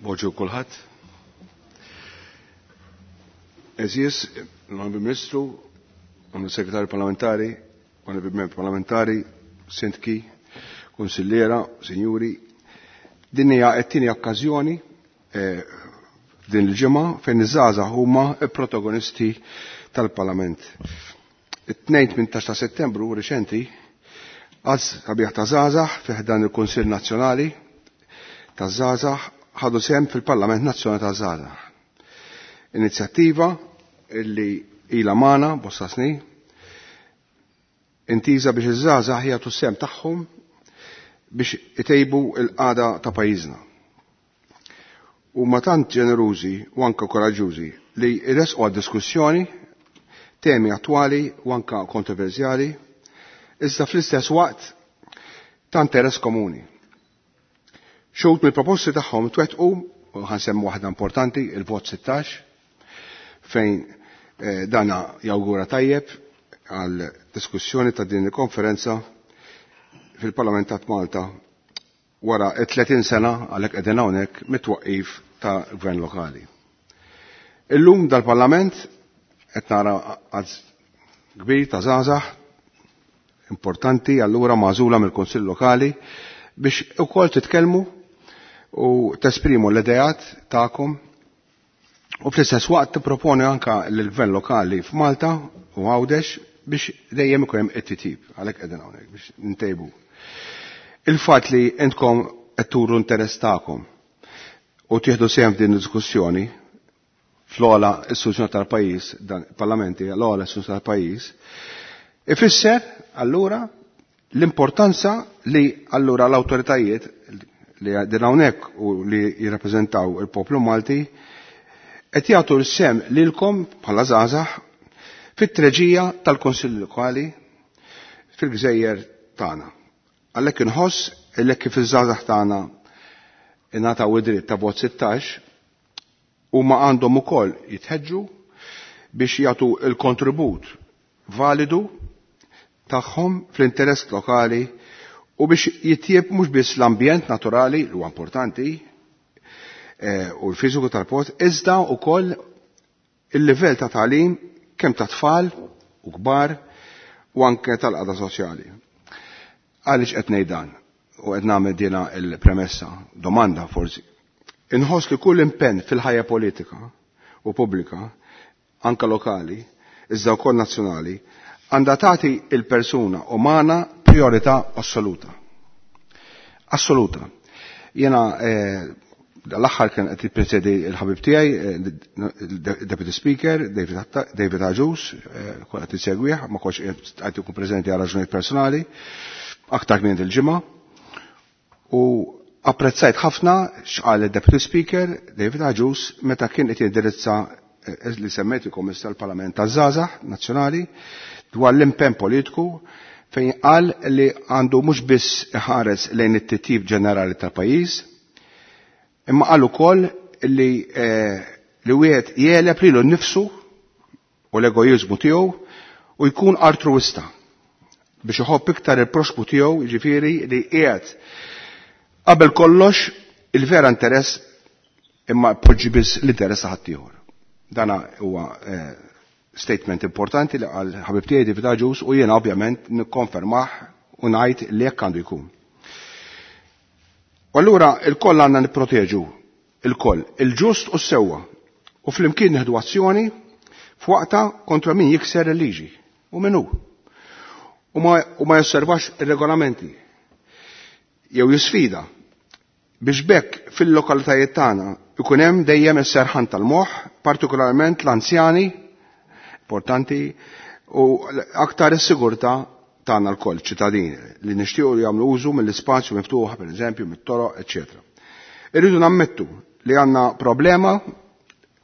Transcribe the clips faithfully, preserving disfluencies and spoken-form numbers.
Bonġu kulħadd. Eżis, l-Onorevoli Ministru, Onorevoli Segretarju Parlamentari, Onorevoli Membri Parlamentari, Sindki, Konsilliera, Sinjuri, din hija t-tieni okkażjoni eh, f'din il-ġimgħa fejn iż-żgħażagħ huma protagonisti tal-Parlament. It-tnejn tmintax ta' Settembru riċenti għaż sabiħ ta' żgħażagħ fi ħdan il-Kunsill Nazzjonali taż-żgħażagħ ħadu sehem fil-Parlament Nazzjonali taż-Żgħażagħ. Inizjattiva illi ilha magħna bosta snin intiża biex iż-żgħażagħ jagħtu sehem tagħhom biex itejbu l-qagħda ta' pajjiżna. Huma tant ġenerużi u anke koraġġużi li jressqu għad-diskussjoni temi attwali u anke kontroversjali, iżda fl-istess waqt ta' interess komuni. Xogħol mill-proposti tagħhom twettqu, u ħansemmu waħda importanti, il-vot sittax, fejn eh, dana jawgura tajjeb għal diskussjoni ta' din il-konferenza fil-Parlament ta' Malta wara tletin sena għalhekk qegħdin hawnhekk mit-twaqqif ta' gvern lokali. Illum dal-Parlament qed nara għadd kbir ta' żgħażagħ importanti allura magħżula mill-Kunsill Lokali biex ukoll titkellmu u tesprimu l-idejat tagħkom u fl-istess waqt tipproponi anka lill-gvern lokali f'Malta u Għawdex biex dejjem ikun hemm it-titjib għalhekk qegħdin hawnhekk biex ntejbu. Il-fatt li intkom qed turu interess tagħkom u tieħdu sehem f'din id-diskussjoni fl-ogħla istituzzjoni tal-pajjiż, dan parlamenti l-ogħla istituzzjoni tal-pajjiż, ifisser allura l-importanza li allura l-awtoritajiet li din hawnhekk u li jirrappreżentaw il-poplu Malti qed jagħtu l-sem lilkom bħala żgħażagħ fit-treġija tal-Kunsill Lokali fil-gżejjer tagħna. Għalhekk inħoss li kif iż-żgħażagħ tagħna ingħataw id-dritt ta' vot sittax huma għandhom ukoll jitħeġġu biex jagħtu l-kontribut validu tagħhom fl-interess lokali u biex jitjieb mhux biss l-ambjent naturali li huwa importanti, eh, u l-fiżiku tal-post, iżda wkoll il-livell ta' tagħlim kemm ta' tfal u kbar u anke tal-qagħda soċjali. Għaliex qed ngħid dan u qed nagħmel dina l-premessa, domanda forsi. Inħoss li kull impenn fil-ħajja politika u pubblika, anke lokali, iżda wkoll nazzjonali, għandha tagħti il-persuna umana priorità assoluta. Assoluta. Jiena, eh, l-aħħar kien qed jippresedi l-ħabib tiegħi, eh, Deputy Speaker David Atta-, David Agius, eh, kol qed isegwih, ma kontx qed ikun preżenti għal raġunijiet personali, aktar minn il-ġimgħa. U apprezzajt ħafna x'qal il-Deputy Speaker David Agius meta kien qed jindirizza, eh, li semmejt il-Kommissar tal-Parlament taż-Żgħażagħ Nazzjonali dwar l-impenn politiku fejn qal li għandu mhux biss iħares lejn it-titjib ġenerali tal-pajjiż, imma qal ukoll li, eh, li wieħed jeleb lilu nnifsu u l-egoizmu tiegħu u jkun altruista biex iħobb iktar il-proxmu tiegħu, jiġifieri li qiegħed qabel kollox il-vera interess imma poġġi biss l-interess ta' ħaddieħor. Dana huwa, eh, statement importanti li qal ħabib tiegħi David Agius u jiena ovvjament nikkonfermah u ngħid li hekk għandu jkun. U allura il-koll għandna nipproteġu il-koll, il-ġust u s-sewwa u flimkien nieħdu azzjoni f'waqta kontra min jikser il-liġi u min hu. U ma, u ma josservax ir-regolamenti jew jisfida biex bekk fil-lokalitajiet tagħna ikun hemm dejjem is-serħan tal-moħħ, partikolarment l-anzjani importanti u aktar is-sigurtà tagħna lkoll ċittadini li nixtiequ li jagħmlu użu mill-ispazju miftuħ, pereżempju mit-toroq, eċċetera. Irridu nammettu li għandna problema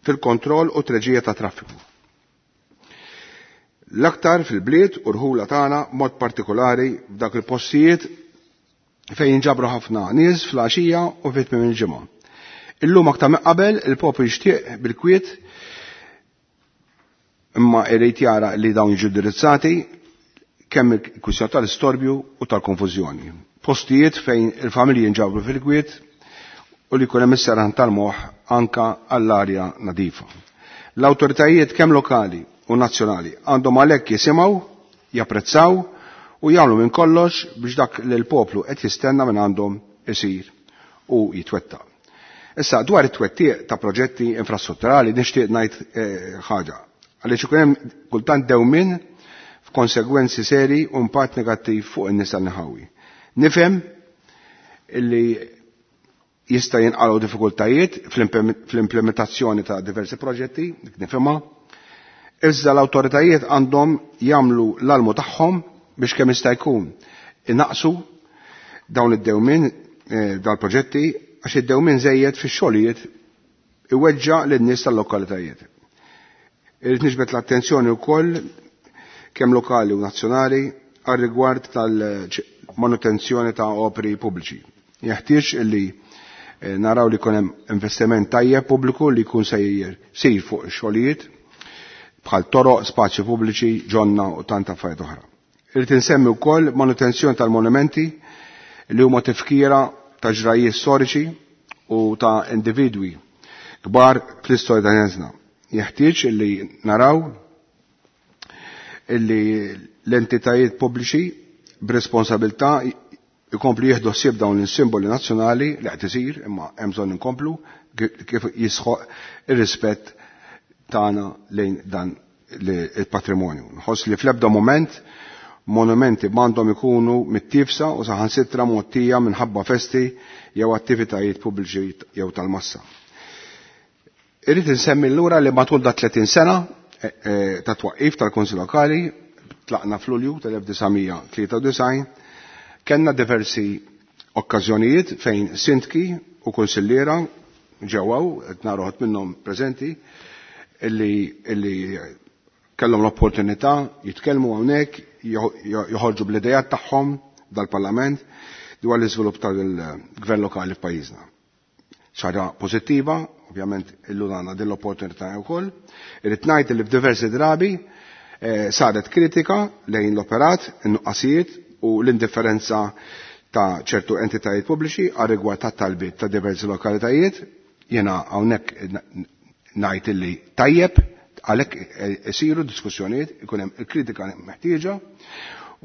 fil-kontroll u treġija ta' traffiku. L-aktar fil-bliet u rħula tagħna mod partikolari f'dak il-postijiet fejn jinġabru ħafna nies fl-għaxija u fi tmiem il-ġimgħa. Illum aktar minn qabel il-poplu jixtieq bil-kwiet imma irid jara li dawn jiġu indirizzati kemm il-kwistjoni tal-istorbju u tal-konfużjoni. Postijiet fejn il-familji jinġabru fil-kwiet u li jkun hemm is-serħan tal-moħħ anka għall-arja nadifa. L-awtoritajiet kemm lokali u nazzjonali għandhom għalhekk jisimgħu, japprezzaw u jagħmlu minn kollox biex dak li l-poplu qed jistenna minn għandhom isir u jitwettaq. Issa dwar it-twettiq ta' proġetti infrastrutturali nixtieq ngħid eh, ħaġa. Għaliex ikun hemm kultant dewmien f'konsegwenzi seri u impatt negattiv fuq in-nies tal-nħawi. Nifhem illi jista' jinqalgħu diffikultajiet fl-implementazzjoni ta' diversi proġetti, dik nifhimha. Iżda l-awtoritajiet għandhom jagħmlu l-almu tagħhom biex kemm jista' jkun inaqsu dawn id-dewmien eh, dal-proġetti għax id-dewmien żejjed fix-xogħlijiet iweġġa' lin-nies tal-lokalitajiet. Irrid niġbed l-attenzjoni wkoll kemm lokali u nazzjonali għal rigward tal-manutenzjoni ta' opri pubbliċi. Jeħtieġ illi eh, naraw li jkun hemm investiment tajjeb pubbliku li jkun sejjer sir fuq xogħlijiet bħal toroq, spazju pubbliċi, ġonna u tant affarijiet oħra. Irrid insemmi wkoll manutenzjoni tal-monumenti li huma tifkira ta' ġrajiet storiċi u ta' individwi kbar fl-istorja ta' pajjiżna. Jeħtieġ illi naraw illi l-entitajiet pubbliċi b'responsabilità ikomplu jieħdu ħsieb dawn il-simboli nazzjonali li qed isir imma hemm bżonn inkomplu kif jisħoq ir-rispett tagħna lejn dan il-patrimonju. Nħoss li fl-ebda moment monumenti m'għandhom ikunu mittifsa u saħansitra mgħottija minħabba festi jew attivitajiet pubbliċi jew tal-massa. Irrid insemmi lura li matul da tletin sena eh, eh, ta' twaqqif tal-Kunsill Lokali, tlaqna f'Lulju tal-elf disa' tlieta u disgħin, kellna diversi okkażjonijiet fejn sindki u kunsilliera ġewwaw, qed nara minnhom preżenti, illi, illi kellhom l-opportunità jitkellmu hawnhekk, joħorġu bl-idejat tagħhom dal-Parlament dwar l-iżvilupp tal-gvern lokali f'pajjiżna. ċara pożittiva, ovvjament illum għandna din l-opportunità wkoll. Irrid ngħid li f'diversi drabi eh, saret kritika lejn l-operat, in-nuqqasijiet u l-indifferenza ta' ċertu entitajiet pubbliċi għal rigward ta' talbiet ta' diversi lokalitajiet. Jiena hawnhekk ngħid illi tajjeb għalhekk isiru diskussjonijiet, ikun hemm il-kritika meħtieġa.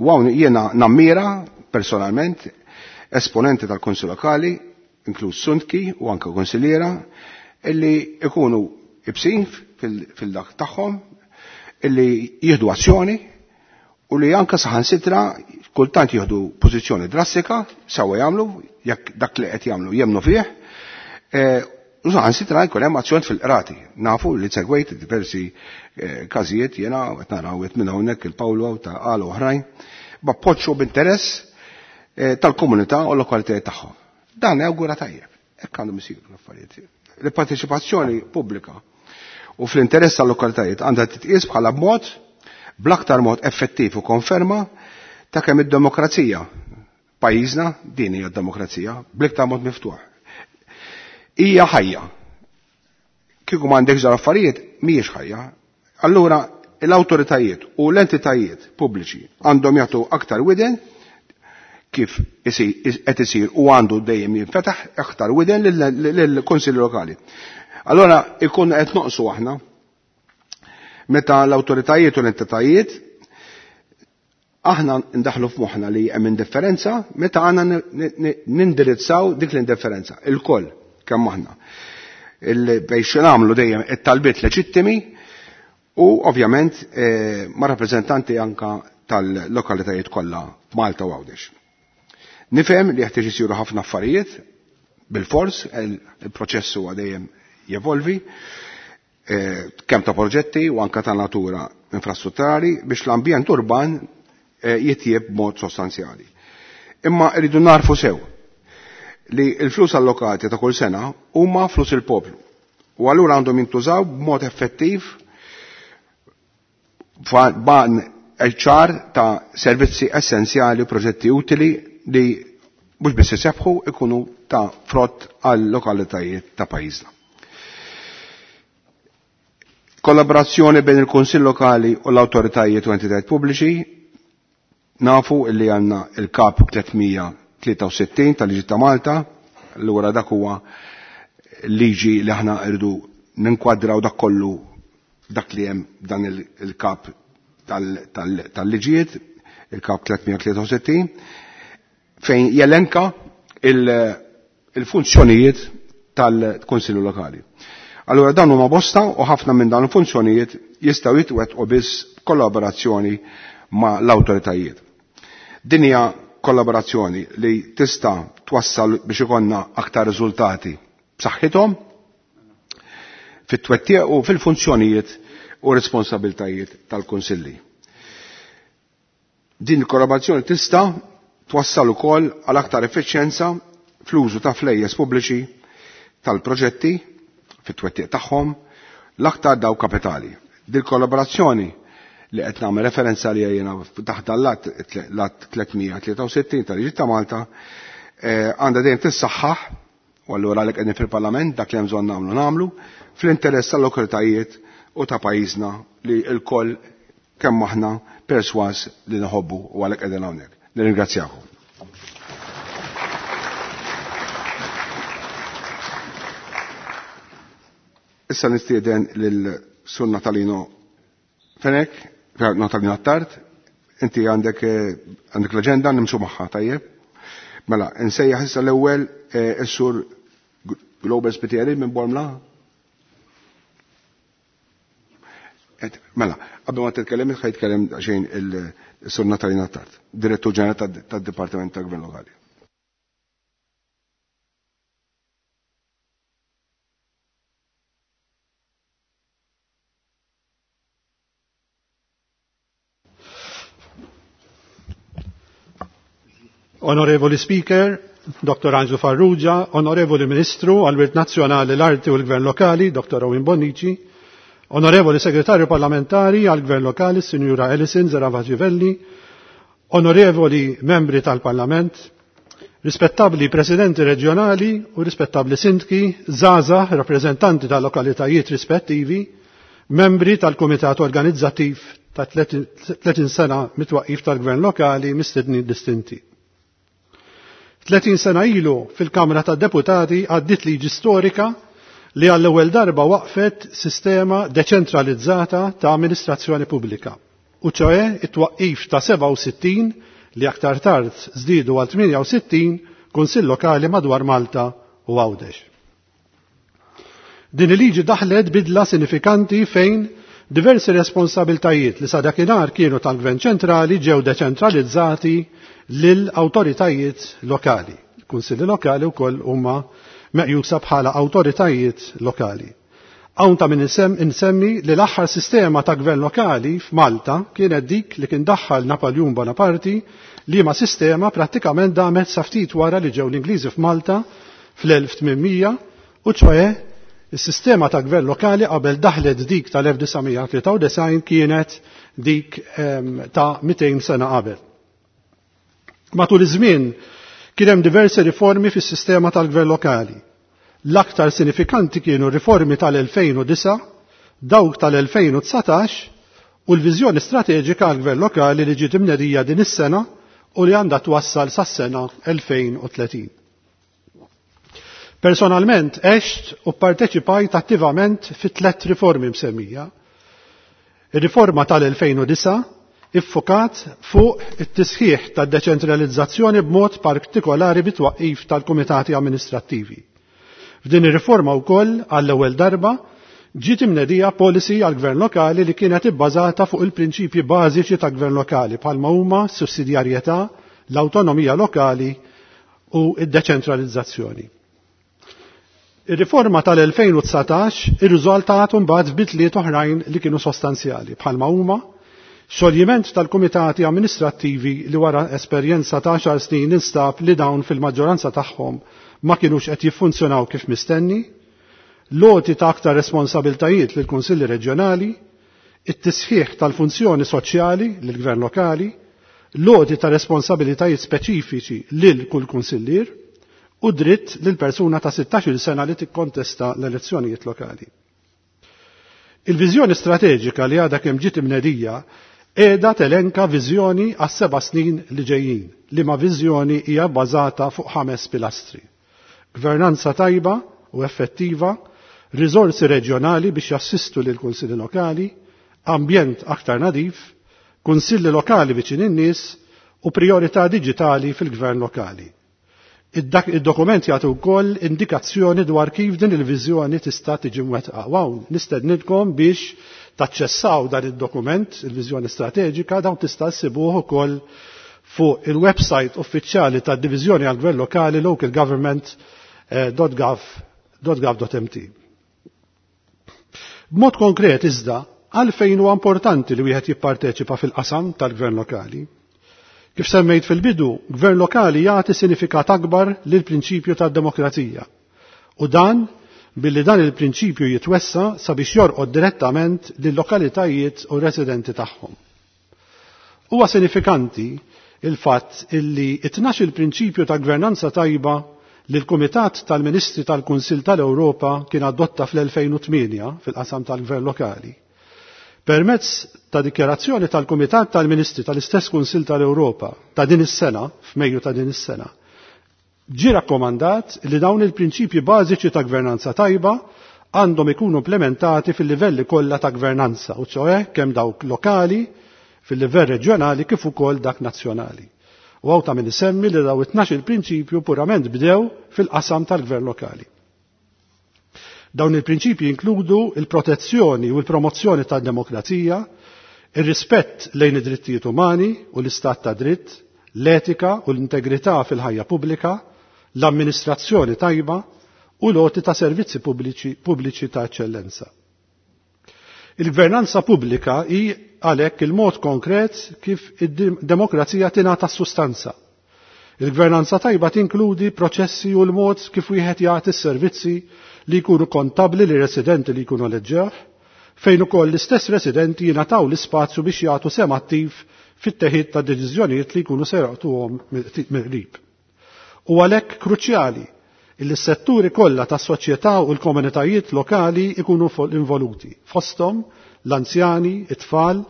U hawn jiena nammira personalment esponenti tal-Kunsill Lokali, inkluż sundki u anke konsilliera, illi ikunu ibsin fil-dak tagħhom, illi jieħdu azzjoni u li anke saħansitra kultant jieħdu pożizzjoni drastika, sewwa jagħmlu, jekk dak li qed jagħmlu jemnu fih, u saħansitra jkun hemm azzjoni fil-qrati. Nafu li segwejt diversi każijiet jiena qed naraw qed minn hawnhekk il-Pawlu ta' qal oħrajn, b'appoġġ b'interess tal-komunità u l-lokalitajiet tagħhom. Dan awgura tajjeb, hekk għandhom isiru l-affarijiet. Il-parteċipazzjoni pubblika u fl-interess tal-lokalitajiet għandha titqies bħala mod bl-aktar mod effettiv u konferma ta' kemm id-demokrazija pajjiżna, din hija d-demokrazija, bl-iktar mod miftuħ. Hija ħajja. Kieku m'għandekx dawn l-affarijiet mhijiex ħajja. Allura l-awtoritajiet u l-entitajiet pubbliċi għandhom jagħtu aktar widen kif qed isir u għandu dejjem jinfetaħ aktar widen lill-Kunsilli Lokali. Allora ikun qed noqsu aħna meta l-awtoritajiet u l-entitajiet aħna ndaħlu f'moħħna li hemm indifferenza meta għandna nindirizzaw dik l-indifferenza il-koll kemm aħna. Biex nagħmlu dejjem it-talbiet leġittimi u ovvjament ma' rappreżentanti anka tal-lokalitajiet kollha f'Malta u Għawdex. Nifhem li jeħtieġ isiru ħafna affarijiet bil-fors, il-proċess huwa dejjem jevolvi, kemm ta' proġetti u anka ta' natura infrastrutturali biex l-ambjent urban jitjieb b'mod sostanzjali. Imma rridu narfu sew li l-flus allokati ta' kull sena huma flus il-poplu u allura għandhom jintużaw b'mod effettiv ban ċar ta' servizzi essenzjali u proġetti utili li mhux biss isebħu ikunu ta' frott għal lokalitajiet ta' pajjiżna. Kollaborazzjoni bejn il-Kunsill Lokali u l-awtoritajiet u entitajiet pubbliċi, nafu illi għandna il-kap tliet mija tlieta u sittin tal-Liġi ta' Malta Allura dak huwa liġi li aħna rridu ninkwadraw dak kollu dak li hemm dan il-kap tal-liġijiet, il-kap tliet mija tlieta u sittin, fejn jelenka il-funzjonijiet tal-Kunsillu Lokali. Allura dan huma bosta u ħafna minn dawn il-funzjonijiet jistgħu jitwettqu biss kollaborazzjoni ma' l-awtoritajiet. Din hija kollaborazzjoni li tista' twassal biex ikollna aktar riżultati b'saħħithom fit-twettiq u fil-funzjonijiet u responsabiltajiet tal-Kunsilli. Din il-kollaborazzjoni tista' twassal ukoll għal aktar effiċjenza fl-użu ta' flejjes pubbliċi tal-proġetti fit-twettiq tagħhom l-aktar daw kapitali. Din kollaborazzjoni li qed nagħmel referenza li jiena taħt l-att tliet mija tlieta u sittin tal-Liġi ta' Malta għandha dejjem tissaħħaħ, u allura għalhekk qegħdin fil-Parlament dak li hemm bżonn nagħmlu nagħmlu fl-interess tal-lokalitajiet u ta' pajjiżna li l-koll kemm aħna perswas li nħobbu u għalhekk qegħdin hawnhekk. Nirringrazzjakom. Issa nistieden lil Sur Natalino Fenech, Natalino Attard, inti għandek għandek l-aġenda nimxu magħha, tajjeb? Mela, nsejjaħ issa l-ewwel is-Sur Global Spitieri minn Bormla. Mela, qabel ma titkellem, ħa jitkellem xejn il-Sur Natalino Attard, Direttur Ġenerali tad-Dipartiment tal-Gvern Lokali. Onorevoli Speaker, Doktor Angelo Farrugia, Onorevoli Ministru għal-Wirt Nazzjonali, l-Arti u l-Gvern Lokali, Doktor Owen Bonnici, Onorevoli Segretarju Parlamentari għal-Gvern Lokali, Sinjura Alison Zerafa-Civelli, Onorevoli Membri tal-Parlament, rispettabli Presidenti Reġjonali u rispettabli Sindki, żgħażagħ, rappreżentanti tal-lokalitajiet rispettivi, membri tal-Kumitat Organizzattiv ta' tletin sena mitwaqqif tal-Gvern Lokali mistedni distinti. Tletin sena ilu fil-Kamra tad-Deputati għaddit liġi storika li għall-ewwel darba waqfet sistema deċentralizzata ta' amministrazzjoni pubblika, u ċoe it-twaqqif ta' sebgħa u sittin li aktar tard żdiedu għal tmienja u sittin kunsill lokali madwar Malta u Għawdex. Din il-liġi daħlet bidla sinifikanti fejn diversi responsabiltajiet li sa dakinhar kienu tal-Gvern ċentrali ġew deċentralizzati lil awtoritajiet lokali. Kunsilli lokali wkoll huma meqjusa bħala awtoritajiet lokali. Hawn ta' min insemmi li l-aħħar sistema ta' gvern lokali f'Malta kienet dik li kien daħħal Napoleon Bonaparte, li ma sistema prattikament damet sa ftit wara li ġew l-Ingliżi f'Malta fl-elf tmien mija, u ċoe is-sistema ta' gvern lokali qabel daħlet dik tal-elf disa' mija tlieta u disgħin kienet dik, ehm, ta' mitejn sena qabel. Matul iż-żmien kien hemm diversi riformi fis-sistema tal-gvern lokali. L-aktar sinifikanti kienu riformi tal-elfejn u disa', dawk tal-elfejn u dsatax u l-viżjoni strateġika għall-gvern lokali li ġiet imnedija din is-sena u li għandha twassal sas-sena elfejn u tletin. Personalment għext u parteċipajt attivament fi tliet riformi msemmija. Ir-riforma tal-elfejn u disa' iffokat fuq it-tisħiħ tad-deċentralizzazzjoni b'mod partikolari bit-twaqqif tal-kumitati amministrattivi. F'din ir-riforma wkoll għall-ewwel darba ġiet imnedija policy għall-gvern lokali li kienet ibbażata fuq il-prinċipji bażiċi ta' gvern lokali bħalma huma s-sussidjarjetà, l-awtonomija lokali u d-deċentralizzazzjoni. Ir-riforma tal-elfejn u dsatax irriżultat mbagħad f'bidliet oħrajn li kienu sostanzjali bħalma huma xoljiment tal-kumitati amministrattivi li wara esperjenza ta' għaxar snin instab li dawn fil-maġġoranza tagħhom ma kinux qed jiffunzjonaw kif mistenni, loti ta' aktar responsabiltajiet lil kunsilli reġjonali, it-tisħiħ tal-funzjoni soċjali lil gvern lokali, loti ta' responsabilitajiet speċifiċi lil kull kunsillier u dritt lil persuna ta' sittax-il sena li tikkontesta l-elezzjonijiet lokali. Il-viżjoni strateġika li għadha kemm ġiet imnedija qiegħda telenka viżjoni għas seba' snin li ġejjin, li ma viżjoni hija bbażata fuq ħames pilastri. Gvernanza tajba u effettiva, riżorsi reġjonali biex jassistu lil kunsilli lokali, ambjent aktar nadif, kunsilli lokali viċin in-nies u priorità diġitali fil-gvern lokali. Id-dokument jagħti wkoll indikazzjoni dwar kif din il-viżjoni tista' tiġi mwettqa. Wow, nistednilkom biex taċċessaw dan id-dokument, il-viżjoni strateġika, dawn tista' ssibuh ukoll fuq il-website uffiċjali tad-Diviżjoni għall-Gvern Lokali localgovernment dot gov dot mt. B'mod konkret iżda, għalfejn huwa importanti li wieħed jipparteċipa fil-qasam tal-gvern lokali? Kif semmejt fil-bidu, gvern lokali jagħti sinifikat akbar lil prinċipju tad-demokrazija. U dan billi dan il-prinċipju jitwessa sabiex jorqod direttament lil lokalitajiet u residenti tagħhom. Huwa sinifikanti il-fatt illi it-tnax il-prinċipju ta' gvernanza tajba li l-Kumitat tal-Ministri tal-Kunsill tal-Ewropa kien adotta fl-elfejn u tmienja fil-qasam tal-Gvern Lokali. Permezz ta' dikjarazzjoni tal-Kumitat tal-Ministri tal-istess Kunsill tal-Ewropa ta' din is-sena, f'Mejju ta' din is-sena, ġie rakkomandat li dawn il-prinċipji bażiċi ta' gvernanza tajba għandhom ikunu implementati fil-livelli kollha ta' gvernanza, u ċoe kemm dawk lokali, fil-livell reġjonali kif ukoll dak nazzjonali. U hawn ta' min isemmi li daw it-tnax il-prinċipju purament bdew fil-qasam tal-gvern lokali. Dawn il-prinċipji inkludu il-protezzjoni u l-promozzjoni tad-demokrazija, ir-rispett lejn id-drittijiet umani u l-istat ta' dritt, l-etika u l-integrità fil-ħajja pubblika, l-amministrazzjoni tajba u l-għoti ta' servizzi pubbliċi, pubbliċi ta' eċċellenza. Il-gvernanza pubblika hi għalhekk il-mod konkret kif id-demokrazija tingħata sustanza. Il-gvernanza tajba tinkludi proċessi u l-mod kif wieħed jagħti s-servizzi li jkunu kontabli li residenti li jkunu eleġġewh, fejn ukoll l-istess residenti jingħataw l-ispazju biex jagħtu sehem attiv fit-teħid ta' deċiżjonijiet li jkunu se jaqtuhom mill-qrib. U għalhekk kruċjali illi s-setturi kollha tas-soċjetà u l-komunitajiet lokali ikunu involuti, fosthom l-anzjani, it-tfal,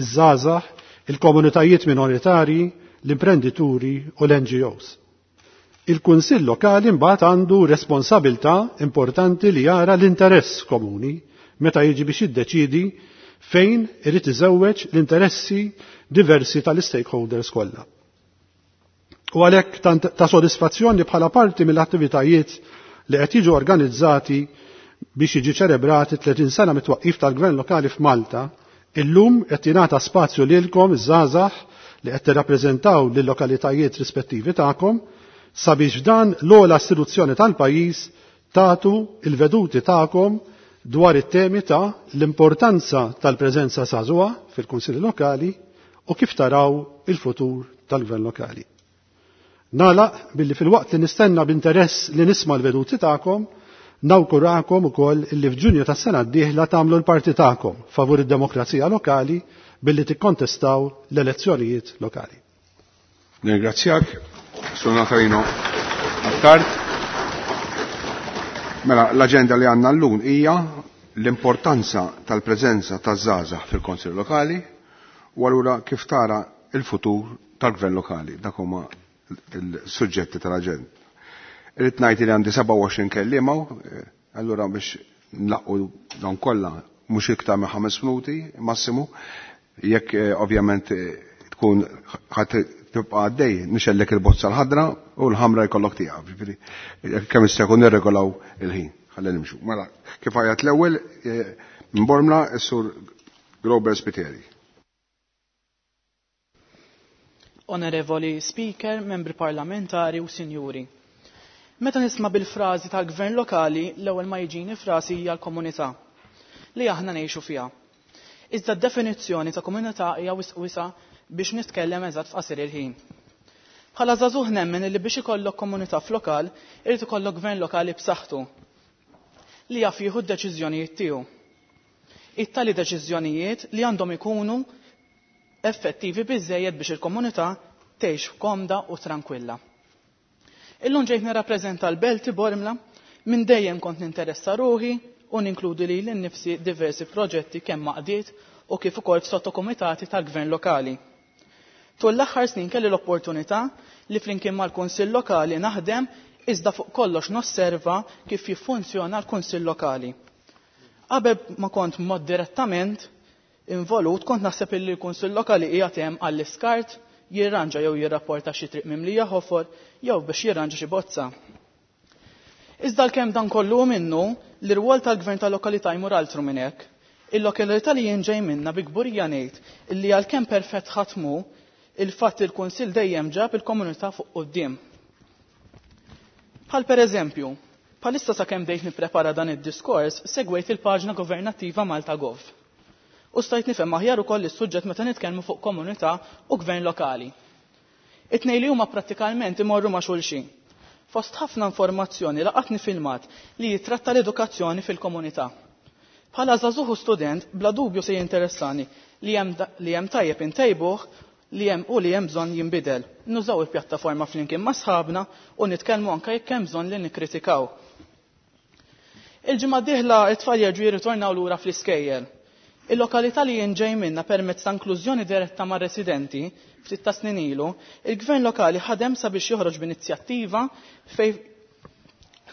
iż-żgħażagħ, il-komunitajiet minoritarji, l-imprendituri u l-N G Os. Il-Kunsill Lokali mbagħad għandu responsabilità importanti li jara l-interess komuni meta jiġi biex jiddeċidi fejn irid iżewweġ l-interessi diversi tal-stakeholders kollha. U għalhekk ta' sodisfazzjoni bħala parti mill-attivitajiet li qed jiġu organizzati biex jiġi ċelebrati tletin sena mit-twaqqif tal-Gvern Lokali f'Malta, illum qed jingħata spazju lilkom iż-żgħażagħ li qed tirrappreżentaw lil-lokalitajiet rispettivi tagħkom sabiex dan l-ogħla istituzzjoni tal-pajjiż tagħtu il-veduti tagħkom dwar it-temi ta' l-importanza tal-preżenza żagħżugħa fil-Kunsilli Lokali u kif taraw il-futur tal-Gvern Lokali. Nagħlaq billi filwaqt li nistenna b'interess li nisma' l-veduti tagħkom, nawgurakom ukoll illi f'Ġunju tas-sena d-dieħla tagħmlu l-parti tagħkom favur id-demokrazija lokali billi tikkontestaw l-elezzjonijiet lokali. Nirringrazzjak, Sur Natalino Attard. Mela, l-agenda li għandna llum hija l-importanza tal-preżenza taż-żgħażagħ fil-Konsil Lokali u allura kif tara il-futur tal-Gvern Lokali. Dak huma il-suġġetti tal-aġenda. Irrid ngħid li għandi sebgħa u għoxrin kelliema, allura biex nlaqqu dawn kollha mhux iktar minn ħames minuti massimu, jekk eh, ovvjament eh, tkun ħadd tibqa' għaddej nixgħellek il-bozza l-ħadra u l-ħamra jkollok tieqaf. Ġifieri kemm jista' jkun nirregolaw il-ħin. Ħalli nimxu. Mela, kif għajat l-ewwel eh, minn Bormla is-Sur Grober Spiteri. Onorevoli Speaker, membri parlamentari u sinjuri. Meta nisma' bil-frażi tal-gvern lokali, l-ewwel ma jiġini frasi hija l-komunità li aħna ngħixu fiha. Iżda d-definizzjoni ta' komunità hija wisq wiesgħa biex nitkellem eżatt f'qasir il-ħin. Bħala żagħżugħ nemmen li biex ikollok komunità f'lokal, irid ikollok gvern lokali b'saħħtu li jaf jieħu d-deċiżjonijiet tiegħu. It-tali deċiżjonijiet li għandhom ikunu effettivi biżejjed biex il-komunità tgħix komda u tranquilla. Illum ġejt nirrappreżenta l-Belti Bormla. Minn dejjem kont ninteressa ruħi u ninkludi li l-nifsi diversi proġetti kemm għaqdiet u kif ukoll f'sottokomitati tal-gvern lokali. Tul l-aħħar snin kelli l-opportunità li flimkien mal-Kunsill Lokali naħdem iżda fuq kollox nosserva kif jiffunzjona l-Kunsill Lokali. Qabel ma kont mod direttament involut, kont naħseb illi l-Kunsill Lokali qiegħed hemm għall-iskart, jirranġa jew jirrapporta xi triq mimlija ħofor jew biex jirranġa xi bozza. Iżda l-kemm dan kollu minnu, l-irwol tal-gvern tal-lokalità jmur altru minn hekk. Il-lokalità li jien ġej minna bi kburija ngħid illi għalkemm perfett ħatmu, il-fatt il-Kunsill dejjem ġab il-komunità fuq quddiem. Bħal pereżempju, bħalissa sakemm bdejt nipprepara dan id-diskors, segwejt il-paġna governattiva Malta Gov. U stajt nifhem aħjar ukoll is-suġġett meta nitkellmu fuq komunità u gvern lokali. It-tnejn li huma prattikalment imorru ma' xulxin. Fost ħafna informazzjoni laqatni filmat li jitratta l-edukazzjoni fil-komunità. Bħala żagħżugħ u student, bla dubju se jinteressani li hemm li hemm tajjeb intejbuh li hemm u li hemm bżonn jinbidel. Nużaw il-pjattaforma flimkien ma' sħabna u nitkellmu anke jekk hemm bżonn li nikkritikaw. Il-ġimgħa d-dieħla t-tfal jerġgħu jirritornaw lura fl-iskejjel. Il-lokalità li jien ġej minna permezz ta' inklużjoni diretta mar-residenti ftit ta' snin ilu, il-gvern lokali ħadem sabiex joħroġ b'inizjattiva fej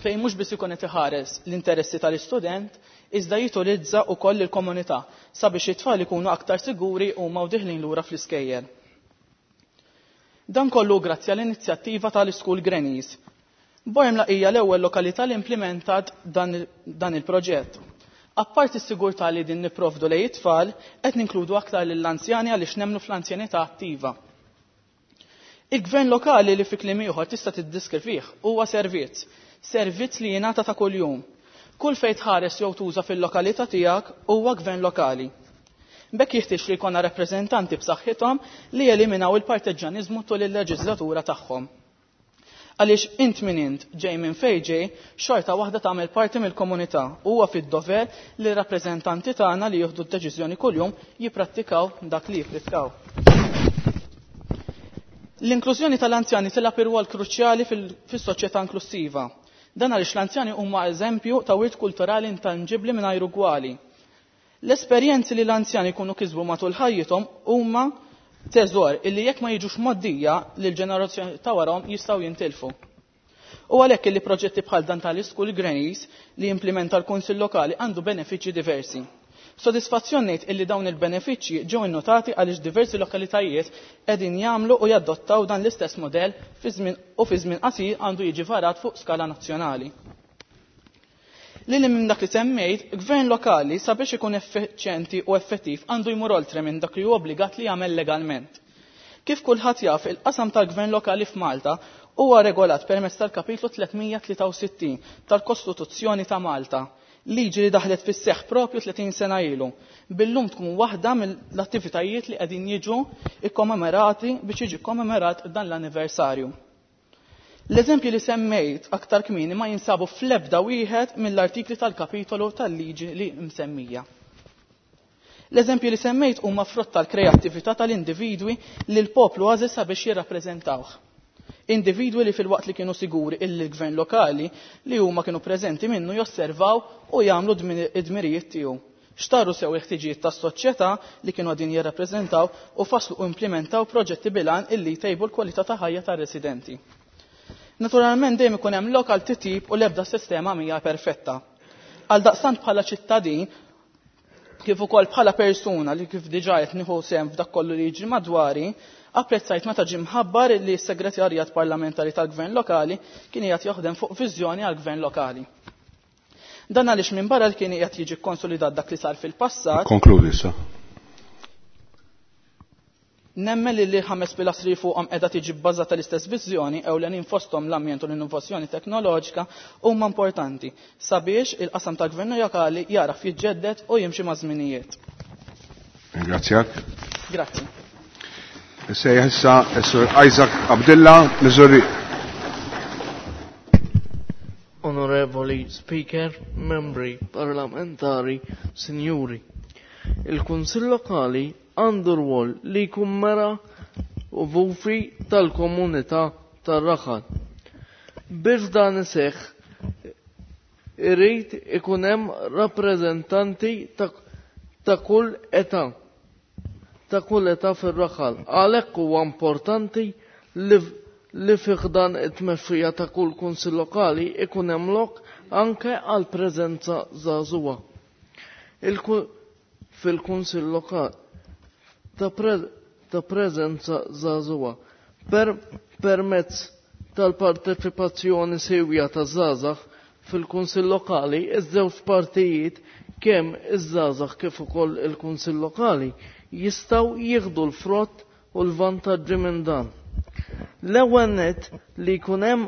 fejn mhux biss ikun qed iħares l-interessi tal-istudent, iżda jitolizza wkoll il-komunità sabiex it-tfal ikunu aktar siguri huma u diħlin lura fl-iskejjel. Dan kollu grazzi għall-inizjattiva tal-School Grannies. Bormla hija l-ewwel lokalità li implementat dan, dan il-proġett. Apparti s-sigurtà li din nipprovdu lejn it-tfal, qed ninkludu aktar lill-anzjani għaliex nemmnu fl-anzjanità attiva. Il-gvern lokali li fi kliem ieħor tista' tiddiskrivih huwa servizz, servizz li jingħata ta' kuljum. Kull fejn tħares jew tuża fil-lokalità tiegħek huwa gvern lokali. B'hekk jeħtieġ li jkollna rappreżentanti b'saħħithom li jeliminaw il-parteġġjaniżmu tul il-leġislatura tagħhom. Għaliex int min int ġej minn fejn ġej, xorta waħda tagħmel parti mill-komunità u huwa fid-dover li r-rappreżentanti tagħna li jieħdu d-deċiżjoni kuljum jipprattikaw dak li jippritkaw. L-inklużjoni tal-anzjani tilgħab irwol kruċjali fis-soċjetà inklusiva. Dan għaliex l-anzjani huma eżempju ta' wirt kulturali intanġibbli mingħajr ugwali. L-esperjenzi li l-anzjani jkunu kisbu matul ħajjithom huma teżor illi jekk ma jiġux mgħoddija lil ġenerazzjoni ta' warahom jistgħu jintilfu. U għalhekk illi proġetti bħal dan tal-School Grannies li jimplementa l-Kunsill Lokali għandu benefiċċji diversi. Sodisfazzjon ngħid illi dawn il-benefiċċji ġew innotati għaliex diversi lokalitajiet qegħdin jagħmlu u jadottaw dan l-istess modell fi żmien u fi żmien qasir għandu jiġi varat fuq skala nazzjonali. Lili minn dak li semmejt, gvern lokali sabiex ikun effiċjenti u effettiv għandu jmur oltre minn dak li hu obbligat li jagħmel legalment. Kif kulħadd jaf, il-qasam tal-gvern lokali f'Malta huwa regolat permezz tal-kapitlu tliet mija tlieta u sittin tal-Kostituzzjoni ta' Malta, liġi li daħlet fis-seħħ propju tletin sena ilu. Billum tkun waħda mill-attivitajiet li qegħdin jiġu ikkommemorati biex jiġi kommemorat dan l-anniversarju. L-eżempji li semmejt aktar kmieni ma jinsabu fl-ebda wieħed mill-artikli tal-kapitolu tal-liġi li msemmija. L-eżempji li semmejt huma frott tal-kreattività tal-individwi li l-poplu għażel sabiex jirrappreżentawh. Individwi li fil-waqt li kienu siguri illi l-gvern lokali li huma kienu preżenti minnu josservaw u jagħmlu id-dmirijiet tiegħu. Xtaru sew il-ħtiġijiet tas-soċjetà li kienu għadin jirrappreżentaw u faslu u implementaw proġetti bilan illi jtejbu l-kwalità ta' ħajja tar-residenti. Naturalment dejjem ikun hemm lokal titjib u l-ebda sistema mhija perfetta. Għal daqstant bħala ċittadin kif ukoll bħala persuna li kif diġà qed nieħu sehem f'dak kollu li jiġri madwari, apprezzajt meta ġie mħabbar li s-Segretarjat Parlamentari tal-Gvern Lokali kien qiegħed jaħdem fuq viżjoni għall-Gvern Lokali. Dan għaliex minn barra li kien qiegħed jiġi konsolidat dak li sar fil-passat. Konkludi issa. Nemmen li li ħames pilastri fuqhom qiegħda tiġi bbażata l-istess viżjoni ewlenin fosthom l-ambjent u l-innovazzjoni teknoloġika huma importanti sabiex il-qasam tal-gvern lokali jaraf jiġġedded u jimxi ma' żminijiet. Ringrazzjak. Grazzi. Sejjaħ issa s-Sur Isaac Abdilla, Missouri. Onorevoli Speaker, membri parlamentari, sinjuri. Il-Kunsill Lokali għandu rwol li jkun mera u vufi tal-komunità tar-raħal. Biex dan iseħħ, irid ikun hemm rappreżentanti ta', ta' kull età ta' kull età fir-raħal. Għalhekk huwa importanti li, li fih dan it-tmexxija ta' kull kunsill lokali ikun hemm lok anke għal preżenza żagħżugħa. Fil-kunsill lokali ta' ta' preżenza żagħżugħa per permezz tal-parteċipazzjoni sewja ta' żgħażagħ fil-kunsill lokali iż-żewġ partijiet kemm iż-żgħażagħ kif ukoll il-kunsill lokali jistgħu jieħdu l-frott u l-vantaġġi minn dan. L-ewwel nett li jkun hemm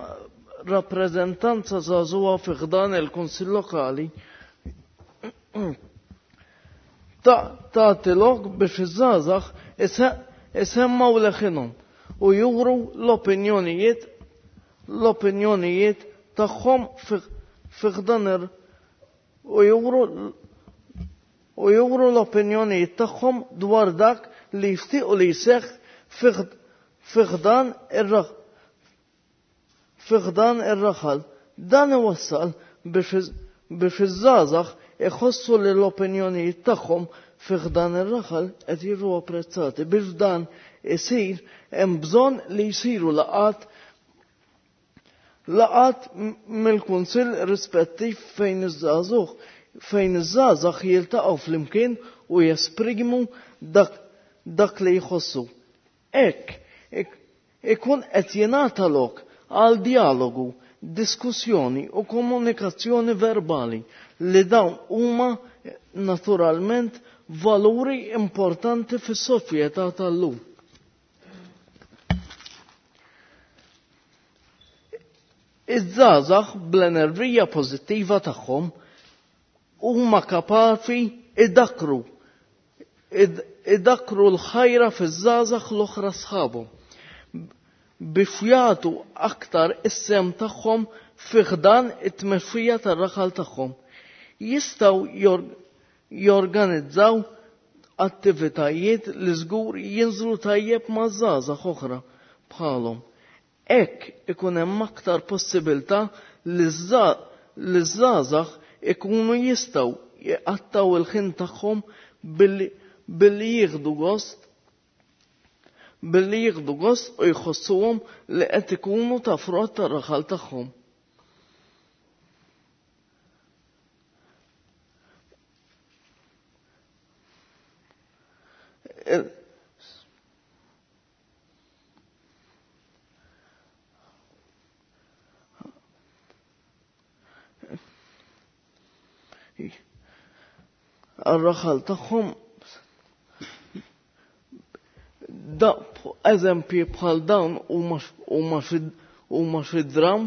rappreżentanza żagħżugħa fi ħdan il-kunsill lokali tagħti lok biex iż-żgħażagħ isemmgħu leħinhom u juru l-opinjonijiet l-opinjonijiet tagħhom fi ħdan u juru u juru l-opinjonijiet tagħhom dwar dak li jixtiequ li jseħħ fi ħdan ir-raħal. Dan iwassal biex iż-żgħażagħ iħossu li l-opinjonijiet tagħhom fi ħdan ir-raħal qed jiġu apprezzati. Biex dan isir hemm bżonn li jsiru laqgħat laqgħat mill-kunsill rispettiv fejn iż-żagħżugħ fejn iż-żgħażagħ jiltaqgħu flimkien u jesprimu dak dak li jħossu. Hekk ikun qed jingħata lok għal dialogu, diskussjoni u komunikazzjoni verbali li dawn huma naturalment valuri importanti fis-soċjetà tal-lum. Iż-żgħażagħ bl-enerġija pożittiva tagħhom huma kapaċi idakru idakru l-ħajra fiż-żgħażagħ l-oħra sħabhom biex jagħtu aktar is-sehem tagħhom fi ħdan it-tmexxija tar-raħal tagħhom. Jistgħu jorganizzaw attivitajiet li żgur jinżlu tajjeb ma' żgħażagħ oħra bħalhom. Hekk ikun hemm aktar possibilità li ż-żgħażagħ ikunu jistgħu jqattgħu il-ħin tagħhom billi billi jieħdu gost billi jieħdu gost u jħossuhom li qed ikunu ta' frott tar-raħal tagħhom. Ar-raħal tagħhom da eżempji bħal dawn huma xi dram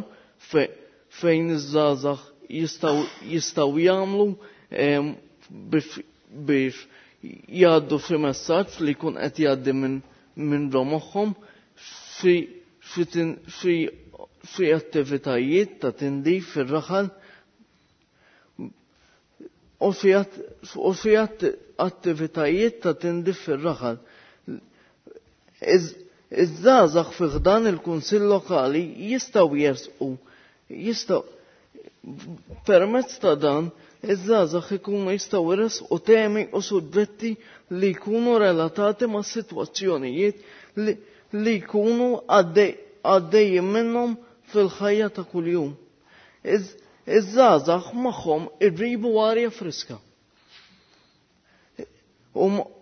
fejn iż-żgħażagħ jistgħu jistgħu jagħmlu biex jgħaddu xi messaġġ li jkun qed jgħaddi minn minn ġo moħħhom fi attivitajiet ta' tindif fir-raħal u fi attivitajiet ta' tindif fir-raħal. Iż-żgħażagħ fi ħdan il-kunsill lokali jistgħu jersqu jistgħu permezz ta' dan iż-żgħażagħ ikunu jistgħu jresqu temi u suġġetti li jkunu relatati ma' sitwazzjonijiet li, li jkunu għaddejjin minnhom fil-ħajja ta' kuljum. Iż-żgħażagħ magħhom iġibu arja friska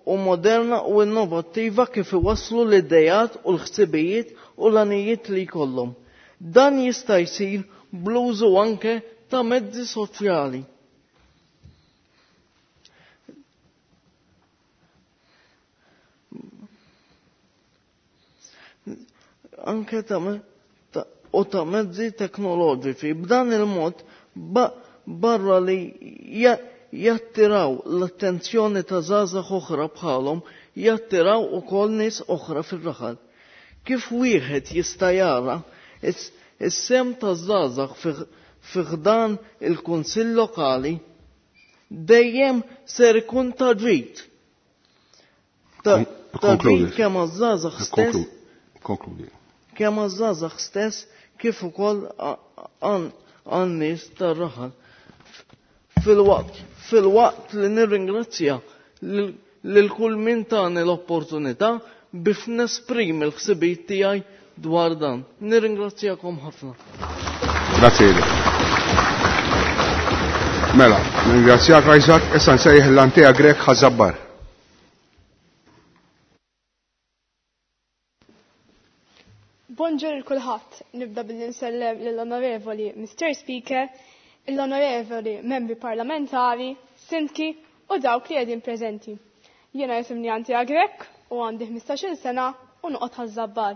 u moderna u innovattiva kif iwasslu l-idejat u l-ħsibijiet u l-għanijiet li jkollhom. Dan jista' jsir bl-użu anke ta' mezzi soċjali. Anke ta' ta, u ta' mezzi teknoloġiċi. B'dan il-mod barra li jattiraw l-attenzjoni ta' żgħażagħ oħra bħalhom, jattiraw ukoll nies oħra fir-raħal. Kif wieħed jista' jara is-sehem ta' żgħażagħ fi ħdan il-kunsill lokali dejjem ser ikun ta' ġid. Ta' ġid kemm għaż-żgħażagħ stess. Konkludi. Kemm għaż-żgħażagħ stess kif ukoll għan-nies tar-raħal. Fil-waqt fil-waqt li nirringrazzja lil kull min tani l-opportunità biex nesprimi l-ħsibijiet tiegħi dwar dan. Nirringrazzjakom ħafna. Grazie. Mela, nirringrazzjak Isaac, issa nsejjaħ l-Antea Grech Ħaż-Żabbar. Bonġur kulħadd, nibda billi nsellem lill-Onorevoli Mister Speaker, l-Onorevoli Membri Parlamentari, Sindki u dawk li qegħdin preżenti. Jiena jisimni Antea Grech u għandi ħmistax-il sena u noqgħod Ħaż-Żabbar.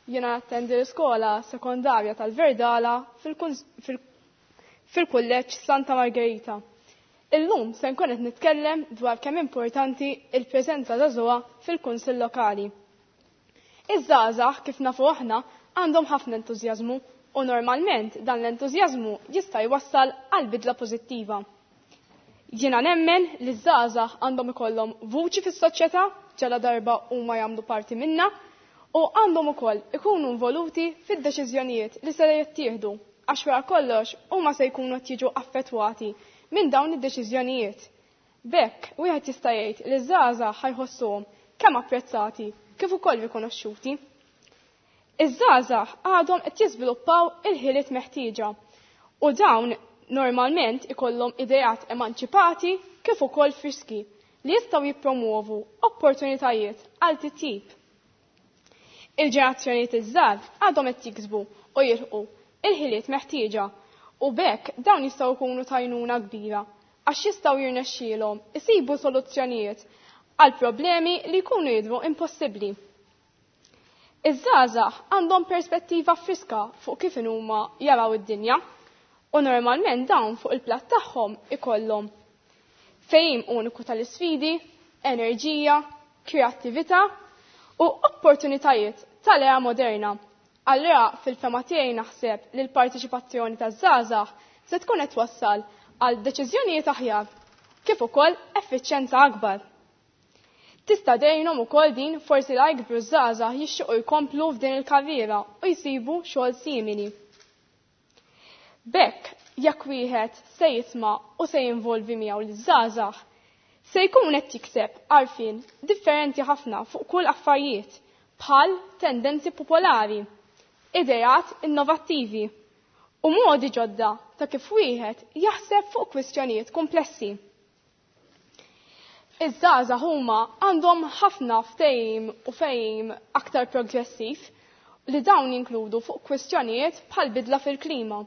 Jiena nattendi l-iskola sekondarja tal-Verdala fil-Kulleġġ Santa Margherita. Illum se nkun qed nitkellem dwar kemm importanti il-preżenza żagħżugħa fil-Kunsill Lokali. Iż-żgħażagħ kif nafu aħna għandhom ħafna entużjażmu u normalment dan l-entużjażmu jista' jwassal għal bidla pożittiva. Jiena nemmen li ż-żgħażagħ għandhom ikollhom vuċi fis-soċjetà ġala darba huma jagħmlu parti minnha u għandhom ukoll ikunu involuti fid-deċiżjonijiet li se jittieħdu għax wara kollox huma se jkunu qed jiġu affettwati minn dawn id-deċiżjonijiet. B'hekk wieħed jista' jgħid li ż-żgħażagħ ħajħossuhom kemm apprezzati kif ukoll rikonoxxuti. Iż-żgħażagħ għadhom qed jiżviluppaw il-ħiliet meħtieġa u dawn normalment ikollhom ideat emanċipati kif ukoll friski li jistgħu jippromuovu opportunitajiet għal titjib. Il-ġenerazzjonijiet iż-żgħar għadhom qed jiksbu u jilħqu il-ħiliet meħtieġa u b'hekk dawn jistgħu jkunu tajnuna kbira għax jistgħu jirnexxielhom isibu soluzzjonijiet għal problemi li jkunu jidhru impossibbli. Iż-żgħażagħ għandhom perspettiva friska fuq kif huma jaraw id-dinja u normalment dawn fuq il-platt tagħhom ikollhom fehim uniku tal-isfidi, enerġija, kreattività u opportunitajiet tal-era moderna. Allura fil-fema tiegħi naħseb li l-partiċipazzjoni taż-żgħażagħ se tkun qed twassal għal deċiżjonijiet aħjar kif ukoll effiċjenza akbar. Tista' dejnhom ukoll din forsi la jkbru żgħażagħ jixtiequ jkomplu f'din il-karriera u jsibu xogħol simili. B'hekk jekk wieħed se jisma' u se jinvolvi miegħu liż-żgħażagħ, se jkun qed jikseb għarfien differenti ħafna fuq kull affarijiet bħal tendenzi popolari, ideat innovattivi u modi ġodda ta' kif wieħed jaħseb fuq kwistjonijiet komplessi. Iż-żgħażagħ huma għandhom ħafna ftehim u fehim aktar progressiv li dawn jinkludu fuq kwistjonijiet bħal bidla fil-klima,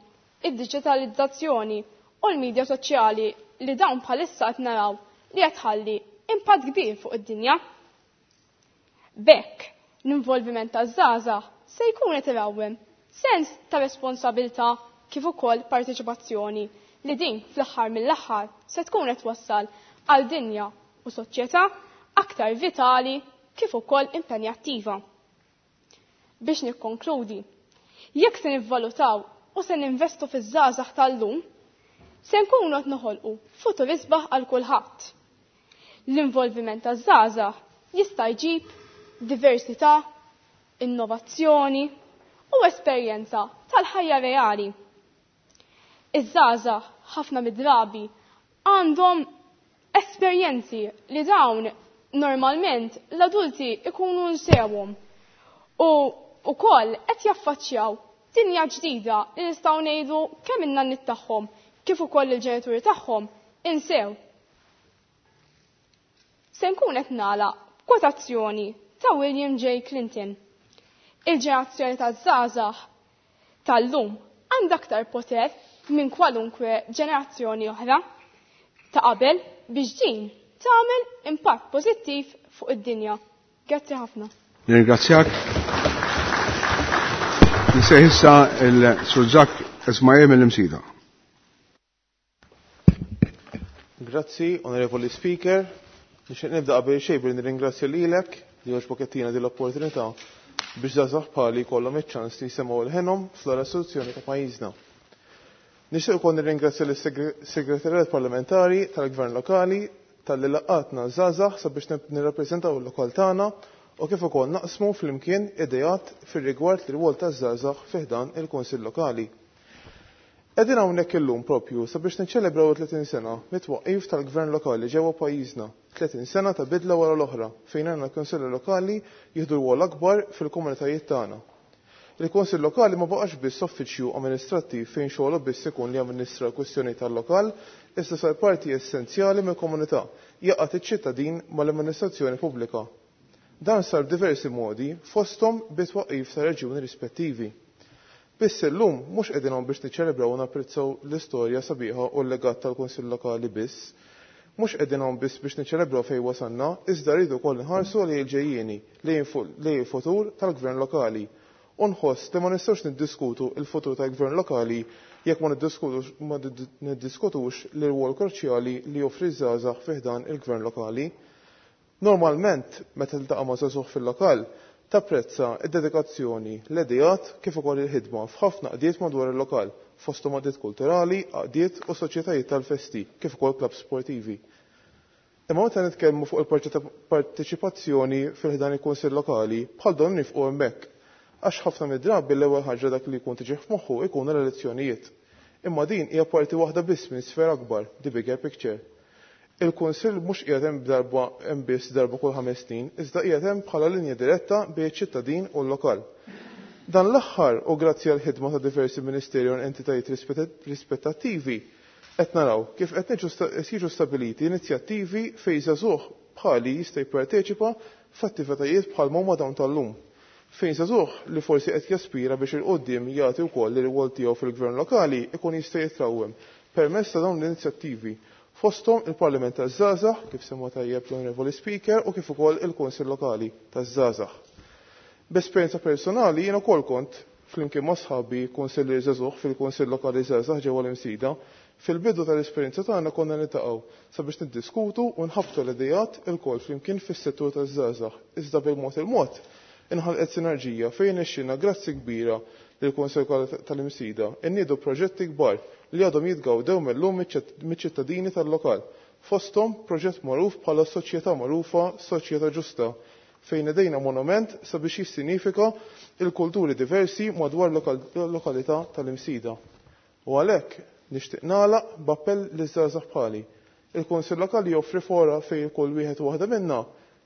id-diġitalizzazzjoni u l-medja soċjali li dawn bħalissa qed naraw li qed tħalli impatt kbir fuq id-dinja. B'hekk, l-involviment taż-żgħażagħ se jkun qed irawwem sens ta' responsabilità kif ukoll parteċipazzjoni li din fl-aħħar mill-aħħar se tkun qed twassal għal dinja u soċjetà aktar vitali kif ukoll impenjattiva. Biex nikkonkludi, jekk se nivvalutaw u se ninvestu fiż-żgħażagħ tal-lum, se nkunu qed noħolqu futur isbaħ għal kulħadd. L-involviment taż-żgħażagħ jista' jġib diversità, innovazzjoni u esperjenza tal-ħajja reali. Iż-żgħażagħ ħafna mid-drabi għandhom esperjenzi li dawn normalment l-adulti ikunu nsewhom u wkoll qed jaffaċċjaw dinja ġdida li nistgħu ngħidu kemm in-nanniet tagħhom kif ukoll il-ġenituri tagħhom insew. Se nkun qed nagħlaq kwotazzjoni ta' William J. Clinton. Il-ġenerazzjoni taż-żgħażagħ tal-lum għandha aktar poter minn kwalunkwe ġenerazzjoni oħra ta' qabel biex din tagħmel impatt pożittiv fuq id-dinja. Grazzi ħafna. Nirringrazzjak. Nsejħ issa il-Sur Zak Ismail mill-Imsida. Grazzi, Onorevoli Speaker. Nixtieq nibda qabel xejn billi nirringrazzja lilek li għoġbok qed din l-opportunità biex żgħażagħ bħali jkollhom iċ-ċans li jsemgħu l-ħenhom fl-ora ta' pajjiżna. Nixtieq ukoll nirringrazzja lis-Segretarjat Parlamentari tal-Gvern Lokali talli laqatna żgħażagħ sabiex nirrappreżentaw il-lokal tagħna u kif ukoll naqsmu flimkien ideat fir-rigward l-rwol taż-żgħażagħ fi ħdan il-Kunsill Lokali. Qegħdin hawnhekk illum propju sabiex niċċelebraw tletin sena mit-twaqqif tal-Gvern Lokali ġewwa pajjiżna, tletin sena ta' bidla wara l-oħra fejn għandna l-Kunsilli Lokali jieħdu rwol akbar fil-komunitajiet tagħna. Il-Kunsill Lokali ma baqax biss uffiċċju amministrattiv fejn xogħlu biss ikun li amministra l-kwistjoni tal-lokal, issa sar parti essenzjali mill-komunità, jaqgħad iċ-ċittadin mal-amministrazzjoni pubblika. Dan sar b'diversi modi fosthom bit-twaqqif ta' reġjuni rispettivi. Biss illum mhux qegħdin hawn biex niċċelebraw u napprezzaw l-istorja sabiħa u l-legat tal-Kunsill Lokali biss. Mhux qegħdin hawn biss biex niċċelebraw fejn wasalna, iżda rridu wkoll nħarsu lejn il-ġejjieni, lejn il-futur tal-Gvern Lokali. U nħoss li ma nistgħux niddiskutu il-futur tal-Gvern Lokali jekk ma niddiskutux l-irwol kruċjali li joffri żgħażagħ fi ħdan il-Gvern Lokali. Normalment, meta tiltaqa' ma' żagħżugħ fil-lokal, tapprezza id-dedikazzjoni, l-ideat kif ukoll il-ħidma f'ħafna qdiet madwar il-lokal, fosthom għaqdiet kulturali, għaqdiet u soċjetajiet tal-festi, kif ukoll klabb sportivi. Imma meta nitkellmu fuq il-parteċipazzjoni fil-ħdan il-Kunsill Lokali, bħal don nifqu hemmhekk. Għax ħafna mid-drabi l-ewwel ħaġa dak li jkun tiġi f'moħħu ikun l-elezzjonijiet. Imma din hija parti waħda biss minn sfera akbar, the bigger picture. Il-Kunsill mhux qiegħed hemm darba hemm biss darba kull ħames snin, iżda qiegħed hemm bħala linja diretta bejn iċ-ċittadin u l-lokal. Dan l-aħħar u grazzi għal ħidma ta' diversi ministeri u entitajiet rispettattivi qed naraw kif qed jiġu stabiliti inizjattivi fejn żagħżugħ bħali jista' jipparteċipa f'attivitajiet bħal huma dawn tal-lum. Fejn żagħżugħ li forsi qed jaspira biex il-qudiem jagħti wkoll ir-rwol tiegħu fil-gvern lokali ikun jista' jitrawwem permezz ta' dawn l-inizjattivi fosthom il-Parlament taż-Żgħażagħ, kif semma tajjeb l-Onorevoli Speaker, u kif ukoll il-Kunsill Lokali taż-Żgħażagħ. B'esperjenza personali jien ukoll kont flimkien ma' sħabi kunsillier żagħżugħ fil-Kunsill Lokali Żgħażagħ ġewwa l-Imsida. Fil-bidu tal-esperjenza tagħna konna niltaqgħu sabiex niddiskutu u nħabbtu l-idejat ilkoll flimkien fis-settur taż-żgħażagħ. Iżda bil-mod il-mod inħalqet sinerġija fejn ixxina grazzi kbira lill-Kunsill tal-Imsida inniedu proġetti kbar li għadhom jitgawdew mill-lum miċ-ċittadini tal-lokal. Fosthom proġett magħruf bħala soċjetà magħrufa Soċjetà Ġusta, fejn idejna monument sabiex jissinifika il-kulturi diversi madwar lokalità tal-Imsida. U għalhekk nixtieq nagħlaq b'appell liż-żgħażagħ bħali. Il-Kunsill Lokali joffri fora fejn kull wieħed u waħda minna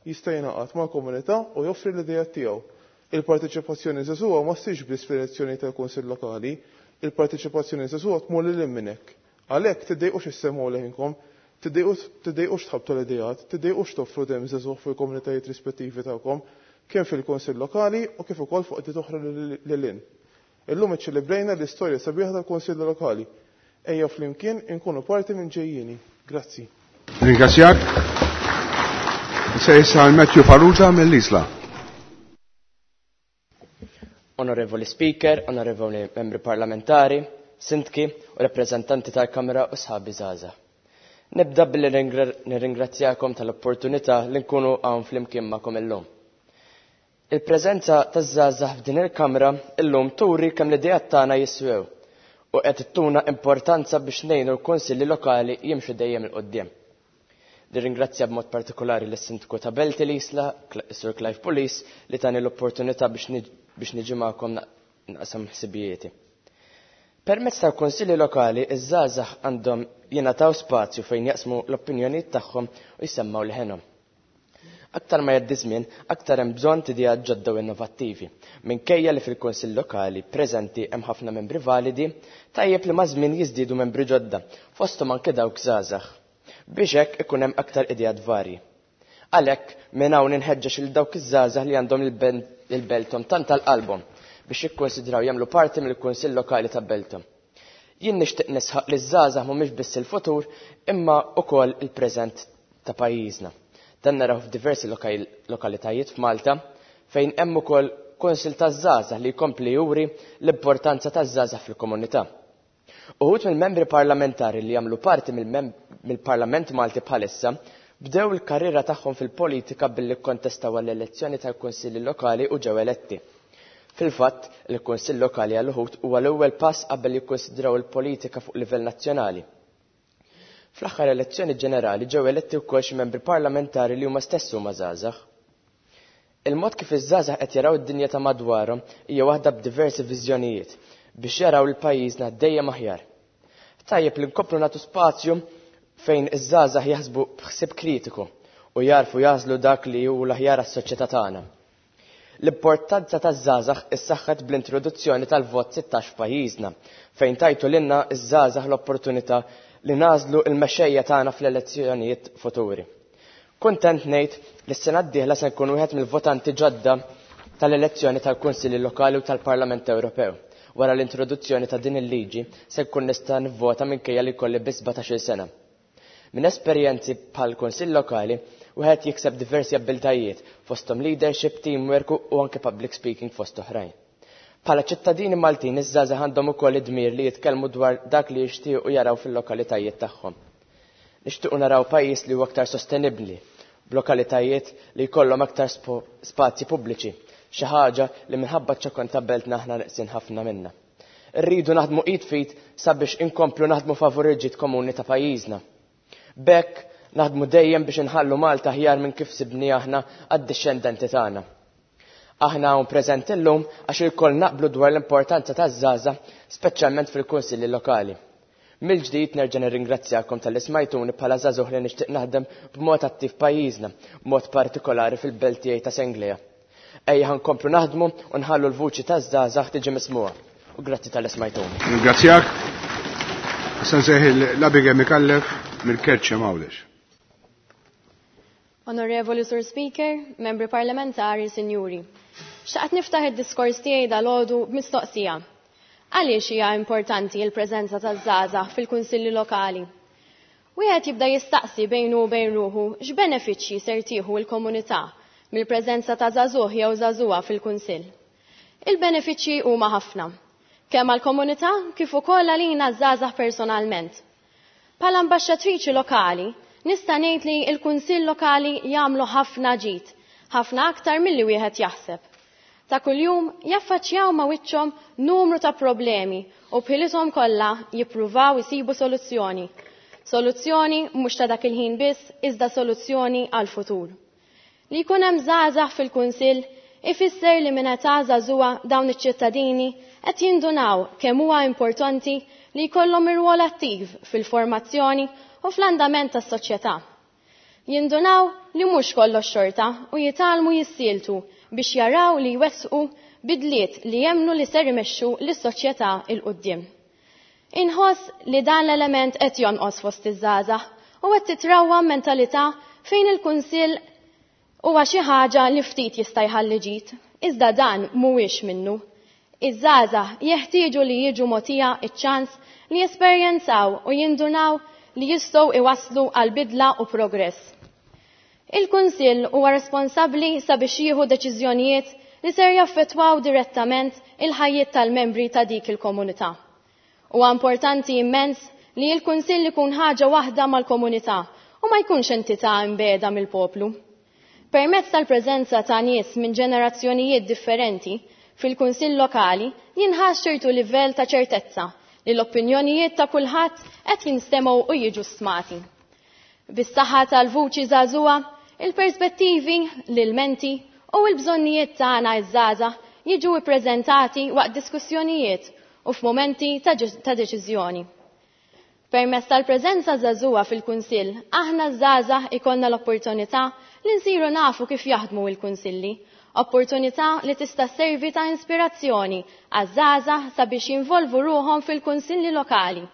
jista' jingħaqad mal-komunità u joffri l-idejat tiegħu. Il-parteċipazzjoni żagħżugħa ma ssirx biss fl-elezzjoni tal-Kunsill Lokali, il-parteċipazzjoni żagħżugħa tmur lil hinn minn hekk. Għalhekk tiddejqux issemgħu leħinkom, tiddejqux tħabbtu l-idejat, tiddejqux toffru dem żagħżugħ fil-komunitajiet rispettivi tagħkom, kemm fil-Kunsill Lokali u kif ukoll fuq qdiet oħra lil hinn. Illum iċċelebrejna l-istorja sabiħa tal-Kunsill Lokali. Ejja flimkien inkunu parti minn ġejjieni. Grazzi. Ringrazzjak. Se issa Matthew Farrugia mill-Isla. Onorevoli Speaker, onorevoli membri parlamentari, sindki u rappresentanti tal-Kamra u sħabi żgħażagħ. Nibda billi nirringrazzjakom tal-opportunità li nkunu hawn flimkien magħkom illum. Il-preżenza taż-żgħażagħ f'din il-Kamra illum turi kemm l-ideat tagħna jiswew u qed ittuna importanza biex ngħinu l-kunsilli lokali jimxu dejjem il quddiem. Nirringrazzja b'mod partikolari lis-Sindku ta' Belt l-Isla, Sir Clive Pulis, li tani l-opportunità biex niġi magħkom naqsam ħsibijieti. Permezz tal-kunsilli lokali, iż-żgħażagħ għandhom jingħataw spazju fejn jaqsmu l-opinjonijiet tagħhom u jsemmaw leħenhom. Aktar ma jgħaddi żmien, aktar hemm bżonn t'idejat ġodda u innovattivi. Minkejja li fil-Kunsill Lokali preżenti hemm ħafna membri validi, tajjeb li maż-żmien jiżdiedu membri ġodda, fosthom anke dawk żgħażagħ, biex hekk ikun hemm aktar ideat varji. Għalhekk minn hawn inħeġġeġ lil dawk iż-żgħażagħ li għandhom il-belthom tant tal-qalbhom biex jikkonsidraw jagħmlu parti mill-Kunsill Lokali ta' Belthom. Jien nixtieq nisħaq li ż-żgħażagħ mhumiex biss il-futur imma wkoll il-preżent ta' pajjiżna. Dan naraw f'diversi lokalitajiet f'Malta fejn hemm ukoll kunsill taż-żgħażagħ li jkompli juri l-importanza taż-żgħażagħ fil-komunità. Uħud mill-membri parlamentari li jagħmlu parti mill-Parlament Malti bħalissa bdew il-karriera tagħhom fil-politika billi kkontestaw għall-elezzjoni tal-Kunsilli Lokali u ġew eletti. Fil-fatt, il-Kunsill Lokali għal uħud huwa l-ewwel pass qabel jikkonsidraw il-politika fuq livell nazzjonali. Fl-aħħar elezzjoni ġenerali ġew eletti wkoll xi membri parlamentari li huma stess huma żgħażagħ. Il-mod kif iż-żgħażagħ qed jaraw id-dinja ta' madwarhom hija waħda b'diversi viżjonijiet biex jaraw lil pajjiżna dejjem aħjar. Tajjeb li nkomplu nagħtu spazju fejn iż-żgħażagħ jaħsbu b'ħsieb kritiku u jarfu jażlu dak li hu l-aħjar għas-soċjetà tagħna. L-importanza taż-żgħażagħ issaħħet bl-introduzzjoni tal-vot sittax f'pajjiżna, fejn tajtu lilna ż-żgħażagħ l-opportunità li nażlu l-mexxejja tagħna fl-elezzjonijiet futuri. Kuntent ngħid li s-sena d-dieħla se nkun wieħed mill-votanti ġodda tal-elezzjoni tal-Kunsilli Lokali u tal-Parlament Ewropew. Wara l-introduzzjoni ta' din il-liġi se nkun nista' nivvota minkejja li jkolli biss sbatax-il sena. Minn esperjenzi bħal Kunsill Lokali, wieħed jikseb diversi abbiltajiet fosthom leadership, teamwork u anke public speaking fost oħrajn. Bħala ċittadini Maltin iż-żgħażagħ għandhom ukoll id-dmir li jitkellmu dwar dak li jixtiequ jaraw fil-lokalitajiet tagħhom. Nixtiequ naraw pajjiż li huwa aktar sostenibbli, b'lokalitajiet li jkollhom aktar spazji pubbliċi, xi ħaġa li minħabba ċ-ċokon ta' beltna aħna neqsin ħafna minnha. Irridu naħdmu id fit sabiex inkomplu naħdmu favur il-ġid komuni ta' pajjiżna. B'hekk naħdmu dejjem biex inħallu Malta aħjar minn kif sibni aħna għad-dixxendenti tagħna. Aħna hawn preżenti llum għax ilkoll naqblu dwar l-importanza taż-żgħażagħ, speċjalment fil-kunsilli lokali. Mill-ġdid nerġa' nirringrazzjakom talli smajtuni bħala żagħżugħ li nixtieq naħdem b'mod attiv pajjiżna, b'mod partikolari fil-belt tiegħi ta' Senglea. Ejja ħa nkomplu naħdmu u nħallu l-vuċi taż-żgħażagħ tiġi mismugħa. U grazzi talli smajtuni. Ringrazzjak. Issa nsejħ l-Abigail Micallef mill-Kerċem Għawdex. Onorevoli Sur Speaker, membri parlamentari, sinjuri. Xtaqt niftaħ id-diskors tiegħi dalgħodu b'mistoqsija. Għaliex hija importanti l-preżenza taż-żgħażagħ fil-kunsilli lokali? Wieħed jibda jistaqsi bejnu u bejn ruħu x'benefiċċji ser tieħu l-komunità mill-preżenza ta' żagħżugħ jew żagħżugħa fil-kunsill. Il-benefiċċji huma ħafna, kemm għall-komunità kif ukoll għalina żgħażagħ personalment. Bħala ambaxxatriċi lokali, nista' ngħid li l-kunsill lokali jagħmlu ħafna ġid, ħafna aktar milli wieħed jaħseb. Ta' kuljum jaffaċċjaw ma' wiċċhom numru ta' problemi u bħilithom kollha jippruvaw isibu soluzzjoni. Soluzzjoni mhux ta' dak il-ħin biss, iżda soluzzjoni għall-futur. Li jkun hemm żgħażagħ fil-kunsill ifisser li minn età żagħżugħa dawn iċ-ċittadini qed jindunaw kemm huwa importanti li jkollhom ir-rwol attiv fil-formazzjoni u fl-andament tas-soċjetà. Jindunaw li mhux kollox xorta u jitgħallmu jissieltu biex jaraw li jwettqu bidliet li jemnu li ser imexxu lis-soċjetà 'l quddiem. Inħoss li dan l-element qed jonqos fost iż-żgħażagħ u qed titrawwa mentalità fejn il-kunsill huwa xi ħaġa li ftit jista' jħalli ġid, iżda dan mhuwiex minnu. Iż-żgħażagħ jeħtieġu li jiġu mogħtija ċ-ċans li jesperjenzaw u jindunaw li jistgħu iwasslu għal bidla u progress. Il-Kunsill huwa responsabbli sabiex jieħu deċiżjonijiet li ser jaffettwaw direttament il-ħajjiet tal-membri ta' dik il-komunità. Huwa importanti immens li l-Kunsill ikun ħaġa waħda mal-komunità u ma jkunx entità imbeda mill-poplu. Permezz tal-preżenza ta' nies minn ġenerazzjonijiet differenti fil-Kunsill lokali jinħass ċertu livell ta' ċertezza li l-opinjonijiet ta' kulħadd qed jinstemgħu u jiġu stmati. Bis-saħħa tal-vuċi żagħżugħa, il-perspettivi, l-ilmenti u l-bżonnijiet tagħna iż-żgħażagħ jiġu ippreżentati waqt diskussjonijiet u f'mumenti ta' ta' deċiżjoni. Permezz tal-preżenza żagħżugħa fil-Kunsill, aħna żgħażagħ ikollna l-opportunità li nsiru nafu kif jaħdmu l-kunsilli, opportunità li tista' sservi ta' inspirazzjoni għaż-żgħażagħ sabiex jinvolvu ruħhom fil-kunsilli lokali.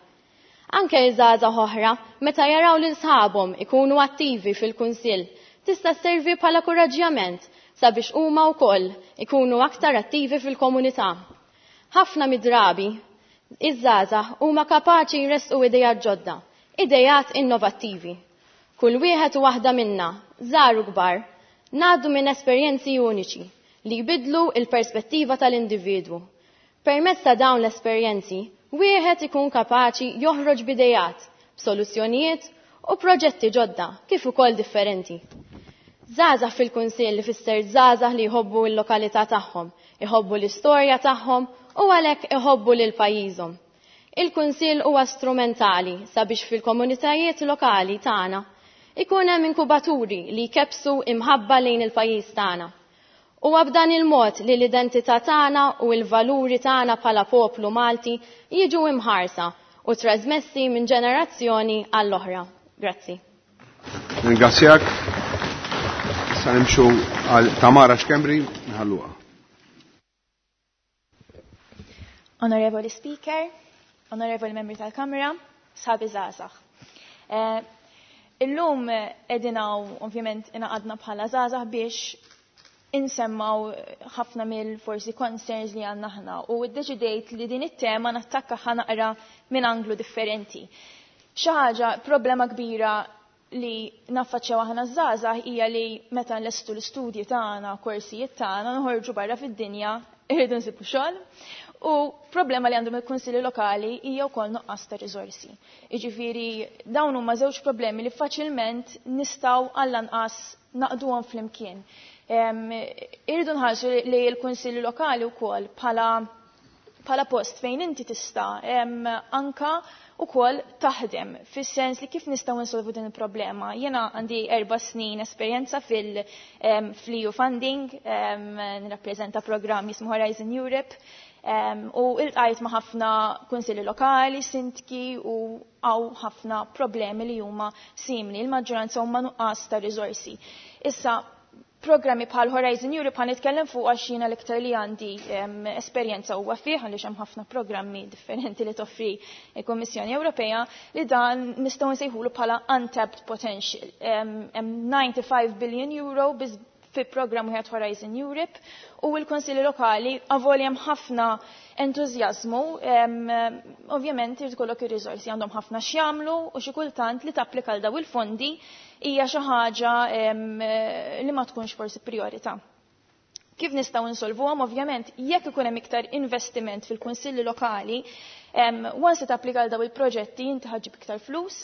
Anke żgħażagħ oħra, meta jaraw lil sħabhom ikunu attivi fil-kunsill, tista' sservi bħala kuraġġjament sabiex huma wkoll ikunu aktar attivi fil-komunità. Ħafna mid-drabi, iż-żgħażagħ huma kapaċi jressqu idejat ġodda, idejat innovattivi. Kull wieħed u waħda minna, żgħar u kbar, ngħaddu minn esperjenzi uniċi li jbidlu il-perspettiva tal-individwu. Permezz ta' dawn l-esperjenzi, wieħed ikun kapaċi joħroġ b'idejat, b'soluzzjonijiet u proġetti ġodda kif ukoll differenti. Żgħażagħ fil-kunsill li fisser żgħażagħ li jħobbu l-lokalità tagħhom, iħobbu l-istorja tagħhom u għalhekk iħobbu lil pajjiżhom. Il-kunsill huwa strumentali sabiex fil-komunitajiet lokali tagħna ikun hemm inkubaturi li jkebsu imħabba lejn il-pajjiż tagħna. Huwa b'dan il-mod li l-identità tagħna u l-valuri tagħna bħala poplu Malti jiġu imħarsa u trasmessi minn ġenerazzjoni għall-oħra. Grazzi. Ringrazzjak. Issa nimxu għal Tamara Schembri nħalluha. Onorevoli Speaker, Onorevoli Membri tal-Kamra, sħabi żgħażagħ. Eh, illum qegħdin hawn ovvjament ingħaqadna bħala żgħażagħ biex insemmaw ħafna mill forsi concerns li għandna aħna u ddeċidejt li din it-tema nattakka ħa naqra minn anglu differenti. Xi ħaġa problema kbira li naffaċċjaw aħna żgħażagħ hija li meta nlestu l-istudji tagħna, korsijiet tagħna, noħorġu barra fid-dinja, irridu nsibu xogħol. U problema li għandhom il-kunsilli lokali hija wkoll nuqqas ta' riżorsi. Jiġifieri dawn huma żewġ problemi li faċilment nistgħu għall-anqas naqduhom flimkien. Irridu nħarsu li l-kunsilli lokali wkoll bħala bħala post fejn inti tista' anka ukoll taħdem fis-sens li kif nistgħu nsolvu din il-problema. Jiena għandi erba' snin esperjenza fil-E U funding, nirrappreżenta programm jismu Horizon Europe, u iltqajt ma' ħafna kunsilli lokali, sindki u hawn ħafna problemi li huma simili, il-maġġoranza huma nuqqas ta' riżorsi. Issa, programmi bħal Horizon Europe ħa nitkellem fuq għax jiena l-iktar li għandi esperjenza huwa fih, għaliex hemm ħafna programmi differenti li toffri il-Kummissjoni Ewropea, li dan nistgħu nsejħulu bħala untapped potential. Hemm disgħa u disgħin billion euro biss fi programm wieħed, Horizon Europe, u l-Konsilli Lokali, avolja hemm ħafna entużjażmu, ovvjament irid ikollok ir-riżorsi, għandhom ħafna x'jagħmlu u xi kultant li tapplika għal daw il-fondi hija xi ħaġa li ma tkunx forsi priorità. Kif nistgħu nsolvuhom? Ovvjament, jekk ikun hemm iktar investiment fil-kunsilli lokali, once tapplika għal daw il-proġetti, inti ħa ġġib iktar flus,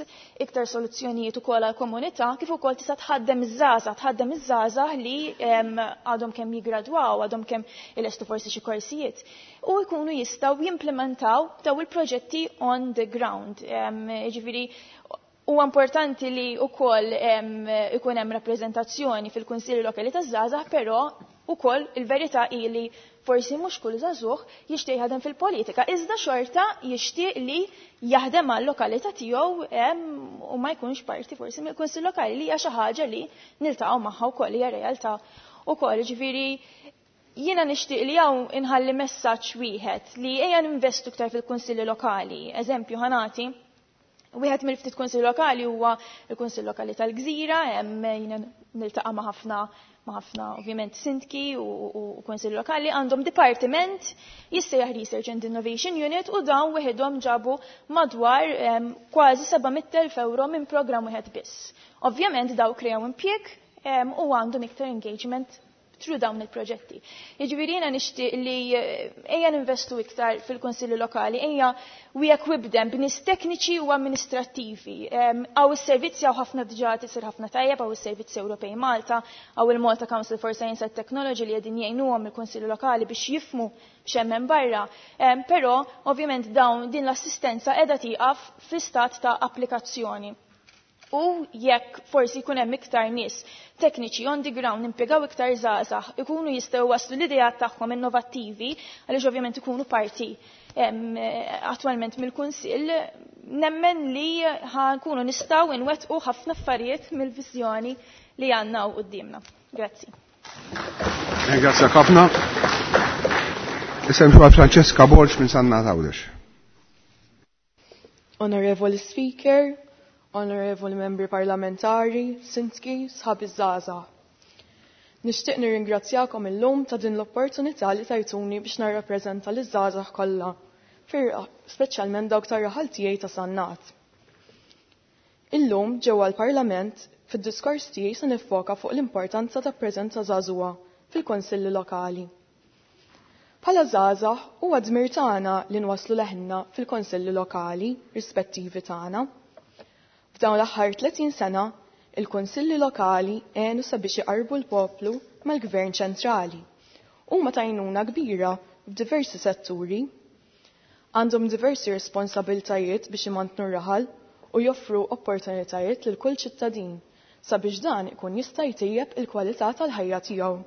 iktar soluzzjonijiet ukoll għall-komunità, kif ukoll tista' tħaddem iż-żgħażagħ, tħaddem iż-żgħażagħ li għadhom kemm jigradwaw, għadhom kemm ilestu forsi xi korsijiet u jkunu jistgħu jimplementaw daw il-proġetti on the ground. Jiġifieri huwa importanti li wkoll ikun hemm rappreżentazzjoni fil-Kunsilli Lokali taż-żgħażagħ, però ukoll il-verità hi li forsi mhux kull żagħżugħ jixtieq jaħdem fil-politika, iżda xorta jixtieq li jaħdem għal lokalità tiegħu u ma jkunx parti forsi mill-Kunsill Lokali, li hija xi ħaġa li niltaqgħu magħha wkoll, hija realtà ukoll. Ġifieri jiena nixtieq li hawn inħalli messaġġ wieħed li ejja ninvestu iktar fil-kunsilli lokali. Eżempju ħa nagħti, wieħed mill-ftit kunsill lokali huwa l-Kunsill Lokali tal-Gżira, hemm jiena niltaqa' ma' ħafna ma' ħafna ovvjament sindki u, u, u kunsill lokali, għandhom dipartiment jissejjaħ Research and Innovation Unit u dawn wieħedhom ġabu madwar um, kważi seba' mitt elf euro minn programm wieħed biss. Ovvjament daw kreaw impjieg um, u għandhom iktar engagement through dawn il-proġetti. Jiġifieri jiena nixtieq li eh, ejja ninvestu iktar fil-kunsilli lokali, ejja we equip them b'nies tekniċi u amministrattivi. Hawn is-servizzi, hawn ħafna diġà tisir ħafna tajjeb, hawn is-servizzi Ewropej Malta, hawn il-Malta Council for Science and Technology li qegħdin jgħinuhom il-kunsilli lokali biex jifhmu x'hemm barra. Però ovvjament dawn din l-assistenza qiegħda tieqaf fi stat ta' applikazzjoni, u jekk forsi jkun hemm iktar nies tekniċi on the ground, impjegaw iktar żgħażagħ, ikunu jistgħu waslu l-idejat tagħhom innovattivi, għaliex ovvjament ikunu parti attwalment mill-Kunsill, nemmen li ħankunu nistgħu nwettqu ħafna affarijiet mill-viżjoni li għandna quddiemna. Grazzi. Grazie ħafna. Issa Francesca Borg minn Sannat, Għawdex. Onorevoli Speaker, Onorevoli Membri Parlamentari, Sindki, sħabi żgħażagħ. Nixtieq nirringrazzjakom illum ta' din l-opportunità li tajtuni biex narrappreżenta liż-żgħażagħ kollha, speċjalment dawk tar-raħal tiegħi ta' Sannat. Illum ġewwa l-Parlament, fid-diskors tiegħi se niffoka fuq l-importanza ta' preżenza żagħżugħa fil-konsilli lokali. Bħala żgħażagħ huwa dmir tagħna li nwasslu leħinna fil-konsilli lokali rispettivi tagħna. F'dawn l-aħħar tletin sena, il-konsilli lokali għenu sabiex iqarbu l-poplu mal-gvern ċentrali. Huma t'għajnuna kbira f'diversi setturi. Għandhom diversi responsabiltajiet biex imantnu raħal u joffru opportunitajiet lil kull ċittadin sabiex dan ikun jista' jtejjeb il-kwalità tal-ħajja tiegħu.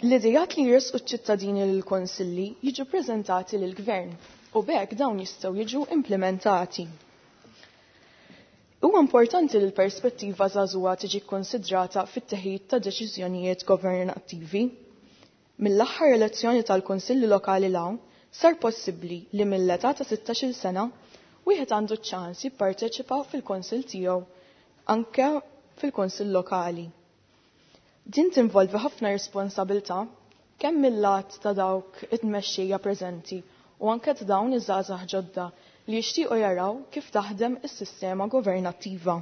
L-idejat li jresqu ċ-ċittadini lill-konsilli jiġu preżentati lill-gvern u b'hekk dawn jistgħu jiġu implementati. Huwa importanti li l-perspettiva żagħżugħa tiġi konsidrata fit-teħid ta' deċiżjonijiet governattivi. Mill-aħħar elezzjoni tal-Kunsilli Lokali 'l hawn sar possibbli li mill-età ta' sittax-il sena wieħed għandu ċ-ċans jipparteċipa fil-Kunsill tiegħu anke fil-Kunsill Lokali. Din tinvolvi ħafna responsabilità kemm mill-lat ta' dawk it-tmexxija preżenti u anke ta' dawn iż-żgħażagħ ġodda li jixtiequ jaraw kif taħdem is-sistema governattiva.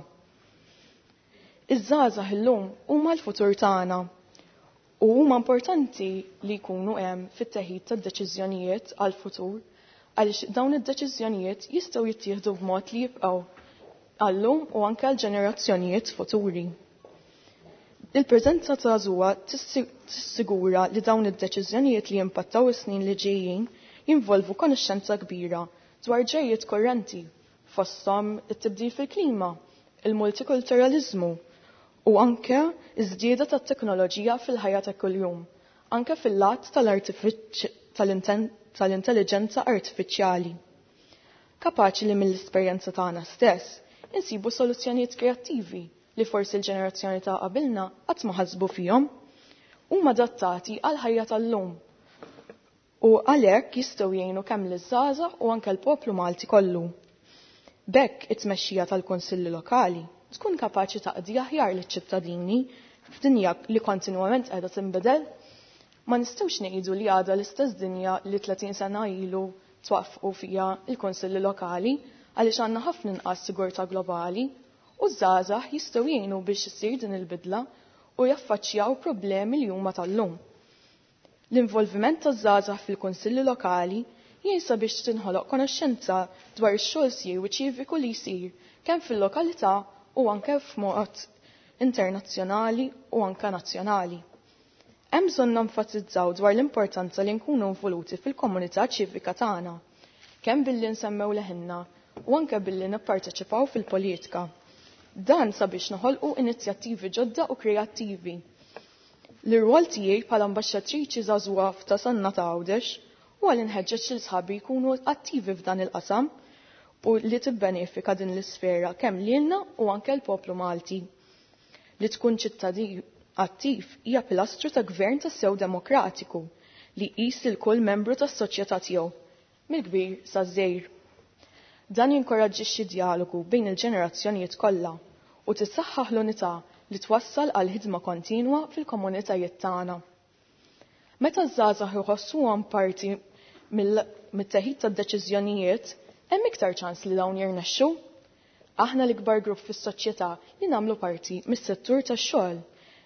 Iż-żgħażagħ illum huma l-futur tagħna u huma importanti li jkunu hemm fit-teħid tad-deċiżjonijiet għall-futur għaliex dawn id-deċiżjonijiet jistgħu jittieħdu b'mod li jibqgħu għallum u anke għal ġenerazzjonijiet futuri. Il-preżenza ta' żagħżugħa tissigura li dawn id-deċiżjonijiet li jimpattaw is-snin li ġejjin jinvolvu konoxxenza kbira dwar ġejjiet korrenti fosthom it-tibdil fil-klima, il-multikulturalizmu u anke iż-żieda tat-teknoloġija fil-ħajja ta' kuljum, anke fil-lat tal-intelligenza artifiċjali. Kapaċi li mill-esperjenza tagħna stess insibu soluzzjonijiet kreattivi li forsi l-ġenerazzjoni ta' qabilna qatt ma ħasbu fihom, huma adattati għal ħajja tal-lum. U għalhekk jistgħu jgħinu kemm liż-żgħażagħ u anke l-poplu Malti kollu. B'hekk it-tmexxija tal-Kunsilli Lokali tkun kapaċi taqdi aħjar liċ-ċittadini f'dinja li kontinwament qiegħda tinbidel. Ma nistgħux ngħidu li għadha l-istess dinja li tletin sena ilu twaffqu fiha l-Kunsilli Lokali għaliex għandna ħafna inqas sigurtà globali u żgħażagħ jistgħu jgħinu biex issir din il-bidla u jaffaċċjaw problemi li huma tal-lum. L-involviment taż-żgħażagħ fil-Kunsilli Lokali jgħin biex tinħoloq konoxxenza dwar ix-xogħol siewi ċiviku li jsir kemm fil-lokalità u anke f'mod internazzjonali u anke nazzjonali. Hemm bżonn nenfasizzaw dwar l-importanza li nkunu involuti fil-komunità ċivika tagħna, kemm billi nsemmew leħinna u anke billi nipparteċipaw fil-politika. Dan sabiex noħolqu inizjattivi ġodda u kreattivi. L-irwol tiegħi bħala ambaxxatriċi żagħżugħa f'ta' Sannat Għawdex huwa li nħeġġeġ lil sħabi jkunu attivi f'dan il-qasam u li tibbenefika din l-isfera kemm lilna u anke l-poplu Malti. Li tkun ċittadin attiv hija pilastru ta' gvern tas-sew demokratiku li jqis lil kull membru tas-soċjetà tiegħu, mill-kbir saż-żgħir. Dan jinkoraġġixxi dialogu bejn il-ġenerazzjonijiet kollha u tissaħħaħ l-unità li twassal għal ħidma kontinwa fil-komunitajiet tagħna. Meta ż-żgħażagħ iħossuhom parti mit-teħid tad-deċiżjonijiet, hemm iktar ċans li dawn jirnexxu. Aħna l-ikbar grupp fis-soċjetà li nagħmlu parti mis-settur tax-xogħol,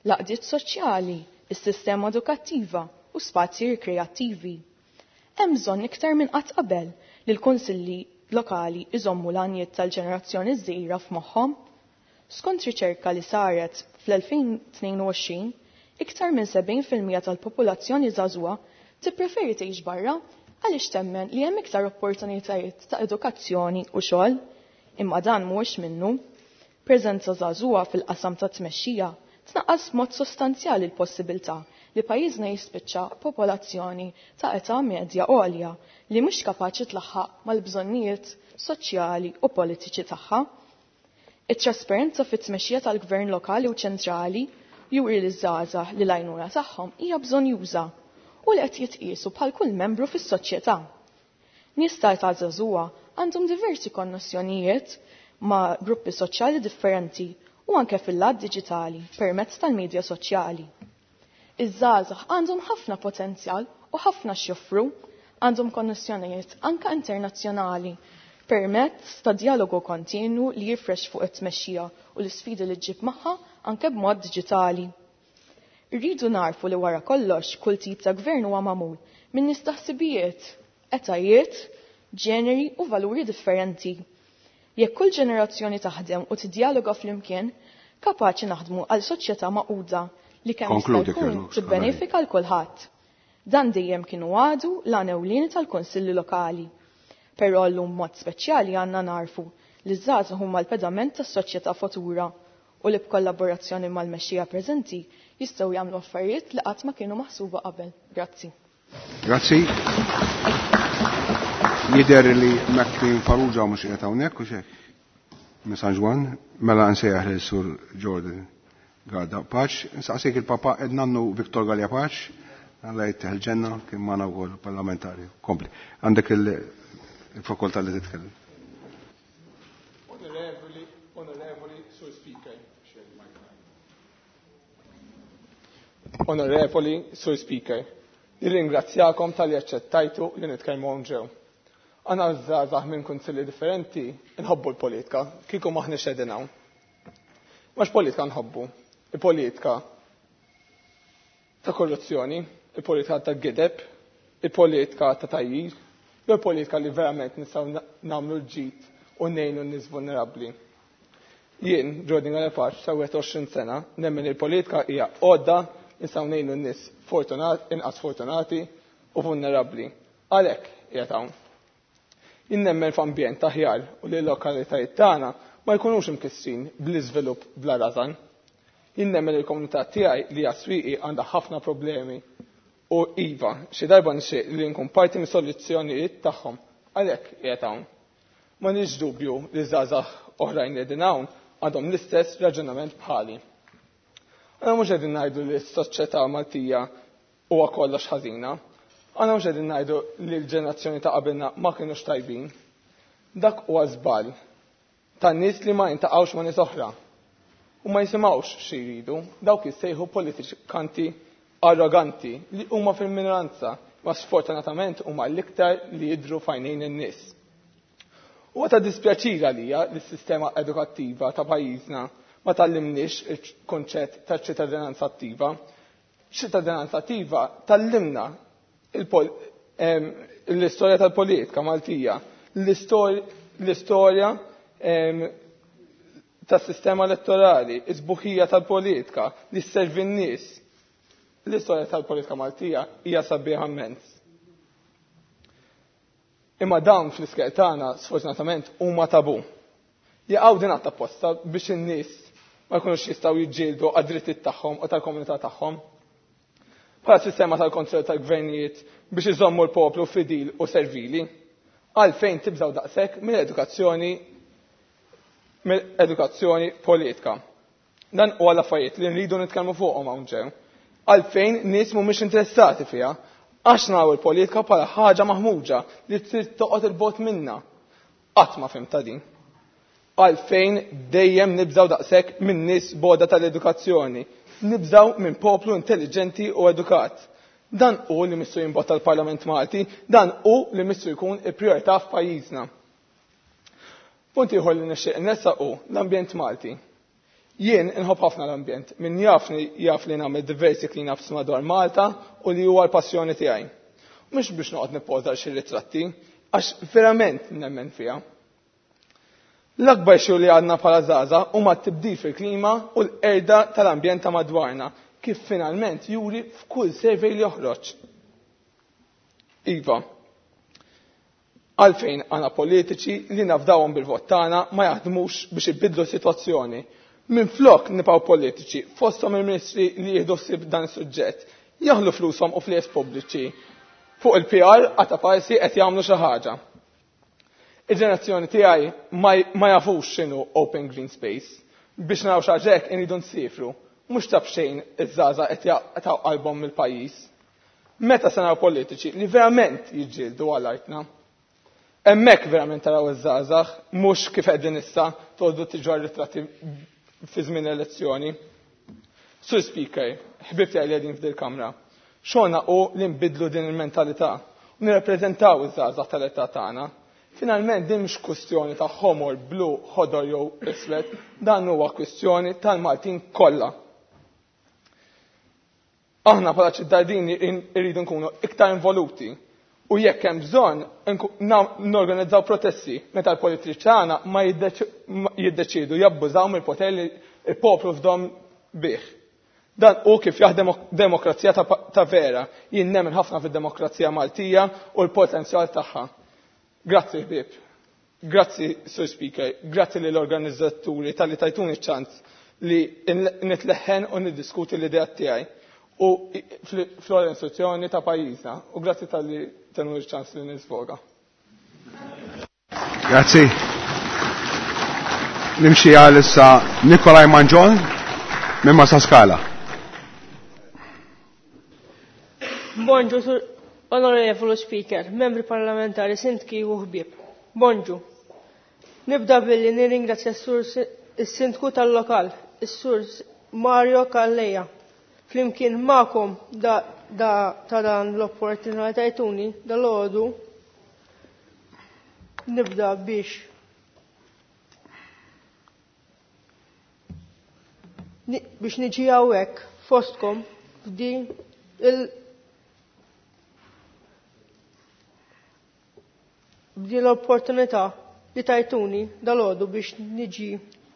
l-għaqdiet soċjali, is-sistema edukattiva u spazji rikreattivi. Hemm bżonn iktar minn qatt qabel li l-kunsilli lokali iżommu l-għanijiet tal-ġenerazzjoni żgħira f'moħħhom. Skont riċerka li saret fl-elfejn tnejn u għoxrin, iktar minn sebgħin fil-mija tal-popolazzjoni żagħżugħa tippreferi tgħix barra għaliex temmen li hemm iktar opportunitajiet ta' edukazzjoni u xogħol, imma dan mhuwiex minnu. Preżenza żagħżugħa fil-qasam ta' tmexxija tnaqqas b'mod sostanzjali l-possibilità li pajjiżna jispiċċa popolazzjoni ta' età medja għolja li mhux kapaċi tlaħħaq mal-bżonnijiet soċjali u politiċi tagħha. It-trasparenza fit-tmexxija tal-gvern lokali u ċentrali juri li żgħażagħ li l-għajnuna tagħhom hija bżonn juża u li qed jitqiesu bħal kull membru fis-soċjetà. Nies ta' età żagħżugħa għandhom diversi konnessjonijiet ma' gruppi soċjali differenti u anke fil-lat diġitali permezz tal-medja soċjali. Iż-żgħażagħ għandhom ħafna potenzjal u ħafna x'joffru, għandhom konnessjonijiet anke internazzjonali permezz ta' dialogu kontinu li jifrex fuq it-tmexxija u l-isfidi li ġġib magħha anke b'mod diġitali. Irridu narfu li wara kollox kull tip ta' gvern huwa magħmul minn nies ta' ħsibijiet, etajiet, ġeneri u valuri differenti. Jekk kull ġenerazzjoni taħdem u tiddialoga flimkien, kapaċi naħdmu għal soċjetà magħquda li kemm jista' Konkludi, jkun Kerlux, tibbenefika l kulħadd. Dan dejjem kienu għadu l-għan ewlieni tal-Kunsilli Lokali. Però llum mod speċjali għandna narfu li ż-żgħażagħ huma l-pedament tas-soċjetà futura u li b'kollaborazzjoni mal-mexxija preżenti jistgħu jagħmlu affarijiet li qatt ma kienu maħsuba qabel. Grazzi. Grazzi. Jidher li Maclean Farrugia mhux qiegħed hawnhekk u x'hekk. Minn San Ġwann, mela nsejjaħ lil Sur Jordan Garda Pace. Nsaqsik il-papa Ednannu Viktor Galea Pace, Alla jittih il-ġenna kien magħna wkoll parlamentari. Kompli. Għandek il-fakoltà li titkellem. Onorevoli, onorevoli, Sur Speaker. Onorevoli, Sur Speaker, nirringrazzjakom talli aċċettajtu li nitkellmu hawn ġew. Aħna żgħażagħ minn kunsilli differenti nħobbu l-politika, kieku m'aħniex qegħdin hawn. Mhux politika nħobbu, il-politika ta' korruzzjoni, il-politika ta' gideb, il-politika ta' tajjir, jew il-politika li verament nistgħu nagħmlu l-ġid u ngħinu n-nies vulnerabbli. Jien, Jordan Galepaċ, sa' wieħed u għoxrin sena, nemmen il-politika hija għodda nistgħu ngħinu n-nies fortunat, inqas fortunati u vulnerabbli. Għalhekk qiegħed hawn. Jien nemmen f'ambjent aħjar u li l-lokalitajiet tagħna ma jkunux imkissin bl-iżvilupp bla rażan. Jien nemmen li l-komunità tiegħi li hija Swieqi għandha ħafna problemi u iva, xi darba nixtieq li nkun parti mis-soluzzjonijiet tagħhom. Għalhekk qiegħed hawn. Ma nix dubju li żgħażagħ oħrajn li qegħdin hawn għandhom l-istess raġunament bħali. Aħna mhux qegħdin ngħidu li s-soċjetà Maltija huwa kollox ħażina. Aħna mhux qegħdin ngħidu li l-ġenerazzjoni ta' qabilna ma kinux tajbin. Dak huwa żball tan-nies li ma jintaqgħux ma' nies oħra u ma jisimgħux xi jridu, dawk jissejħu politikanti arroganti li huma fil-minoranza, ma sfortunatament huma l-iktar li jidhru f'għajnejn in-nies. Huwa ta' dispjaċir għalija li s-sistema edukattiva ta' pajjiżna ma tgħallimniex il-konċett ta' ċittadinanza attiva. Ċittadinanza attiva tgħallimna il-pol-, em, l-istorja tal-politika Maltija, l-istor-, l-istorja, em, tas-sistema elettorali, is-sbuħija tal-politika li sservi n-nies. L-istorja tal-politika Maltija hija sabiħa immens. Imma dawn fl-iskel tagħna sfortunatament huma tabu. Jaqgħu din għatta apposta biex in-nies ma jkunux jistgħu jiġġieldu għad-drittijiet tagħhom u tal-komunità tagħhom. Bħala sistema tal-kontroll tal-gvernijiet biex iżommu l-poplu fidil u servili, għalfejn tibżgħu daqshekk mill-edukazzjoni mill-edukazzjoni politika. Dan huwa l-affarijiet li nridu nitkellmu fuqhom hawn ġew. Għalfejn nies mhumiex interessati fiha, għax naraw il-politika bħala ħaġa maħmuġa li trid toqgħod il-bogħod minna. Qatt ma fhimtha din. Għalfejn dejjem nibżgħu daqshekk minn nies boda tal-edukazzjoni, nibżgħu minn poplu intelligenti u edukat. Dan hu li missu jimbotta l-Parlament Malti, dan hu li missu jkun il-prijorità f'pajjiżna. Punt ieħor li nixtieq nressaq hu l-ambjent Malti. Jien inħobb ħafna l-ambjent, min jafni jaf li nagħmel diversi clean-ups madwar Malta u li huwa l-passjoni tiegħi. Mhux biex noqgħod nippoża xi ritratti, għax verament nemmen fiha. L-akbar xogħol li għandna bħala żgħażagħ huma t-tibdil fil-klima u l-qerda tal-ambjent ta' madwarna, kif finalment juri f'kull survey li joħroġ. Iva, għalfejn għandna politiċi li nafdawhom bil-vot tagħna ma jaħdmux biex ibidlu s-sitwazzjoni. Minflok nibqgħu politiċi fosthom il-ministri li jieħdu ħsieb dan is-suġġett, jaħlu flushom u flies pubbliċi fuq il-P R għata parsi qed jagħmlu xi ħaġa. Il-ġenerazzjoni tiegħi ma j-, ma jafux x'inhu open green space. Biex naraw xi ħaġa hekk inridu nsifru, mhux taf xejn iż-żgħażagħ qed jaqtgħu qalbhom mill-pajjiż. Meta se naraw politiċi li verament jiġġieldu għal artna? Hemmhekk verament taraw iż-żgħażagħ, mhux kif qegħdin issa tgħoddu tiġu ritratti fi żmien elezzjoni. Sur Speaker, ħbib tiegħi li qegħdin f'dil kamra, xogħolna hu li nbidlu din il-mentalità u nirrappreżentaw iż-żgħażagħ tal-età tagħna. Finalment din mhux kwistjoni ta' ħomor, blu, ħodor jew iswed, dan huwa kwistjoni tal-Maltin kollha. Aħna bħala ċittadini irridu nkunu iktar involuti u jekk hemm bżonn nku-, na-, norganizzaw protesti meta l-politiċi tagħna ma jiddeċ-, ma jiddeċidu jabbużaw mill-poter li l-poplu fdom bih. Dan hu kif jaħdem demokrazija ta' pa-, ta' vera. Jien nemmen ħafna fid-demokrazija Maltija u l-potenzjal tagħha. Grazzi ħbieb. Grazzi Sur Speaker, grazzi lill-organizzaturi talli tajtuni ċ-ċans li nitleħħen u niddiskuti l-idea tiegħi u fl-istituzzjoni ta' pajjiżna u grazzi talli tenu ċ-ċans li nisfoga. Grazzi. Nimxi għal issa Nikolaj Manġon minn Marsaskala. Bonġu, Onorevolu Speaker, membri parlamentari, sindki u ħbieb. Bonġu. Nibda billi nirringrazzja s-sur is-sindku tal-lokal, is-sur Mario Calleja. Flimkien magħkom da, da, ta' dan l-opportunità tajtuni dal-għodu nibda biex biex niġi hawnhekk fostkom f'din il b'din l-opportunità li tajtuni dal-għodu biex niġi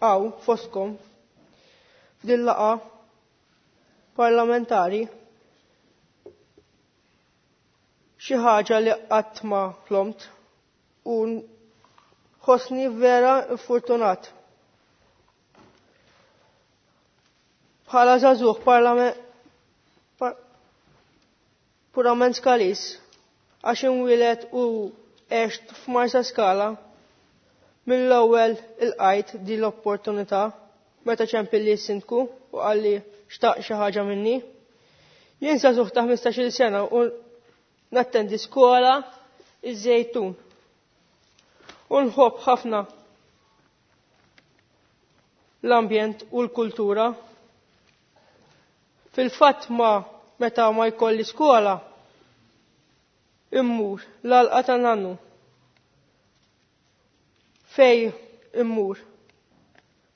hawn fostkom f'din laqgħa parlamentari xi ħaġa li qatt ma ħlomt u nħossni vera fortunat. Bħala żagħżugħ par purament Skalis, għax inwieled u għext f'Marsa Skala, mill-ewwel ilqajt din l-opportunità meta ċempilli s-sindku u qalli xtaq xi ħaġa minni. Jien żagħżugħ ta' ħmistax-il sena u nattendi skola iż-Żejtun. U nħobb ħafna l-ambjent u l-kultura. Fil-fatt ma meta ma jkolli skola immur l-għalqa ta' nannu. Fej immur?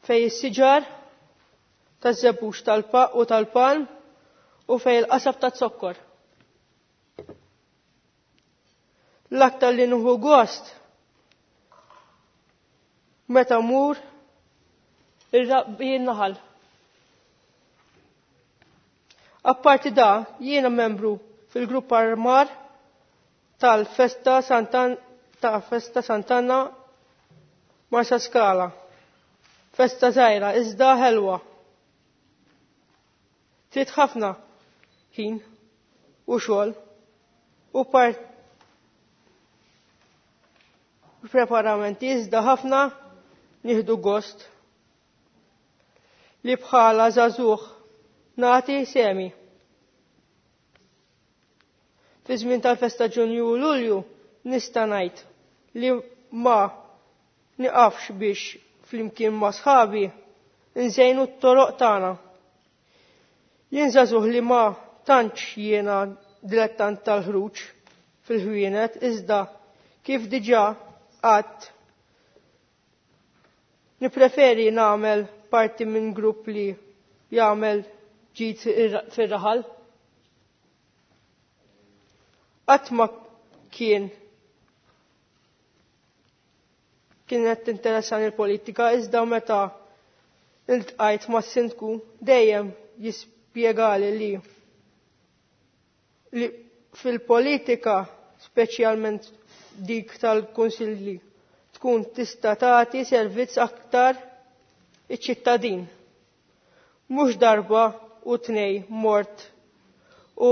Fej is-siġar taż-żebbuġ tal-pa u tal-palm u fej il-qasab ta' zokkor. L-aktar li nieħu gost meta mur ir-rabbi naħal. Apparti da, jiena membru fil-grupp armar tal-Festa Santan ta' Festa Sant'Anna Marsa Skala. Festa żgħira iżda ħelwa. Trid ħafna ħin u xogħol u part preparamenti iżda ħafna nieħdu gost li bħala żagħżugħ nagħti semi. Fi żmien tal-festa Ġunju u Lulju nista' ngħid li ma niqafx biex flimkien ma' sħabi nżejnu t-toroq tagħna. Jien żagħżugħ li ma tantx jiena dilettant tal-ħruġ fil-ħwienet iżda kif diġà għadt nippreferi nagħmel parti minn grupp li jagħmel ġid fir-raħal. Qatt ma kien kienet tinteressani l-politika iżda meta iltqajt mas-sindku dejjem jispjegali li li fil-politika speċjalment dik tal-kunsilli tkun tista' tagħti servizz aktar iċ-ċittadin. Mhux darba u tnej mort u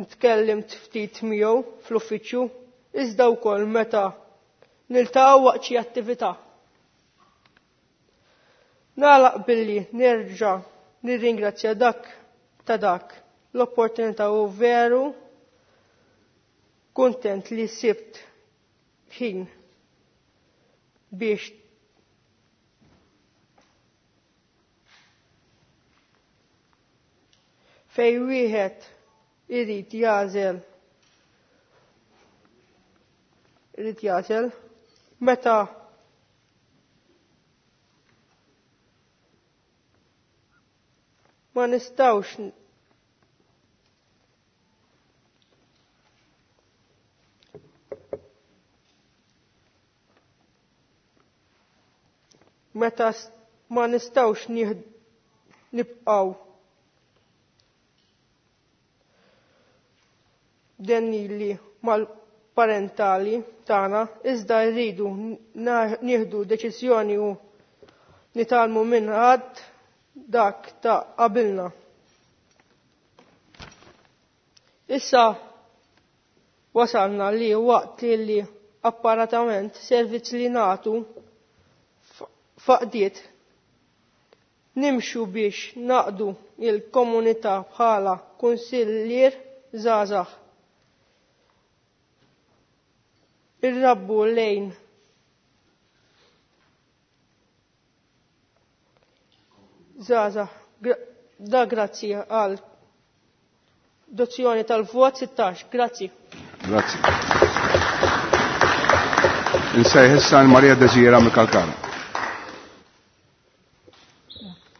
tkellimt ftit miegħu fl-uffiċċju iżda wkoll meta niltaqgħu waqt xi attività. Nagħlaq billi nerġa' nirringrazzja dak ta' dak l-opportunità u veru kuntent li sibt ħin biex fej wieħed irid jagħżel irid jagħżel meta ma nistgħux meta ma nistgħux nibqgħu denili mal-parentali tagħna iżda rridu nieħdu deċiżjoni u nitgħallmu minn ħadd dak ta' qabilna. Issa wasalna li waqt li apparatament servizz li nagħtu faqdiet nimxu biex naqdu il-komunità bħala kunsillier żgħażagħ. Irrabbu lejn żgħażagħ da grazzi għal dozzjoni tal-vot sittax. Grazzi. Grazzi. Insejħ issa Maria Desira mill-Kalkara.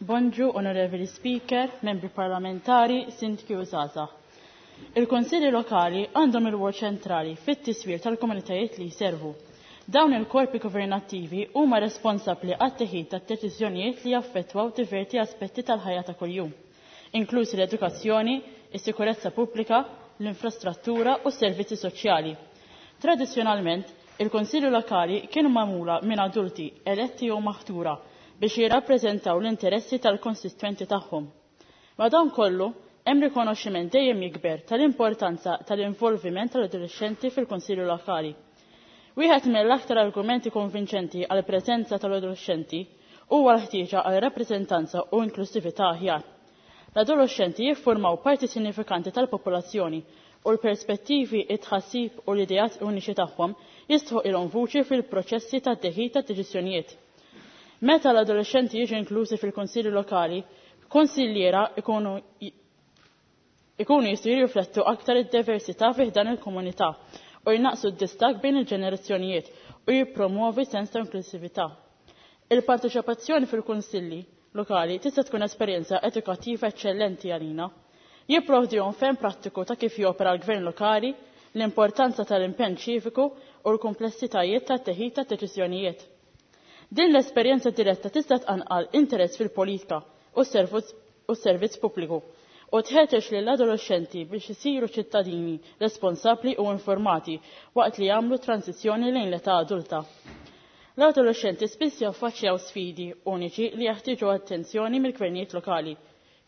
Bonġu, onorevoli Speaker, membri parlamentari, sindki u żgħażagħ. Il-Konsilli lokali għandhom ir-rwol ċentrali fit-tiswir tal-komunitajiet li jservu. Dawn il-korpi governattivi huma responsabbli għat-teħid tat-deċiżjonijiet li jaffettwaw diversi aspetti tal-ħajja ta' kuljum, inklusi l-edukazzjoni, is-sikurezza pubblika, l-infrastruttura u s-servizzi soċjali. Tradizzjonalment, il-Konsilli lokali kienu magħmula minn adulti eletti jew maħtura biex jirrappreżentaw l-interessi tal-konsistwenti tagħhom. Madankollu, hemm rikonoxximent dejjem jikber tal-importanza tal-involviment tal-adolescenti fil-Konsilju Lokali. Wieħed mill-aktar argumenti konvinċenti għal preżenza tal-adolescenti huwa l-ħtieġa għal rappreżentanza u inklusività aħjar. L-adolescenti jiffurmaw parti sinifikanti tal-popolazzjoni u l-perspettivi, it-tħassib u l-ideat uniċi tagħhom jistħu ilhom vuċi fil-proċessi tad-teħid tad-deċiżjonijiet. Meta l-adolescenti jiġu inklużi fil-Konsilju Lokali, konsilliera ikunu ikunu jistgħu jirriflettu aktar id-diversità fih dan il-komunità u jnaqsu d-distakk bejn il-ġenerazzjonijiet u jippromuovi sens ta' inklusività. Il-parteċipazzjoni fil-kunsilli lokali tista' tkun esperjenza edukattiva eċċellenti għalina. Jipprovdihom ferm prattiku ta' kif jopera l-gvern lokali, l-importanza tal-impenn ċiviku u l-komplessitajiet tat-teħid ta' deċiżjonijiet. Din l-esperjenza diretta tista' tqanqal interess fil-politika u s-servizz pubbliku u tħeġġeġ lill-adolescenti biex isiru ċittadini responsabbli u informati waqt li jagħmlu transizzjoni lejn l-età adulta. L-adolescenti spiss jaffaċċjaw sfidi uniċi li jeħtieġu attenzjoni mill-gvernijiet lokali.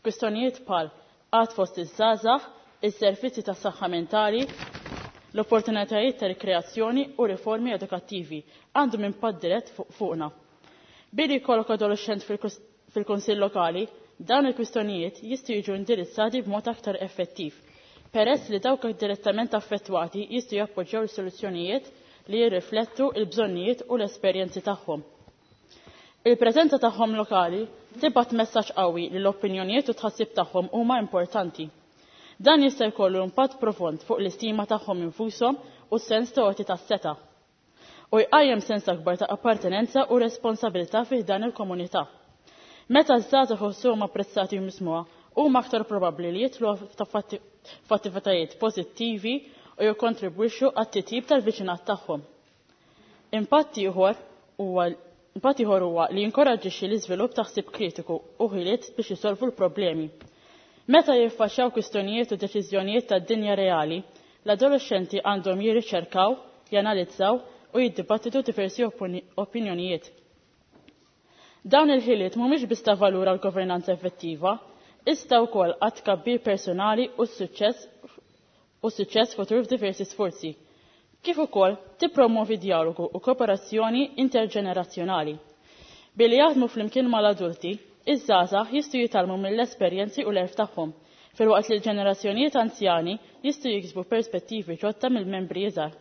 Kwistjonijiet bħal qatt fost iż-żgħażagħ, is-servizzi tas-saħħa mentali, l-opportunitajiet ta' rikreazzjoni u riformi edukattivi għandhom impatt dirett fuqna. Billi jkollok adolescent fil-Kunsill Lokali, dawn il-kwistjonijiet jistgħu jiġu indirizzati b'mod aktar effettiv, peress li dawk direttament affettwati jistgħu jappoġġjaw is-soluzzjonijiet li jirriflettu l-bżonnijiet u l-esperjenzi tagħhom. Il-preżenza tagħhom lokali tibgħat messaġġ qawwi li l-opinjonijiet u tħassib tagħhom huma importanti. Dan jista' jkollu impatt profond fuq l-istima tagħhom infushom u s-sens ta' għoti tas-seta' u jqajjem sens akbar ta' appartenenza u responsabilità fih dan il-komunità. Meta ż-żgħażagħ iħossuhom apprezzati u mismuha, huma aktar probabbli li jidħlu f'attivitajiet pożittivi u jikkontribwixxu għat-titjib tal-viċinat tagħhom. Impatt ieħor huwa impatt ieħor huwa li jinkoraġġixxi l-iżvilupp ta' ħsieb kritiku u ħiliet biex isolvu l-problemi. Meta jiffaċċjaw kwistjonijiet u deċiżjonijiet tad-dinja reali, l-adolescenti għandhom jirriċerkaw, janalizzaw u jiddibattitu diversi opinjonijiet. Dawn il-ħiliet mhumiex biss ta' valur għal governanza effettiva, iżda wkoll għat tkabbir personali u s-suċċess u suċċess futur f'diversi sforzi, kif ukoll tippromovi dialogu u kooperazzjoni interġenerazzjonali. Billi jaħdmu flimkien mal-adulti, iż-żgħażagħ jistgħu jitgħallmu mill-esperjenzi u l-għerf tagħhom, filwaqt li l-ġenerazzjonijiet anzjani jistgħu jiksbu perspettivi ġodda mill-membri iżgħar.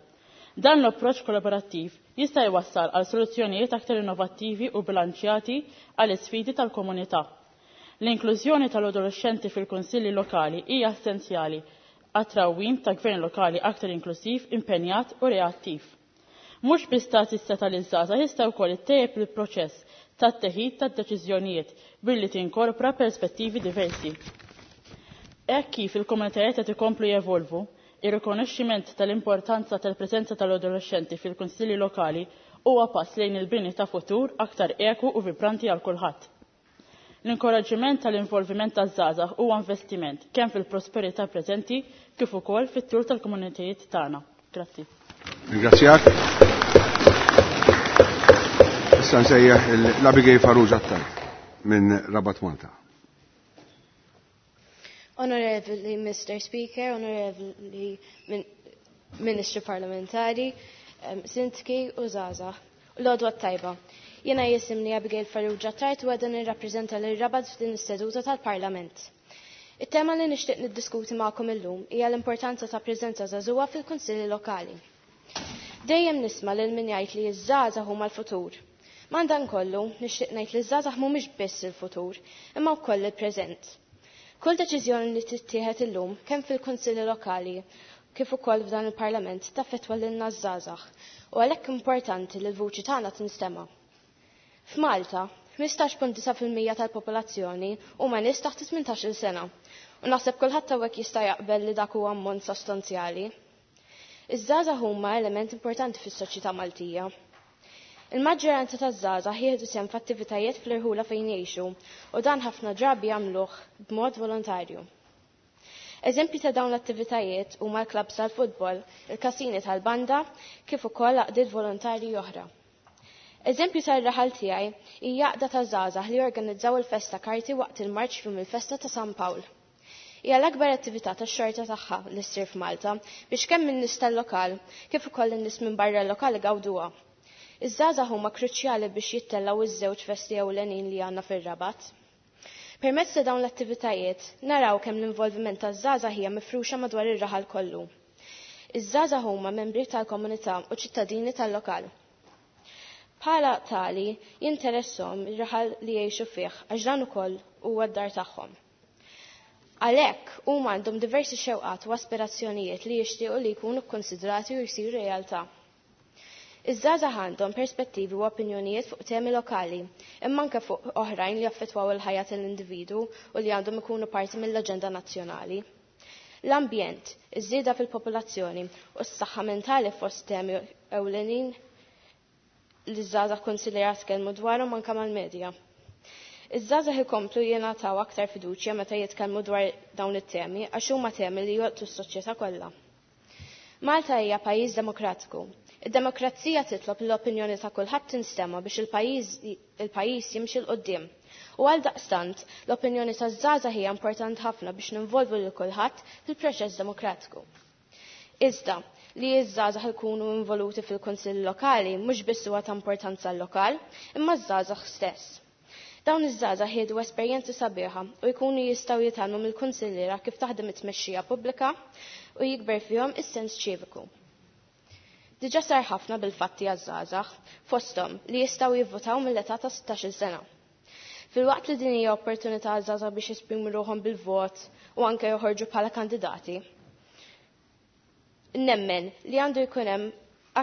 Dan l-approċċ kollaborattiv jista' jwassal għal soluzzjonijiet aktar innovattivi u bilanċjati għal isfidi tal-komunità. L-inklużjoni tal-adolescenti fil-kunsilli lokali hija essenzjali għat-trawwim ta' gvern lokali aktar inklusiv, impenjat u reattiv. Mhux biss tagħti s-seta' liż-żgħażagħ jista' wkoll ittejjeb il-proċess tat-teħid tad-deċiżjonijiet billi tinkorpora perspettivi diversi. Hekk kif il-komunitajiet qed ikomplu jevolvu, ir-rikonoxximent tal-importanza tal-preżenza tal-adolescenti fil-kunsilli lokali huwa pass lejn il-bini ta' futur aktar eku u vibranti għal kulħadd. L-inkoraġġiment tal-involviment taż-żgħażagħ huwa investiment kemm fil-prosperità preżenti kif ukoll fit-tul tal-komunitajiet tagħna. Grazzi. Ringrazzjak. Issa nsejjaħ l-Abigail Farrugia Attard minn Rabat Malta. Onorevoli Mister Speaker, Onorevoli Min Ministru Parlamentari, um, Sindki u żgħażagħ, l-għodwa tajba. Jena jisimni Abigail Farrugia Attard u għadha nirrappreżenta lil Rabat f'din is-seduta tal-Parlament. It-tema li nixtieq niddiskuti magħkom illum hija l-importanza ta' preżenza żagħżugħa fil-kunsilli lokali. Dejjem nisma' lil min jgħid li ż-żgħażagħ huma l-futur. Madankollu nixtieq ngħid li ż-żgħażagħ mhumiex biss il-futur, imma wkoll il-preżent. Kull deċiżjoni li tittieħed illum kemm fil-kunsilli lokali kif ukoll f'dan il-Parlament taffettwa lilna ż-żgħażagħ u għalhekk importanti li l-vuċi tagħna tinstema'. F'Malta, ħmistax punt disa' fil-mija tal-popolazzjoni huma nies taħt tmintax-il sena u naħseb kulħadd hawnhekk jista' jaqbel li dak huwa ammont sostanzjali. Iż-żgħażagħ huma element importanti fis-soċjetà Maltija. Il-maġġoranza taż-żgħażagħ jieħdu sehem f'attivitajiet fl-irħula fejn jgħixu u dan ħafna drabi jagħmluh b'mod volontarju. Eżempji ta' dawn l-attivitajiet huma l-klabs tal-futbol, il-kasini tal-banda, kif ukoll għaqdiet volontarji oħra. Eżempju tar-raħal tiegħi hija għaqda ta' żgħażagħ li jorganizzaw il-festa karti waqt il-marċ f'jum il-festa ta' San Pawl. Hija l-akbar attività tax-xorta tagħha li ssir f'Malta biex kemm in-nies tal-lokal kif ukoll in-nies minn barra l-lokal igawduha. Iż-żgħażagħ huma kruċjali biex jittellgħu iż-żewġ festi ewlenin li għandna fir-Rabat. Permezz ta' dawn l-attivitajiet naraw kemm l-involviment taż-żgħażagħ hija mifruxa madwar ir-raħal kollu. Iż-żgħażagħ huma membri tal-komunità u ċittadini tal-lokal. Bħala tali jinteresshom ir-raħal li jgħixu fih għax dan ukoll huwa d-dar tagħhom. Għalhekk huma għandhom diversi xewqat u aspirazzjonijiet li jixtiequ li jkunu kkonsidrati u jsiru realtà. Iż-żgħażagħ għandhom perspettivi u opinjonijiet fuq temi lokali, imma anke fuq oħrajn li jaffettwaw il-ħajja tal-individwu u li għandhom ikunu parti mill-aġenda nazzjonali. L-ambjent, iż-żieda fil-popolazzjoni u s-saħħa mentali fost temi ewlenin li ż-żgħażagħ konsiderat tkellmu dwarhom anke mal-medja. Iż-żgħażagħ ikomplu jingħataw aktar fiduċja meta jitkellmu dwar dawn it-temi għax huma temi li jolqtu s-soċjetà kollha. Malta hija pajjiż demokratiku. Id-demokrazija titlob l-opinjoni ta' kulħadd tinstema' biex il-pajjiż il-pajjiż jimxi 'l quddiem. U għal daqstant, l-opinjoni taż-żgħażagħ hija importanti ħafna biex ninvolvu lil kulħadd fil-proċess demokratiku. Iżda, li ż-żgħażagħ ikunu involuti fil-kunsill lokali mhux biss huwa ta' importanza l-lokal, imma ż-żgħażagħ stess. Dawn iż-żgħażagħ jieħdu esperjenzi sabiħa u jkunu jistgħu jitgħallmu mill-kunsilliera kif taħdem it-tmexxija pubblika u jikber fihom is-sens ċiviku. Diġà sar ħafna bil-fatti għaż-żgħażagħ, fosthom li jistgħu jivvotaw mill-età ta' sittax-il sena. Filwaqt li din hija opportunità għaż-żgħażagħ biex jesprimu ruħhom bil-vot u anke joħorġu bħala kandidati. Nemmen li għandu jkun hemm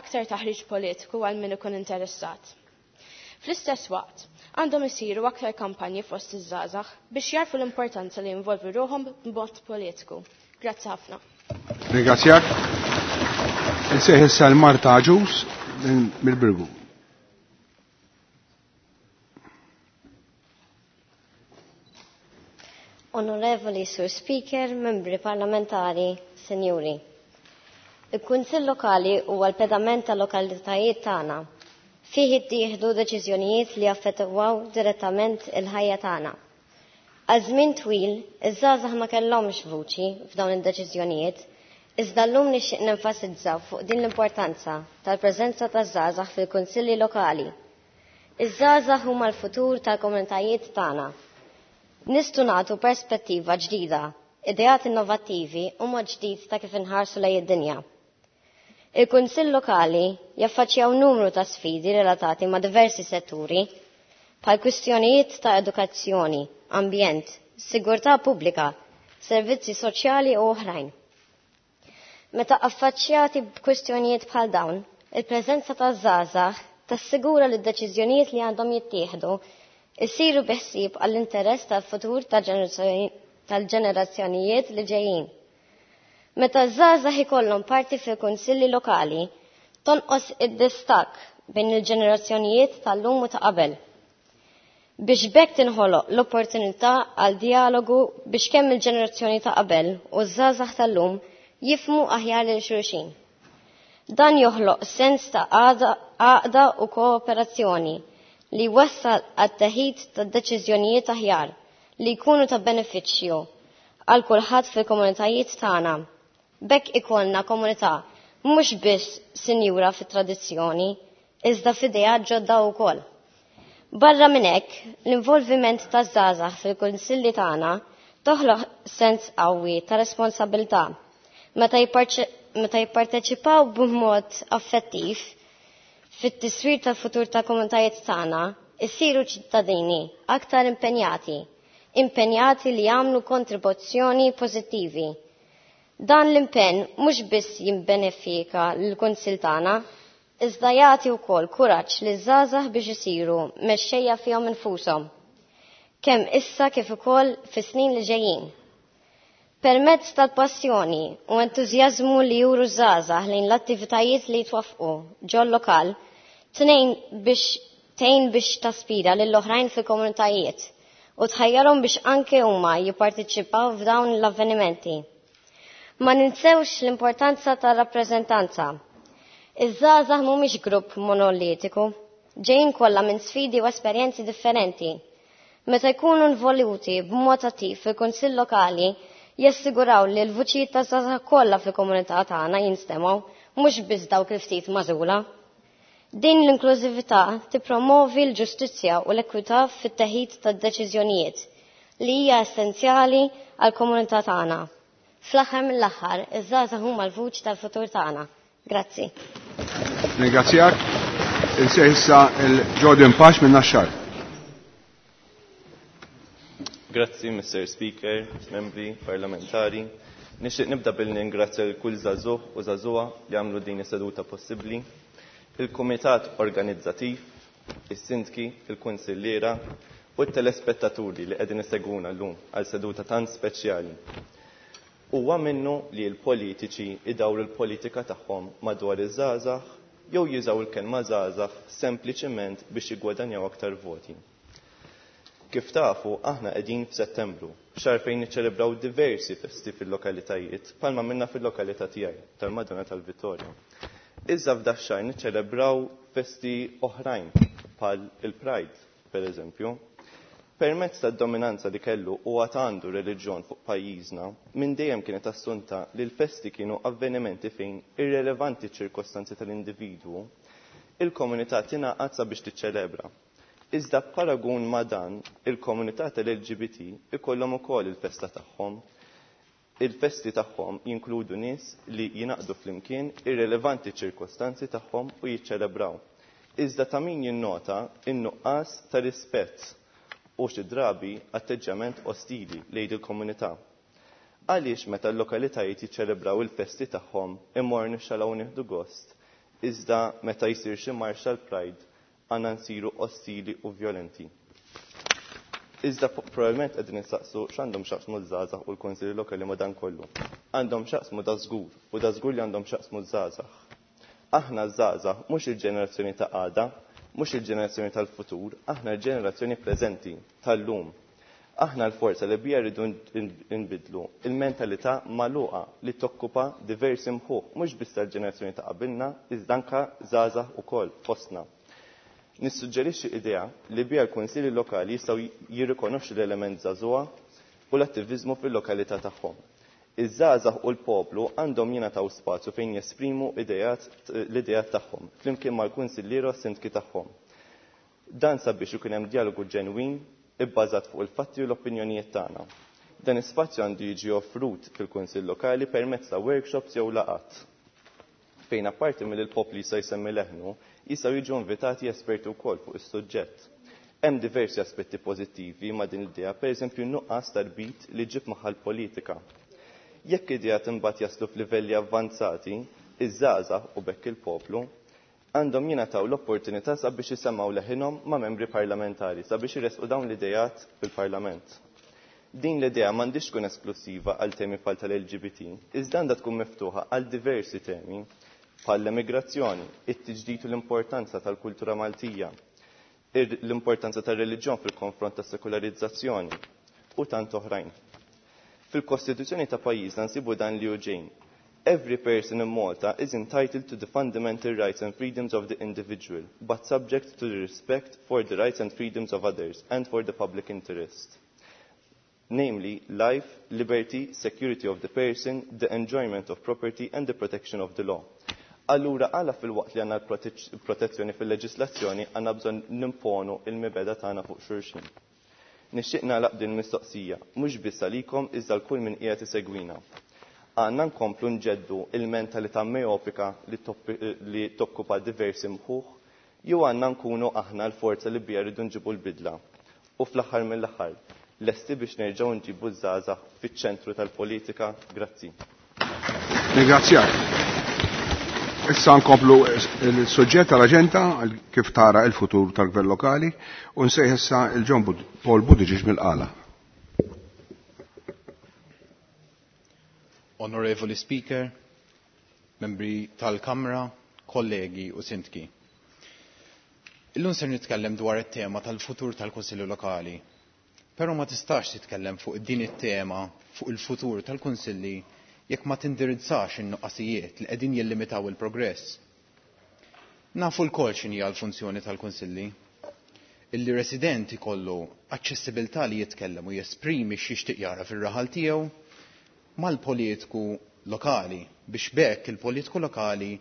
aktar taħriġ politiku għal min ikun interessat. Fl-istess waqt, għandhom isiru aktar kampanji fost iż-żgħażagħ biex jarfu l-importanza li jinvolvu ruħhom b'mod politiku. Grazzi ħafna. Ringrazzjak. Insejħ issa l-Marta Agius mill-Birgu. Onorevoli Sur Speaker, membri parlamentari, senjuri. Il-Kunsill Lokali huwa l-pedament tal-lokalitajiet tagħna. Fih jittieħdu deċiżjonijiet li jaffettwaw direttament il-ħajja tagħna. Għal żmien twil, iż-żgħażagħ ma kellhomx vuċi f'dawn id-deċiżjonijiet, iżda llum nixtieq nenfasizza fuq din l-importanza tal-preżenza taż-żgħażagħ fil-kunsilli lokali. Iż-żgħażagħ huma l-futur tal-komunitajiet tagħna. Nistgħu nagħtu perspettiva ġdida, ideat innovattivi u mod ġdid ta' kif inħarsu lejn id-dinja. Il-Kunsill Lokali jaffaċċjaw numru ta' sfidi relatati ma' diversi setturi, bħal kwistjonijiet ta' edukazzjoni, ambjent, sigurtà pubblika, servizzi soċjali u oħrajn. Meta affaċċjati b'kwistjonijiet bħal dawn, il-preżenza ta' żgħażagħ tassigura li d-deċiżjonijiet li għandhom jittieħdu isiru bi ħsieb għall-interess tal-futur tal-ġenerazzjonijiet li ġejjin. Meta żgħażagħ ikollhom parti fil-kunsilli lokali, tonqos id-distakk bejn il-ġenerazzjonijiet tal-lum u ta' qabel. Biex b'hekk tinħoloq l-opportunità għal dialogu biex kemm il-ġenerazzjoni ta' qabel u ż-żgħażagħ tal-lum jifhmu aħjar lil xulxin. Dan joħloq sens ta' għaqda u kooperazzjoni li wassal għat-teħid ta' deċiżjonijiet aħjar li jkunu ta' benefiċċju għal kulħadd fil-komunitajiet tagħna. B'hekk ikollna komunità mhux biss sinjura fit-tradizzjoni, iżda f'idea ġodda wkoll. Barra minn hekk, l-involviment taż-żgħażagħ fil-kunsilli tagħna Toħloq sens qawwi ta' responsabilità. Meta jipparteċipaw b'mod affettiv fit-tiswir tal-futur tal-komunitajiet tagħna, issiru ċittadini aktar impenjati, impenjati li jagħmlu kontribuzzjoni pożittivi. Dan l-impenn mhux biss jibbenefika lill-Kunsill tagħna, iżda jagħti wkoll kuraġġ liż-żgħażagħ biex isiru mexxejja fihom infushom, kemm issa kif ukoll fis-snin li ġejjin. Permezz tal-passjoni u entużjażmu li juru żgħażagħ lejn l-attivitajiet li jitwaffqu ġol-lokal, tnejn biex tgħin biex taspira lill-oħrajn fil-komunitajiet u tħajjarhom biex anke huma jipparteċipaw f'dawn l-avvenimenti. Ma ninsewx l-importanza tar-rappreżentanza. Iż-żgħażagħ mhumiex grupp monolitiku, ġejjin kollha minn sfidi u esperjenzi differenti. Meta jkunu involuti b'mod attiv fil-Kunsill Lokali, jassiguraw li l-vuċijiet ta' żgħażagħ kollha fil-komunità tagħna jinstemgħu, mhux biss dawk il-ftit magħżula. Din l-inklużività tippromovi l-ġustizzja u l-ekwità fit-teħid tad-deċiżjonijiet li hija essenzjali għall-komunità tagħna. Fl-aħħar mill-aħħar, iż-żgħażagħ huma l-vuċi tal-futur tagħna. Grazzi. Ringrazzjak. Insejħ issa il-Jordan Pax minn Naxxar. Grazzi, Mister Speaker, membri parlamentari. Nixtieq nibda billi ningrazzja lil kull żagħżugħ u żagħżugħa li għamlu din is-seduta possibbli. Il-Kumitat Organizzattiv, is-Sindki, il-Kunsilliera u t-telespettaturi li qegħdin isegwuna llum għal seduta tant speċjali. Huwa minnu li l-politiċi idawru l-politika tagħhom madwar iż-żgħażagħ jew jużaw il-kelma żgħażagħ sempliċement biex jiggwadanjaw aktar voti. Kif tafu, aħna qegħdin f'Settembru, xahar fejn niċċelebraw diversi festi fil-lokalitajiet, palma minna fil-lokalità tiegħi tal-Madonna tal-Vittoria. Iżda f'dak xahar niċċelebraw festi oħrajn, bħal il-Pride, per eżempju. Permezz tad-dominanza li kellu u għad għandu reliġjon fuq pajjiżna, minn dejjem kienet assunta li l-festi kienu avvenimenti fejn irrelevanti ċirkostanzi tal-individwu, il-komunità tingħaqad sabiex tiċċelebra. Iżda b'paragun ma' dan, il-komunità tal-L G B T ikollhom ukoll il-festa tagħhom. Il-festi tagħhom jinkludu nies li jingħaqdu flimkien irrelevanti ċirkostanzi tagħhom u jiċċelebraw. Iżda ta' min jinnota in-nuqqas ta' rispett u xi drabi atteġġjament ostili lejn il-komunità. Għaliex meta l-lokalitajiet jiċċelebraw il-festi tagħhom immorru nixxalaw nieħdu gost, iżda meta jsir xi marx tal-Pride għandna nsiru ostili u violenti. Iżda probabbilment qegħdin nistaqsu x'għandhom x'jaqsmu ż-żgħażagħ u l-Kunsilli Lokali ma' dan kollu. Għandhom x'jaqsmu da żgur u da żgur li għandhom x'jaqsmu ż-żgħażagħ. Aħna ż-żgħażagħ mhux il-ġenerazzjoni ta' għada, mhux il-ġenerazzjoni tal-futur, aħna l-ġenerazzjoni preżenti tal-lum. Aħna l-forza li bija rridu nbidlu il-mentalità magħluqa li tokkupa diversi mħuħ, mhux biss tal-ġenerazzjoni ta' qabilna, iżda anke żgħażagħ ukoll fostna. Nissuġġerixxi idea li bija l-kunsilli lokali jistgħu jirrikonoxxu l-element żagħżugħa u l-attiviżmu fil-lokalità tagħhom. Iż-żgħażagħ u l-poplu għandhom jingħataw spazju fejn jesprimu idejat, l-idejat tagħhom flimkien mal-kunsilliera u s-sindki tagħhom. Dan sabiex ikun hemm dialogu ġenwin ibbażat fuq il-fatti u l-opinjonijiet tagħna. Dan is-spazju għandu jiġi offrut fil-Kunsill Lokali permezz ta' workshops jew laqgħat fejn apparti mill-poplu jista' jsemmi leħnu, jistgħu jiġu invitati esperti wkoll fuq is-suġġett. Hemm diversi aspetti pożittivi ma' din l-idea, pereżempju n-nuqqas tarbit li ġib magħha l-politika. Jekk idea imbagħad jaslu f'livelli avvanzati, iż-żgħażagħ u bekk il-poplu għandhom jingħataw l-opportunità sabiex isemgħu leħinhom ma' membri parlamentari sabiex iressqu dawn l-idejat fil-Parlament. Din l-idea m'għandix tkun esklusiva għal temi bħal tal-L G B T, iżda għandha tkun miftuħa għal diversi temi bħal l-emigrazzjoni, it-tiġdid u l-importanza tal-kultura Maltija, l-importanza tar-reliġjon fil-konfront tas-sekularizzazzjoni u tant oħrajn. Fil-Kostituzzjoni ta' pajjiżna nsibu dan li hu ġej. Every person in Malta is entitled to the fundamental rights and freedoms of the individual, but subject to the respect for the rights and freedoms of others and for the public interest. Namely, life, liberty, security of the person, the enjoyment of property and the protection of the law. Allura, għala fil-waqt li għanna l-protezzjoni fil-leġislazzjoni, għanna bżon nimponu il-mibeda tagħna fuq xulxin. Nixtieq nagħlaq din mistoqsija, mhux biss għalikom iżda l-kull min qiegħed isegwina. Għandna nkomplu nġeddu il-mentalità meopika li tokkupa diversi mħuħ, jew għandna nkunu aħna l-forza li bija rridu nġibu l-bidla. U fl-aħħar mill-aħħar, lesti biex nerġgħu nġibu ż-żgħażagħ fiċ-ċentru tal-politika. Grazzi. Ringrazzjak. Issa nkomplu il-suġġett tal-aġenda kif tara il-futur tal-gvern lokali u nsejħ issa il-John Paul Buttigieg mill-Qala. Onorevoli Speaker, membri tal-Kamra, kollegi u sindki. Illum ser nitkellem dwar it-tema tal-futur tal-Kunsilli Lokali. Però ma tistax titkellem fuq din it-tema fuq il-futur tal-Kunsilli jekk ma tindirizzax in-nuqqasijiet li qegħdin jillimitaw il-progress. Nafu lkoll x'inhi l-funzjoni tal-Kunsilli. Illi resident ikollu aċċessibilità li jitkellem u jesprimi x'jixtieq jara fir-raħal tiegħu mal-politiku lokali biex b'hekk il-politiku lokali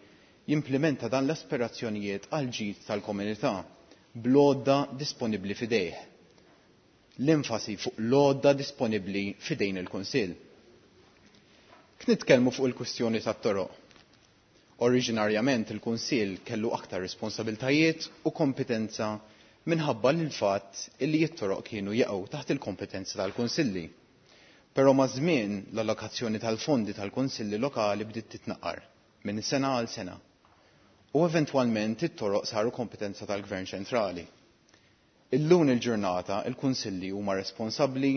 jimplementa dan l-aspirazzjonijiet għal ġid tal-komunità bl-għodda disponibbli f'idejh. L-enfasi fuq l-għodda disponibbli f'idejn il-Kunsill. Nitkellmu fuq il-kwistjoni tat-toroq. Oriġinarjament il-Kunsill kellu aktar responsabiltajiet u kompetenza minħabba l fatt illi t-toroq kienu jaqgħu taħt il-kompetenza tal-Kunsilli. Però ma' żmien l-allokazzjoni tal-fondi tal-Kunsilli lokali bdiet titnaqqar minn sena għal sena. U eventwalment it-toroq saru kompetenza tal-Gvern ċentrali. Illum il-ġurnata il-Kunsilli huma responsabbli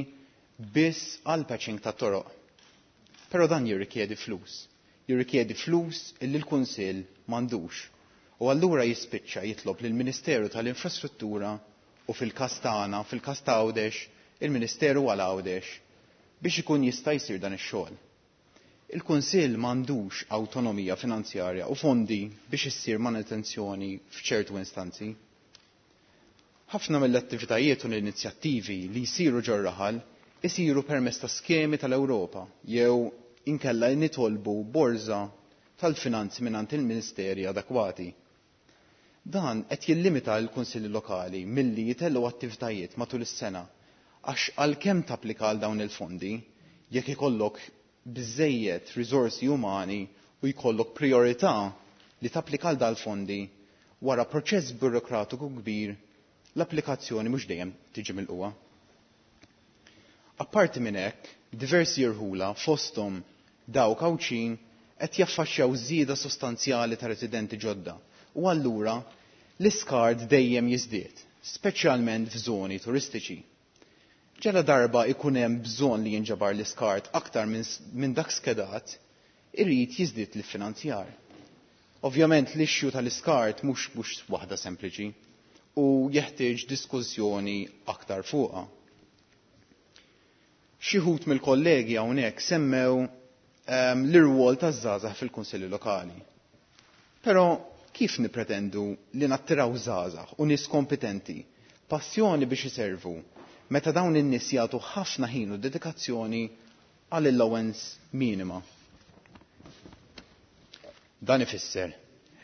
biss għal patching tat-toroq. Però dan jirrikjedi flus. Jirrikjedi flus illi l-Kunsill m'għandux. U allura jispiċċa jitlob lill-Ministeru tal-Infrastruttura u fil-każ tagħna, fil-każ ta' Għawdex, il-Ministeru għal Għawdex biex ikun jista' jsir dan ix-xogħol. Il-Kunsill m'għandux awtonomija finanzjarja u fondi biex issir manutenzjoni f'ċertu instanzi. Ħafna mill-attivitajiet u l-inizjattivi li jsiru ġor-raħal isiru permezz ta' skemi tal-Ewropa jew inkella nitolbu borża tal-finanzi mingħand il-ministeri adekwati. Dan qed jillimita l-kunsilli lokali milli jitellgħu attivitajiet matul is-sena għax għalkemm tapplika għal dawn il-fondi jekk ikollok biżejjed riżorsi umani u jkollok priorità li tapplika għal dal-fondi wara proċess burokratiku kbir l-applikazzjoni mhux dejjem tiġi milquha. Apparti minn hekk, diversi irħula fosthom dawk Għawdxin qed jaffaxxjaw żieda sostanzjali ta' residenti ġodda u allura l-iskart dejjem jiżdied, speċjalment f'żoni turistiċi. Ġela darba ikun hemm bżonn li jinġabar l-iskart aktar minn dak skedat, irid jiżdied l-finanzjar. Ovvjament l-issue tal-iskart mhux mhux waħda sempliċi u jeħtieġ diskussjoni aktar fuqha. Xi wħud mill-kollegi hawnhekk semmew um, l-irwol taż-żgħażagħ fil-kunsilli lokali. Però kif nipretendu li nattiraw żgħażagħ u nies kompetenti, passjoni biex iservu, meta dawn in-nies jagħtu ħafna ħin u dedikazzjoni għal allowance minima. Dan ifisser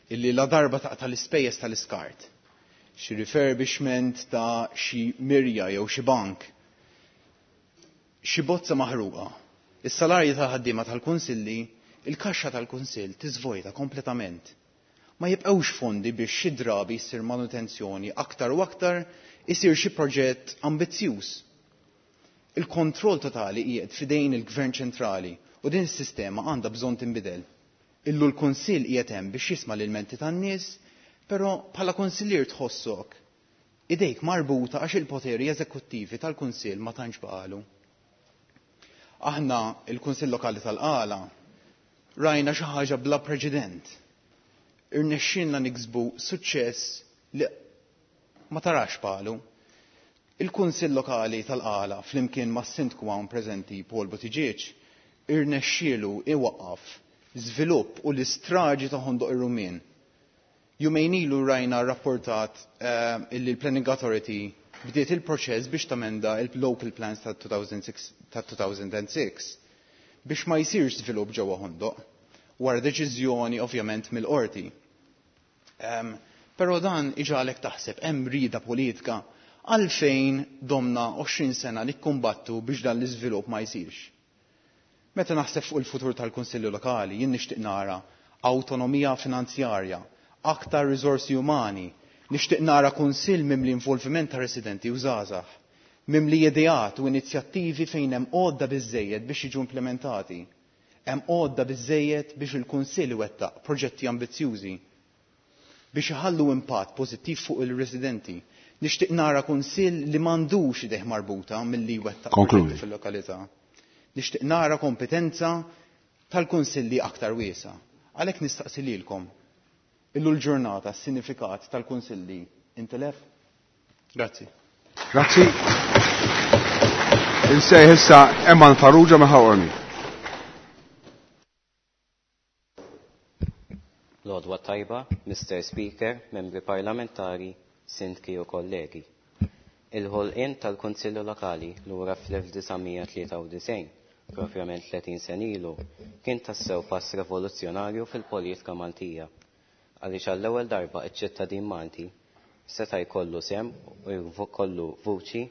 illi la darba taqta' l-ispejjeż tal-iskart, xi refurbishment ta' xi mirja jew xi bank, xi bozza maħruqa, is-salarji tal-ħaddiema tal-kunsilli, il-kaxxa tal-kunsill tiżvojta kompletament. Ma jibqgħux fondi biex xi drabi jsir manutenzjoni aktar u aktar isir xi proġett ambizzjuż. Il-kontroll totali qiegħed f'idejn il-Gvern ċentrali u din is-sistema għandha bżonn tinbidel. Illu l-Kunsill qiegħed hemm biex jisma' l-ilmenti tan-nies, però bħala kunsillier tħossok idejk marbuta għax il-poteri eżekuttivi tal-Kunsill ma tantx baqalu. Aħna il-Kunsill Lokali tal-Qala rajna xi ħaġa bla preċedent. Irnexxielna niksbu suċċess li ma tarax palu. Il-Kunsill Lokali tal-Qala flimkien mas-Sindku hawn preżenti Paul Buttigieg irnexxielu iwaqqaf żvilupp u l-istraġi ta' Ħondoq ir-Rumien. Jumejn ilu rajna rapportat uh, illi l-Planning Authority bdiet il-proċess biex tamenda il-local plans ta' two thousand six biex ma jsirx żvilupp ġewwa Ħondoq wara deċiżjoni ovvjament mill-qorti. Um, però dan iġalek taħseb hemm rida politika Għalfejn domna għoxrin sena nikkumbattu biex dan l-iżvilupp ma jsirx? Meta naħseb fuq il-futur tal-Kunsilli Lokali, jien nixtieq nara awtonomija finanzjarja, aktar riżorsi umani, nixtieq nara kunsill mimli involviment ta' residenti u żgħażagħ, mimli ideat u inizjattivi fejn hemm għodda biżżejjed biex jiġu implementati. Hemm għodda biżżejjed biex il-Kunsill iwettaq proġetti ambizzjużi biex iħallu impatt pożittiv fuq il-residenti. Nixtieq nara kunsill li m'għandux idejh marbuta milli jwettaq proġetti fil-lokalità. Nixtieq nara kompetenza tal-kunsilli aktar wiesa. Għalhekk nistaqsi lilkom, illu l-ġurnata s-sinifikat tal-kunsilli intilef? Grazzi. Grazzi. Insejħ issa Eman Farrugia minn Ħal Qormi. L-għodwa tajba, Mister Speaker, membri parlamentari, sindki u kollegi. Il-ħolqien tal-Kunsilli Lokali lura fl-elf disa' mija tlieta u disgħin, propjament tletin sen ilu, kien tassew pass rivoluzzjonarju fil-politika Maltija. Għaliex għall-ewwel darba iċ-ċittadin Malti seta' jkollu sehem u jkollu vuċi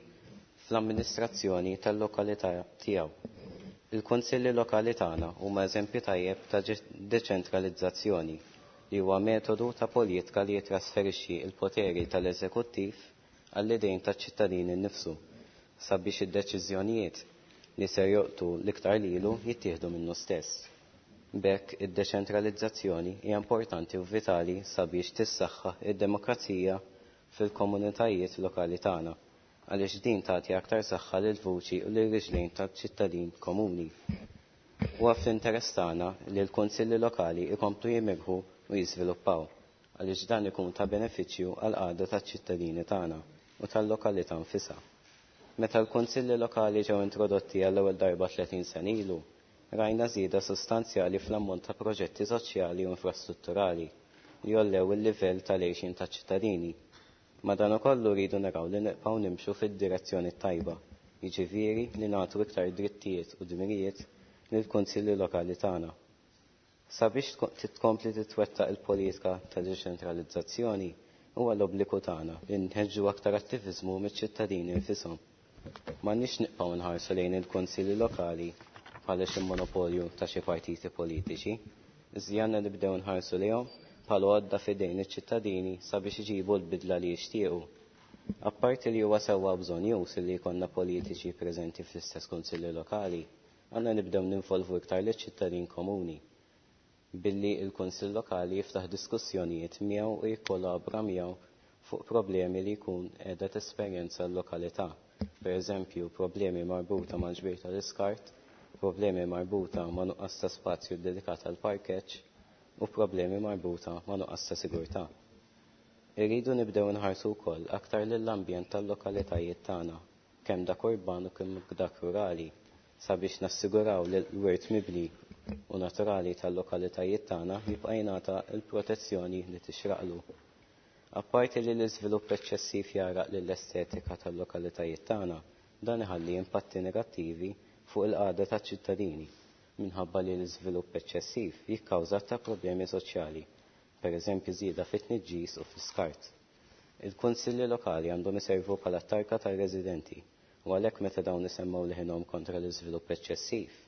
fl-amministrazzjoni tal-lokalità tiegħu. Il-Kunsilli Lokali tagħna huma eżempju tajjeb ta' deċentralizzazzjoni li huwa metodu ta' politika li jitrasferixxi l-poteri tal-eżekuttiv għall-idejn taċ-ċittadini nnifsu sabiex id-deċiżjonijiet li ser joqtu l-iktar lilu jittieħdu minnu stess. B'hekk id-deċentralizzazzjoni hija importanti u vitali sabiex tissaħħaħ id-demokrazija fil-komunitajiet lokali tagħna, għaliex din tagħti aktar saħħa lil vuċi u lil riġlejn tal-ċittadin komuni. Huwa fl-interess tagħna li l-kunsilli lokali jkomplu jimirħu u jiżviluppaw, għaliex dan ikun ta' benefiċċju għal qagħda taċ-ċittadini tagħna u tal-lokalità nfisha. Meta l-kunsilli lokali ġew introdotti għall-ewwel darba tletin sen ilu, rajna żieda sostanzjali fl-ammont ta' proġetti soċjali u infrastrutturali li jollew il-livell tal-għixien taċ-ċittadini. Madankollu rridu naraw li nibqgħu nimxu fid-direzzjoni tajba, jiġifieri li nagħtu iktar drittijiet u dmirijiet lill-kunsilli lokali tagħna. Sabiex titkompli titwettaq il-politika ta' deċentralizzazzjoni huwa l-obbligu tagħna li nħeġġu aktar attiviżmu miċ-ċittadini nfishom. M'għandniex nibqgħu nħarsu lejn il-kunsilli lokali bħala xi monopolju ta' xi partiti politiċi, iżda għandna nibdew nħarsu lejhom bħala għodda f'idejn iċ-ċittadini sabiex iġibu l-bidla li jixtiequ. Apparti li huwa sewwa bżonn li jkollna politiċi preżenti fl-istess kunsilli lokali, għandna nibdew ninvolvu iktar liċ-ċittadin komuni billi il-Kunsill Lokali jiftaħ diskussjonijiet miegħu u jikkollabora miegħu fuq problemi li jkun qiegħda tesperjenza l-lokalità. Per eżempju, problemi marbuta mal-ġbir tal-iskart, problemi marbuta ma' nuqqas ta' spazju dedikat għal parkeġġ u problemi marbuta ma' nuqqas ta' sigurtà. Irridu nibdew nħarsu wkoll aktar lill-ambjent tal-lokalitajiet tagħna, kemm dak urban u kemm dak rurali, sabiex nassiguraw li l-wirt mibni u naturali tal-lokalitajiet tagħna jibqa' jingħata l-protezzjoni li tixraqlu. Apparti li l-iżvilupp eċċessiv jaraq lill-estetika tal-lokalitajiet tagħna, dan iħalli impatti negattivi fuq il-qagħda taċ-ċittadini minħabba li l-iżvilupp eċċessiv jikkawża ta' problemi soċjali, pereżempju żieda fit-tniġġis u fl-iskart. Il-kunsilli lokali għandhom iservu bħala tarka tar-residenti u għalhekk meta dawn isemmgħu leħinhom kontra l-iżvilupp eċċessiv,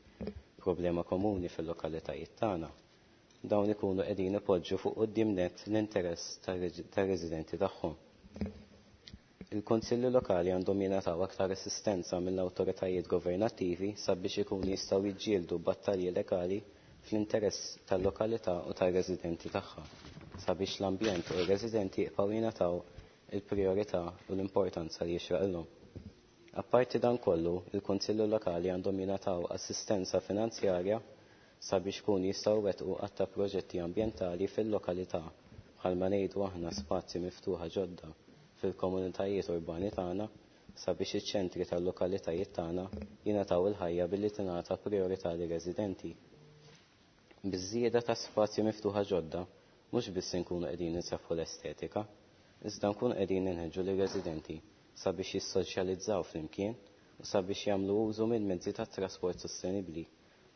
problema komuni fil-lokalitajiet tagħna, dawn ikunu qegħdin ipoġġu fuq quddiem nett l-interess tar-residenti tagħhom. Il-kunsilli lokali għandhom jingħataw aktar assistenza mill-awtoritajiet governattivi sabiex ikunu jistgħu jiġġieldu battalji legali fl-interess tal-lokalità u tar-residenti tagħha, sabiex l-ambjent u r-residenti jibqgħu jingħataw il-priorità u l-importanza li jixraqilhom. Apparti dan kollu, il-Kunsilli Lokali għandhom jingħataw assistenza finanzjarja sabiex kun jistgħu wettqu għadd ta' proġetti ambjentali fil-lokalità, bħalma ngħidu aħna spazji miftuħa ġodda fil-komunitajiet urbani tagħna sabiex iċ-ċentri tal-lokalitajiet tagħna jingħataw il-ħajja billi tingħata priorità lir-residenti. Biż-żieda ta' spazji miftuħa ġodda, mhux biss inkunu qegħdin insaffħu l-estetika, iżda nkunu qegħdin inħeġġu lir-residenti sabiex jissoċjalizzaw flimkien u sabiex jagħmlu użu minn mezzi ta' trasport sostenibbli,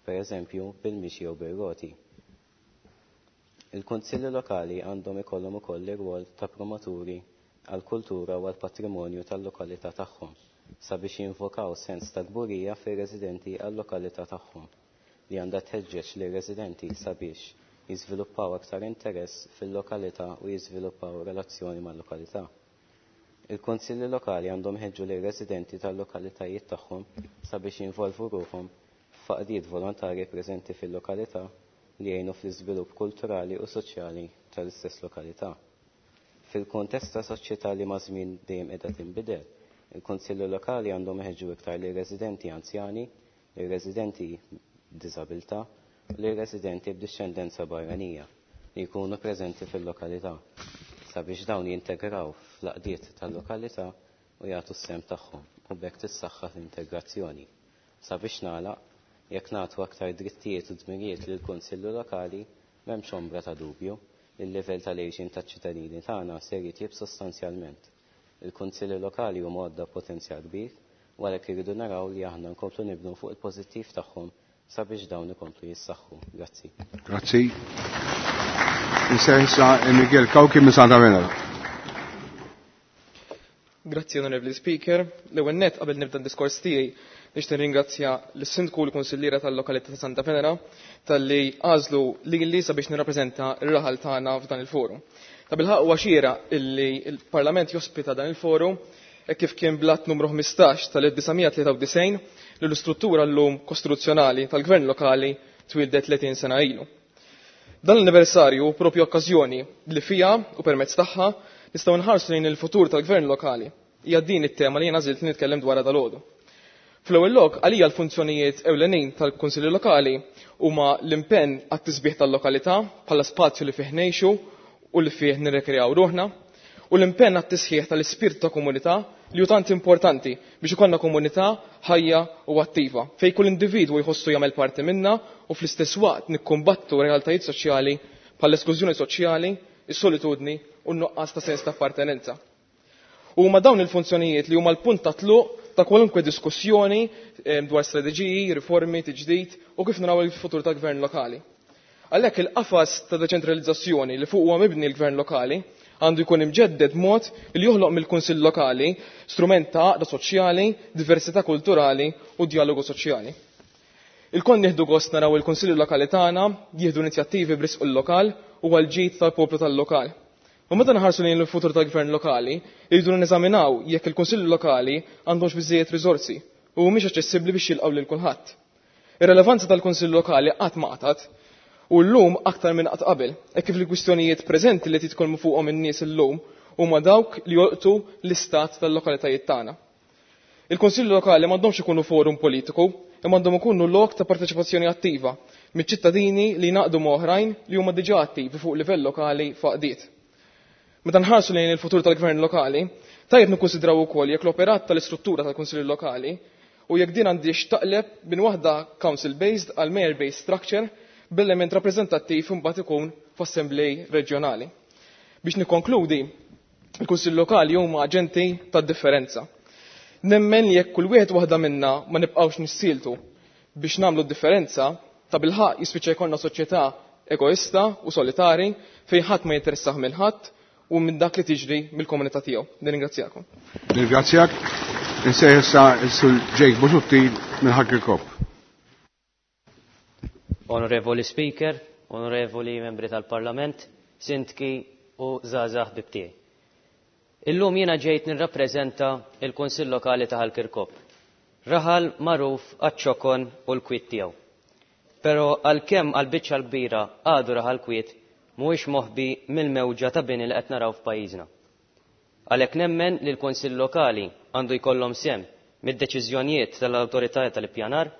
pereżempju bil-mixi jew bir-roti. Il-kunsilli lokali għandhom ikollhom ukoll ir-rwol ta' promoturi għall-kultura u għall-patrimonju tal-lokalità tagħhom sabiex jinvokaw sens ta' kburija fir-residenti għal-lokalità tagħhom li għandha tħeġġeġ lir-residenti sabiex jiżviluppaw aktar interess fil-lokalità u jiżviluppaw relazzjoni mal-lokalità. Il-kunsilli lokali għandhom iħeġġu lir-residenti tal-lokalitajiet tagħhom sabiex jinvolvu ruħhom f'għaqdiet volontarji preżenti fil-lokalità li jgħinu fl-iżvilupp kulturali u soċjali tal-istess lokalità. Fil-kuntest ta' soċjetà li maż-żmien dejjem qiegħda tinbidel, il-kunsilli lokali għandhom iħeġġu iktar lir-residenti anzjani, lir-residenti b'diżabilità u lir-residenti b'dixxendenza barranija li jkunu preżenti fil-lokalità sabiex dawn jintegraw fl-għaqdiet tal-lokalità u jagħtu s-sehem tagħhom u b'hekk tissaħħaħ l-integrazzjoni. Sabiex nagħlaq, jekk nagħtu aktar drittijiet u dmirijiet lill-Kunsillu Lokali, m'hemmx ombra ta' dubju li l-livell tal-għixien taċ-ċittadini tagħna ser jitjieb sostanzjalment. Il-Kunsilli Lokali huma għodda potenzjal kbir u għalhekk irridu naraw li aħna nkomplu nibnu fuq il-pożittiv tagħhom sabiex dawn ikomplu jissaħħu. Grazzi. Grazzi. Issa Miguel Cauchi minn Santa Venera. Grazzi, Onorevoli Speaker. L-ewwel nett qabel nibda d-diskors tiegħi nixtieq nirringrazzja lis-Sindku u l-Kunsilliera tal-lokalità ta' Santa Venera talli għażlu lili sabiex nirrappreżenta r-raħal tagħna f'dan il-forum. Tabilħaqq huwa xieraq illi l-Parlament jospita dan il-forum hekk kif kien bl-att numru ħmistax tal-elf disa' tlieta u disgħin li l-istruttura llum kostituzzjonali tal-Gvern Lokali twildet tletin sena ilu. Dan l-anniversarju propju okkażjoni li fija u permezz tagħha nistgħu nħarsu lejn il-futur tal-Gvern Lokali. Hija din it-tema li jiena għażilt li nitkellem dwarha dalgħodu. Fl-ewwel lok, għalija l-funzjonijiet ewlenin tal-Kunsilli Lokali huma l-impenn għat-tisbieħ tal-lokalità bħala spazju li fih ngħixu u li fih nirrekreaw ruħna, u l-impenn għat-tisħiħ tal-ispirtu ta' komunità li hu tant importanti biex ikollna komunità ħajja u attiva, fejn kull individwu jħossu jagħmel parti minna u fl-istess waqt nikkumbattu realtajiet soċjali bħall-esklużjoni soċjali, is-solitudni u n-nuqqas ta' sens ta' appartenenza. U huma dawn il-funzjonijiet li huma l-punt ta' tluq ta' kwalunkwe diskussjoni, eh, dwar strateġiji, riformi, tiġdid u kif naraw il-futur tal-gvern lokali. Għalhekk il-qafas ta' deċentralizzazzjoni li fuq huwa mibni l-gvern lokali għandu jkun imġedded mod li joħloq mill-Kunsill Lokali strument ta' għaqda soċjali, diversità kulturali u dialogu soċjali. Il-kon nieħdu gost naraw il-Kunsilli Lokali tagħna jieħdu inizjattivi b'risq il-lokal u għall-ġid tal-poplu tal-lokal. U meta nħarsu lejn il-futur tal-gvern lokali, irridu neżaminaw jekk il-Kunsilli Lokali għandhomx biżżejjed riżorsi u mhumiex aċċessibbli biex jilqgħu lil kulħadd. Ir-relevanza tal-Kunsill Lokali qatt ma qatgħet u llum aktar minn qatt qabel, hekk kif il-kwistjonijiet preżenti li titkellmu fuqhom in-nies illum huma dawk li jolqtu l-istat tal-lokalitajiet tagħna. Il-Kunsilli Lokali m'għandhomx ikunu forum politiku, imma għandhom ikunu lok ta' parteċipazzjoni attiva miċ-ċittadini li jnaqdu ma' oħrajn li huma diġà attivi fuq livell lokali f'għaqdiet. Meta nħarsu lejn il-futur tal-gvern lokali, tajjeb nikkunsidraw ukoll jekk l-operat tal-istruttura tal-Kunsilli Lokali u jekk din għandix taqleb minn waħda council-based għal mayor-based structure b'element rappreżentattiv imbagħad ikun f'assemblej reġjonali. Biex nikkonkludi, il-Kunsill Lokali huma aġenti tad-differenza. Nemmen li jekk kull wieħed waħda minna ma nibqgħux nissieltu biex nagħmlu d-differenza, ta' bilħaqq jispiċċa jkollna soċjetà egoista u solitari fejn ħadd ma jinteressah minn ħadd u minn dak li tiġri mill-komunità tiegħu. Nirringrazzjakom. Nirringrazzjak. Insejħ issa s-Sur Jake Busuttil minn Ħal Kirkop. Onorevoli Speaker, onorevoli membri tal-Parlament, sindki u żgħażagħ ħbib tiegħi. Illum jiena ġejt nirrappreżenta il-Kunsill Lokali ta' Ħal Kirkop. Raħal magħruf għaċ-ċokon u l-kwiet tiegħu. Però għalkemm għall-biċċa l-kbira għadu raħal kwiet, mhuwiex moħbi mill-mewġa ta' bini li qed naraw f'pajjiżna. Għalhekk nemmen li l-Kunsill Lokali għandu jkollhom sehem mid-deċiżjonijiet tal-awtorità tal-ippjanar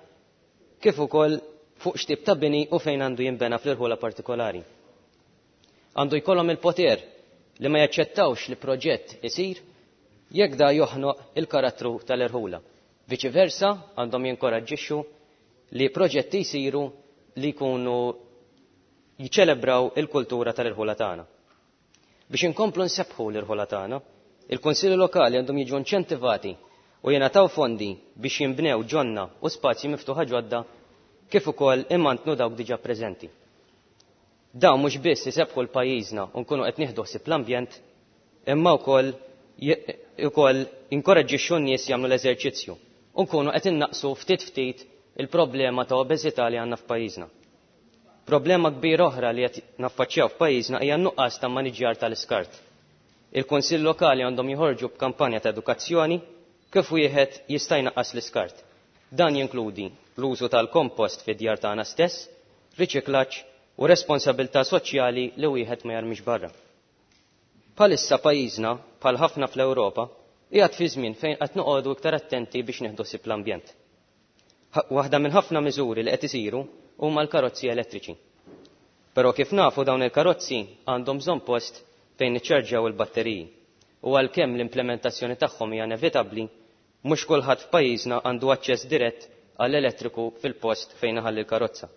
kif ukoll fuq x'tip ta' bini u fejn għandu jinbena fl-irħula partikolari. Għandu jkollhom il-poter li ma jaċċettawx li proġett isir jekk da joħnoq il-karattru tal-irħula. Viċi versa, għandhom jinkoraġġixxu li proġetti jsiru li jkunu jiċċelebraw il-kultura tal-irħula tagħna. Biex inkomplu nsebbħu l-irħula tagħna, il-Kunsilli Lokali għandhom jiġu inċentivati u jingħataw fondi biex jinbnew ġonna u spazji miftuħa ġodda kif ukoll imantnu dawk diġà preżenti. Dawn mhux biss isebbħu l-pajjiżna u nkunu qed nieħdu ħsieb l-ambjent, imma wkoll ukoll inkoraġġixxu n-nies jagħmlu l-eżerċizzju u nkunu qed innaqsu ftit ftit il-problema ta' obeżità li għandna f'pajjiżna. Problema kbira oħra li qed naffaċċjaw f'pajjiżna hija n-nuqqas ta' maniġjar tal-iskart. Il-Kunsill Lokali għandhom joħorġu b'kampanja ta' edukazzjoni kif wieħed jista' jnaqqas l-iskart. Dan jinkludi l-użu tal-kompost fid-djar tagħna stess, riċiklaġġ u responsabilità soċjali li wieħed ma jarmix barra. Bħalissa pajjiżna, bħal ħafna fl-Ewropa, qiegħed fi żmien fejn qed noqogħdu iktar attenti biex nieħdu ħsieb l-ambjent. Waħda minn ħafna miżuri li qed isiru huma l-karozzi elettriċi. Però kif nafu dawn il-karozzi għandhom bżonn post fejn niċċarġjaw il-batteriji. U għalkemm l-implementazzjoni tagħhom hija inevitabbli, mhux kulħadd f'pajjiżna għandu aċċess dirett għall-elettriku fil-post fejn iħalli l-karozza.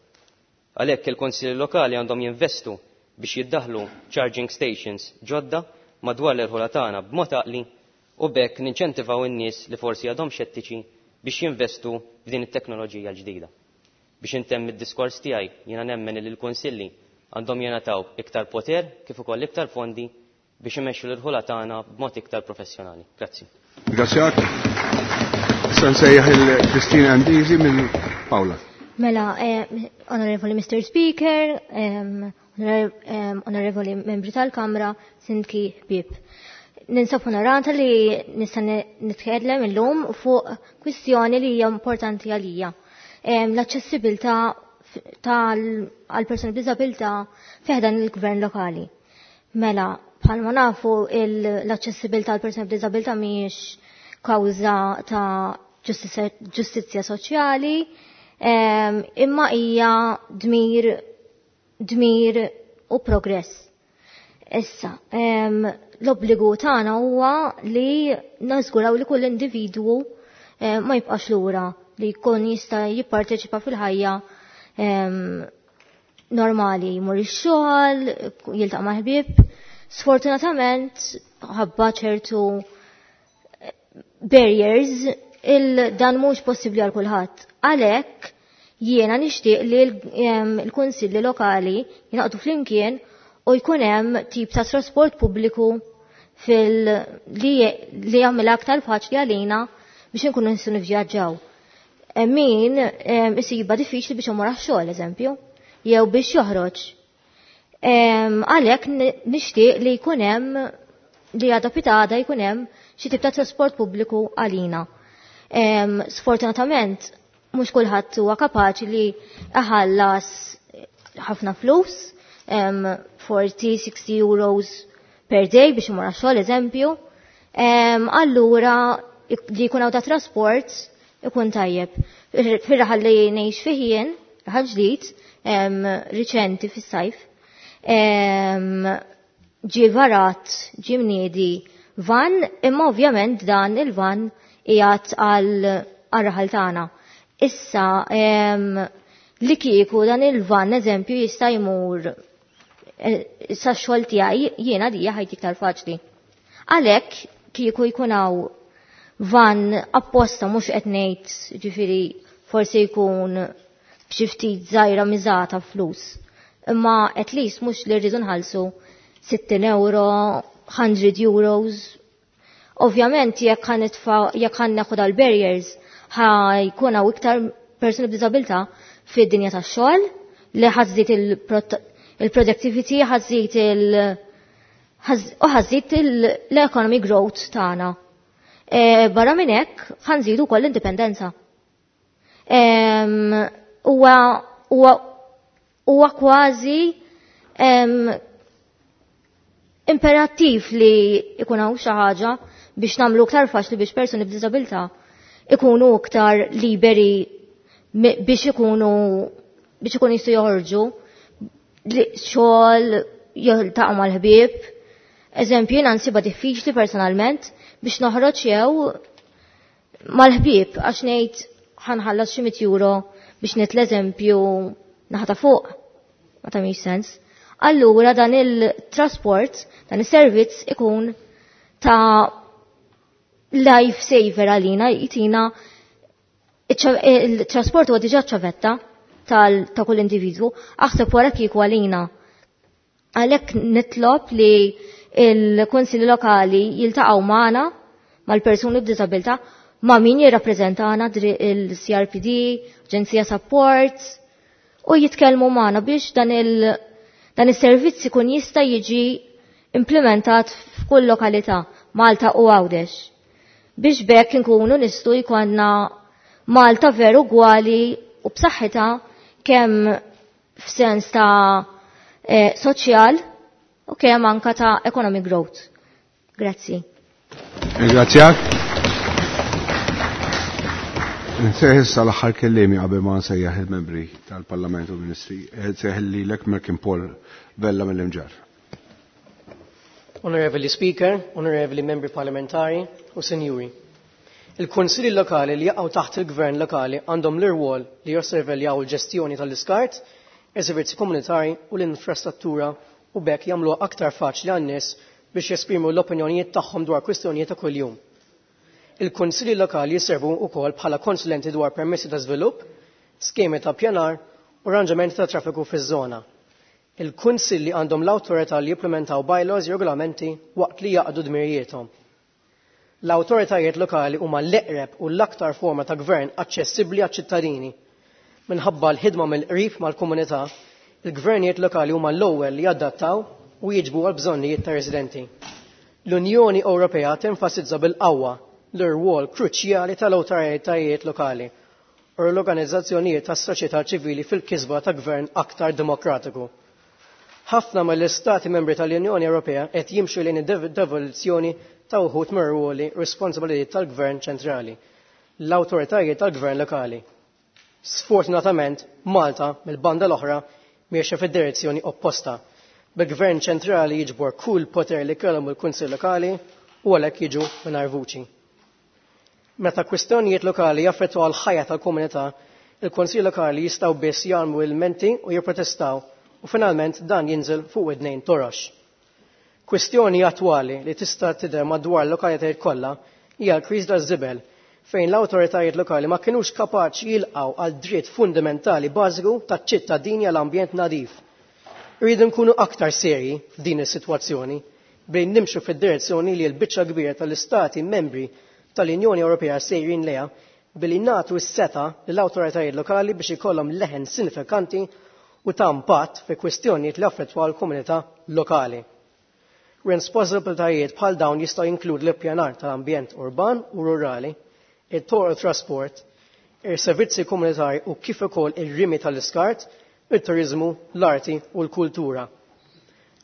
Għalhekk il-Kunsilli Lokali għandhom jinvestu biex jiddaħlu charging stations ġodda madwar l-irħula tagħna b'mod għaqli u b'hekk ninċentivaw in-nies li forsi għadhom xettiċi biex jinvestu f'din it-teknoloġija l-ġdida. Biex intemm id-diskors tiegħi jiena nemmen li l-kunsilli għandhom jingħataw iktar poter kif ukoll iktar fondi biex imexxu l-irħula tagħna b'mod iktar professjonali. Grazzi. Grazzjak. Issa nsejjaħ il-Kristina Andisi minn Paola. Mela, eh, onorevoli Mister Speaker, eh, onorevoli membri tal-Kamra, Sindki ħbieb. Ninsab onorata li nista' nitkellem illum fuq kwistjoni li hija importanti għalija. L-aċċessibilità għal persuni b'diżabilità fiħdan il-gvern lokali. Mela, bħalma nafu l-aċċessibilità għal persuni b'diżabilità mhijiex kawża ta' ġustizzja soċjali, imma hija dmir dmir u progress. Issa, l-obbligu tagħna huwa li nażguraw li kull individwu ma jibqax lura, li jkun jista' jipparteċipa fil-ħajja normali, jmur ix-xogħol, jiltaqa' ma' ħbieb. Sfortunatament, ħabba ċertu barriers, il dan mhux possibbli għal kulħadd. Għalhekk jiena nixtieq li l-kunsilli lokali jingħaqdu flimkien u jkun hemm tip ta' trasport pubbliku fil li li jagħmilha aktar faċli għalina biex inkunu nistgħu nivvjaġġaw. Min isibha diffiċli biex imur għax-xogħol, eżempju, jew biex joħroġ. Għalhekk nixtieq li jkun hemm li għada pitada jkun hemm xi tip ta' trasport pubbliku għalina. Sfortunatament, mhux kulħadd huwa kapaċi li iħallas ħafna flus, forty, sixty euros per day biex imur għax-xogħol, eżempju. Allura li jkun hawn ta' trasport ikun tajjeb. Fir-raħal li ngħix fih jien, raħal ġdid, riċenti fis-sajf, ġie varat, ġie mniedi van, imma ovvjament dan il-van qiegħed għal raħal tagħna. Issa, li kieku dan il-van, eżempju, jista' jmur sa xogħol tiegħi, jiena dija ħajti iktar faċli. Għalhekk kieku jkun hawn van apposta, mhux qed ngħid, ġifieri forsi jkun b'xi ftit żgħira miżata flus. Imma at least mhux li rridu nħallsu sittin euro, hundred euros. Ovvjament jekk ħanitfa', jekk ħanneħu dal-barriers, ħajkun hawn iktar persuni b'diżabilità fid-dinja tax-xogħol li ħażżid il-productivity, ħażżid il- u ħażżid l-economy growth tagħna. Barra minn hekk ħanżidu wkoll l-indipendenza. Huwa kważi imperattiv li jkun hawn xi ħaġa biex nagħmlu iktar faċli biex persuni b'diżabilità ikunu iktar liberi biex ikunu biex ikunu jistgħu joħorġu xogħol, jiltaqgħu mal-ħbieb. Eżempju, jiena nsibha diffiċli personalment biex noħroġ jew mal-ħbieb għax ngħid ħanħallas xi mitt euro biex nitla' eżempju naħta fuq. Ma tagħmilx sens. Allura dan il-trasport, dan is-servizz ikun ta' life saver għalina, jitina il-trasport huwa diġà ċavetta ta' kull individwu, aħseb wara kieku għalina. Għalhekk nitlob li il-Kunsilli Lokali jiltaqgħu magħna mal-persuni b'diżabilità ma' min jirrappreżentana il-C R P D, Aġenzija Support, u jitkellmu magħna biex dan il dan is-servizz ikun jista' jiġi implementat f'kull lokalità, Malta u Għawdex. Biex bekk inkunu nistgħu jkollna Malta veru gwali u b'saħħitha kemm f'sens ta' eh, soċjal u kemm anka ta' economic growth. Grazzi. Ringrazzjak. Nsejħ issa l-aħħar kelliemi qabel ma nsejjaħ il-membri tal-Parlament u Ministri. Nsejħ lilek Merkin Paul Vella mill-Imġarr. Onorevoli Speaker, Onorevoli Membri Parlamentari u Sinjuri. Il-Kunsilli Lokali li jaqgħu taħt il-Gvern Lokali għandhom l-irwol li josserveljaw il-ġestjoni tal-iskart, is-servizzi komunitari u l-infrastruttura u bekk jagħmluha aktar faċli għan-nies biex jesprimu l-opinjonijiet tagħhom dwar kwistjonijiet ta' kuljum. Il-Kunsilli Lokali jisservu wkoll bħala konsulenti dwar permessi ta' żvilupp, skemi ta' pjanar u arranġamenti ta' traffiku fiż-żona. Il-Kunsilli għandhom l-awtorità li jimplementaw bylaws, regolamenti waqt li jaqdu dmirijiethom. L-awtoritajiet lokali huma l-eqreb u l-aktar forma ta' gvern aċċessibbli għaċ-ċittadini. Minħabba l-ħidma mill-qrib mal-komunità, il-gvernijiet lokali huma l-ewwel li jadattaw u jiġbu għal bżonnijiet ta' residenti. L-Unjoni Ewropea tenfasizza bil-qawwa l-irwol kruċjali tal-awtoritajiet lokali u l-organizzazzjonijiet tas-soċjetà ċivili fil-kisba ta' gvern aktar demokratiku. Ħafna mill-istati membri tal-Unjoni Ewropea qed jimxu lejn id-devoluzzjoni ta' uħud mir-rwoli responsabilitajiet tal-Gvern ċentrali, l-awtoritajiet tal-Gvern lokali. Sfortunatament, Malta mill-banda l-oħra miexja fid-direzzjoni opposta, bil-Gvern ċentrali jiġbor kull poter li kellhom il-Kunsill Lokali u għalhekk jiġu mingħajr vuċi. Meta kwistjonijiet lokali jaffettwaw l-ħajja tal-komunità, il-Kunsill Lokali jistgħu biss jagħmlu ilmenti u jipprotestaw u finalment dan jinżel fuq widnejn torox. Kwistjoni attwali li tista' tidher madwar l-lokalitajiet kollha hija l-kriżi taż-żibel fejn l-awtoritajiet lokali ma kinux kapaċi jilqgħu għal dritt fundamentali bażiku taċ-ċittadini għal ambjent nadif. Irridu nkunu aktar serji f'din is-sitwazzjoni bejn nimxu fid-direzzjoni li l-biċċa kbira tal-istati membri tal-Unjoni Ewropea sejrin lejha billi nagħtu s-setgħa lill-awtoritajiet lokali biex ikollhom leħen sinifikanti u ta' impatt fi kwistjonijiet li affettwaw l-komunità lokali. Responsabiltajiet bħal dawn jistgħu jinkludu l-ippjanar tal-ambjent urban u rurali, it-toroq trasport, ir-servizzi komunitari u kif ukoll ir-rimi tal-iskart, it-turiżmu, l-arti u l-kultura.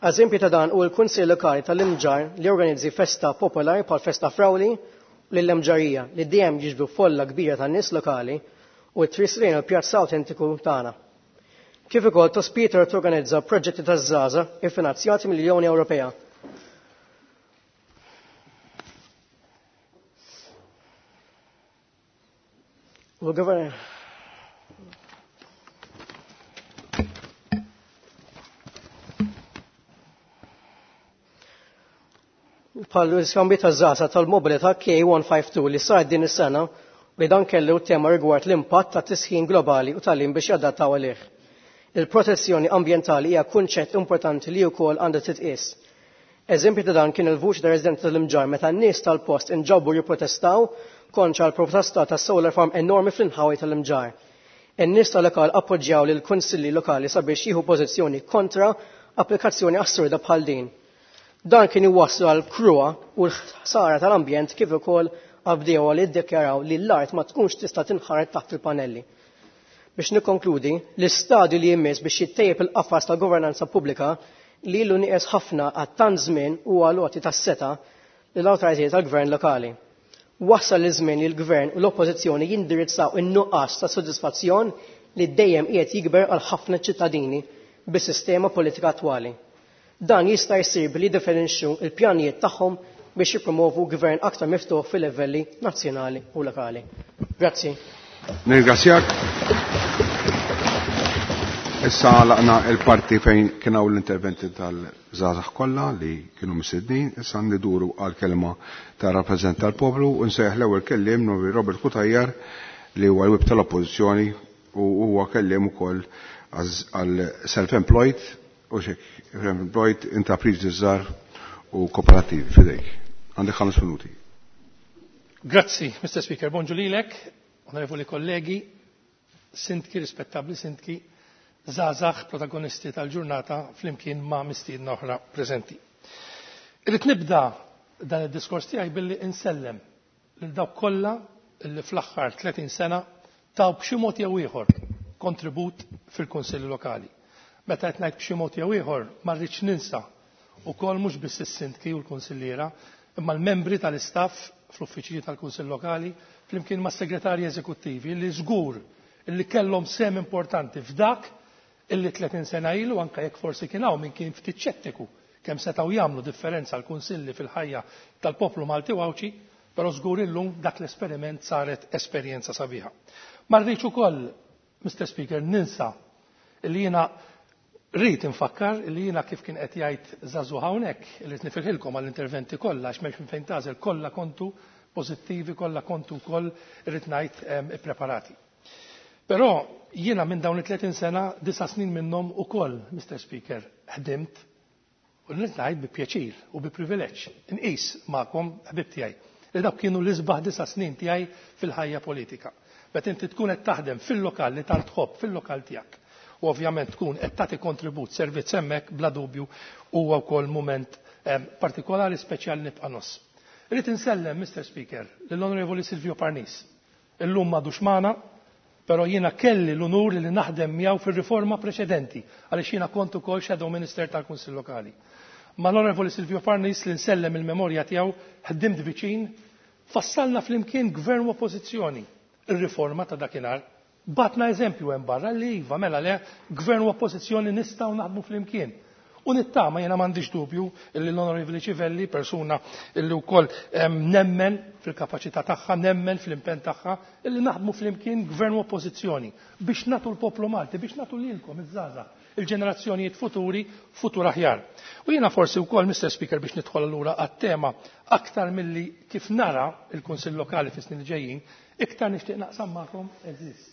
Eżempju ta' dan hu l-Kunsill Lokali tal-Imġarr li organizzi festa popolari bħal Festa Frawli u l-Imġarrija li dejjem jiġbdu folla kbira tan nies lokali u t-trisrin il-pjazza autentiku tagħna. Kif ukoll Tospiter torganizza proġetti taż-żgħażagħ iffinanzjati mill-Unjoni Ewropea. U l-Gvern bħal l-iskambju taż-żgħażagħ tal-mobilità K one five two li sar din is-sena li dan kellu tema rigward l-impatt ta' tisħin globali u tal-lim biex jadattaw għalih. Il-protezzjoni ambjentali hija kunċett importanti li wkoll għandha titqies. Eżempju ta' dan kien il-vuċi ta' residenti tal-Imġarr meta n-nies tal-post inġabru jipprotestaw kontra l-proposta ta' solar farm enormi fl-inħawi tal-Imġarr. In-nies tal-lokal appoġġjaw lil kunsilli lokali sabiex jieħu pożizzjoni kontra applikazzjoni assurda bħal din. Dan kien iwasslu għal kruha u l-ħsara tal-ambjent kif ukoll għall-bdiewa li ddikjaraw li l-art ma tkunx tista' tinħaret taħt il-panelli. Biex nikkonkludi, l-istadju li jmiss biex jittejjeb il-qafas ta' governanza pubblika li ilu nieqes ħafna għal tant żmien huwa l-għoti tas-setgħa lill-awtoritajiet tal-gvern lokali. Wasal iż-żmien li l-gvern u l-oppożizzjoni jindirizzaw in-nuqqas ta' sodisfazzjon li dejjem qiegħed jikber għal ħafna ċittadini bis-sistema politika attwali. Dan jista' jsir billi jiddefinixxu l-pjanijiet tagħhom biex jippromovu gvern aktar miftuħ fil-livelli nazzjonali u lokali. Grazzi. Nirringrazzjak. Issa għalaqna il-parti fejn kien hawn l-interventi tal-żgħażagħ kollha li kienu mistednin, issa nduru għal kelma ta' rappreżentant tal-poplu u nsejjaħ l-ewwel kelliem Novi Robert Cutajar li huwa l-whip tal-Oppożizzjoni u huwa kelliem ukoll għal self-employed u xek self-employed intrapriżi żgħar u Kooperattivi. Fidejk. Għandek ħames minuti. Grazzi, Mister Speaker. Bonġu lilek, onorevoli kollegi, sindki, rispettabli sindki, żgħażagħ protagonisti tal-ġurnata flimkien ma' mistiedna oħra preżenti. Irrid nibda dan id-diskors tiegħi billi insellem lil dawk kollha li fl-aħħar tletin sena taw b'xi mod jew ieħor kontribut fil-Kunsilli Lokali. Meta qed ngħid b'xi mod jew ieħor ma rridx ninsa wkoll mhux biss is-sindki u l-kunsilliera, imma l-membri tal-istaff fl-uffiċċji tal-Kunsill Lokali flimkien mas-segretarji eżekuttivi li żgur li kellhom sehem importanti f'dak illi tletin sena ilu, anke jekk forsi kien hawn min kien ftit ċettiku kemm setgħu jagħmlu differenza l-kunsilli fil-ħajja tal-poplu Malti u Għawdxi, però żgur illum dak l-esperiment saret esperjenza sabiħa. Ma rridx ukoll, Mister Speaker, ninsa li jiena rrid infakkar li jiena kif kien qed jgħid żagħżugħ hawnhekk, li qed nifirħilkom għall-interventi kollha għax m'hemmx minn fejn tagħżel, kollha kontu pożittivi, kollha kontu wkoll irrid ngħid, ehm, ippreparati. Però jiena minn dawn it-tletin sena, disa' snin minnhom ukoll, Mister Speaker, ħdimt u rrid ngħid bi pjaċir u bi privileġġ inqis magħkom ħbib tiegħi li dawk kienu l-isbaħ disa' snin tiegħi fil-ħajja politika. Meta inti tkun qed taħdem fil-lokal li tant tħobb, fil-lokal tiegħek, u ovvjament tkun qed tagħti kontribut servizz hemmhekk, bla dubju huwa wkoll mument, ehm, partikolari speċjali nibqa' noss. Irrid insellem, Mister Speaker, lill-Onorevoli Silvio Parnis. Illum m'għadux magħna, però jiena kelli l-unur li naħdem miegħu fir-riforma preċedenti, għaliex jiena kont ukoll Shadow Minister tal-Kunsill Lokali. Ma l-Onorevoli Silvio Parnis li nsellem il-memorja tiegħu, ħdimt viċin, fassalna flimkien gvern u oppożizzjoni ir-riforma ta' dakinhar. Batna eżempju hemm barra li iva mela le gvern u oppożizzjoni nistgħu naħdmu flimkien. U nittama jiena m'għandix dubju illi l-Onorevoli Civelli, persuna illi wkoll, ehm, nemmen fil-kapaċità tagħha, nemmen fl-impenn tagħha, illi naħdmu flimkien gvern u oppożizzjoni biex nagħtu l-poplu Malti, biex nagħtu lilkom iż-żgħażagħ, il-ġenerazzjonijiet futuri, futur aħjar. U jiena forsi wkoll, Mister Speaker, biex nidħol allura għat-tema aktar milli kif nara il-Kunsill Lokali fis-snin li ġejjin, iktar nixtieq naqsam magħkom, eżis,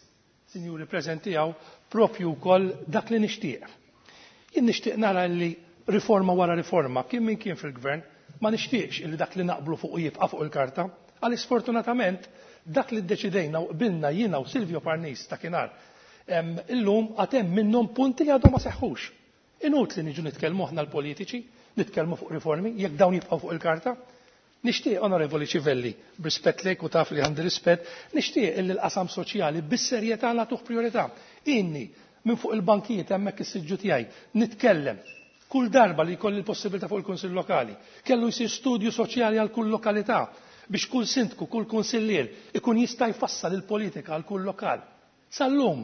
sinjuri preżenti hawn, propju wkoll dak li nixtieq. Jien nixtieq nara li riforma wara riforma, kien min kien fil-gvern, ma nixtieqx illi dak li naqblu fuq jibqa' fuq il-karta, għaliex sfortunatament dak li ddeċidejna u qbilna jiena u Silvio Parnis dakinhar, em, illum għad hemm minnhom punti li għadhom ma seħħux. Inutli niġu nitkellmu aħna l-politiċi, nitkellmu fuq riformi, jekk dawn jibqgħu fuq il-karta. Nixtieq, Onorevoli Civelli, b'rispett lejk u taf li għandi rispett, nixtieq illi l-qasam soċjali bis-serjetà nagħtuh priorità. Inni minn fuq il-bankijiet hemmhekk is-siġġu tiegħi nitkellem kull darba li jkolli l-possibilità fuq il-Kunsill Lokali. Kellu jsir studju soċjali għal kull lokalità biex kull sindku, kull kunsillier ikun jista' jfassal il-politika għal kull lokal. Sal-lum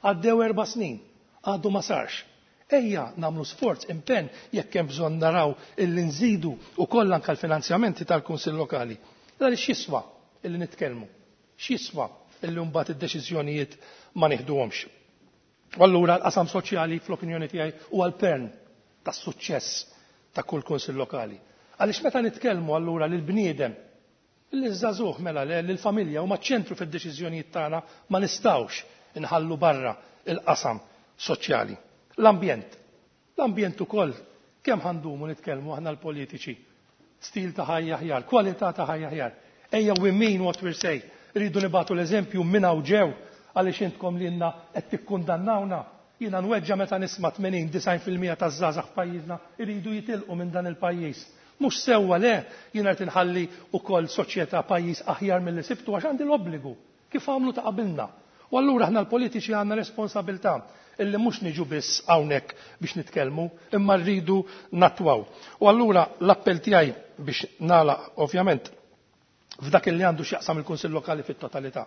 għaddew erba' snin, għadu ma sarx. Ejja nagħmlu sforz, impenn jekk hemm bżonn naraw illi nżidu wkoll anke l-finanzjamenti tal-Kunsill Lokali. Għaliex x'jiswa illi nitkellmu, x'jiswa illi mbagħad id-deċiżjonijiet ma nieħduhomx. U allura l-qasam soċjali fl-opinjoni tiegħi huwa l-pern tas-suċċess ta' kull Kunsill Lokali. Għaliex meta nitkellmu allura lil bniedem, lil żagħżugħ mela le, lil familja huma ċentru fid-deċiżjonijiet tagħna, ma nistgħux inħallu barra il-qasam soċjali. L-ambjent. L-ambjent ukoll kemm ħandumu nitkellmu aħna l-politiċi. Stil ta' ħajja aħjar, kwalità ta' ħajja aħjar. Ejja we mean what we say. Rridu nibatu l-eżempju minn hawn ġew għaliex intkom lilna qed tikkundannawna. Jiena nweġġa meta nisma' tmenin, disgħin fil-mija taż-żgħażagħ f'pajjiżna iridu jitilqu minn dan il-pajjiż. Mhux sewwa le, jiena qed inħalli wkoll soċjetà pajjiż aħjar milli sibtu għax għandi l-obbligu kif għamlu ta' qabilna. U allura aħna l-politiċi għandna responsabilità illi mhux niġu biss hawnhekk biex nitkellmu, imma rridu nattwaw. U allura l-appell tiegħi biex nagħlaq ovvjament f'dak li għandu x'jaqsam il-Kunsill Lokali fit-totalità.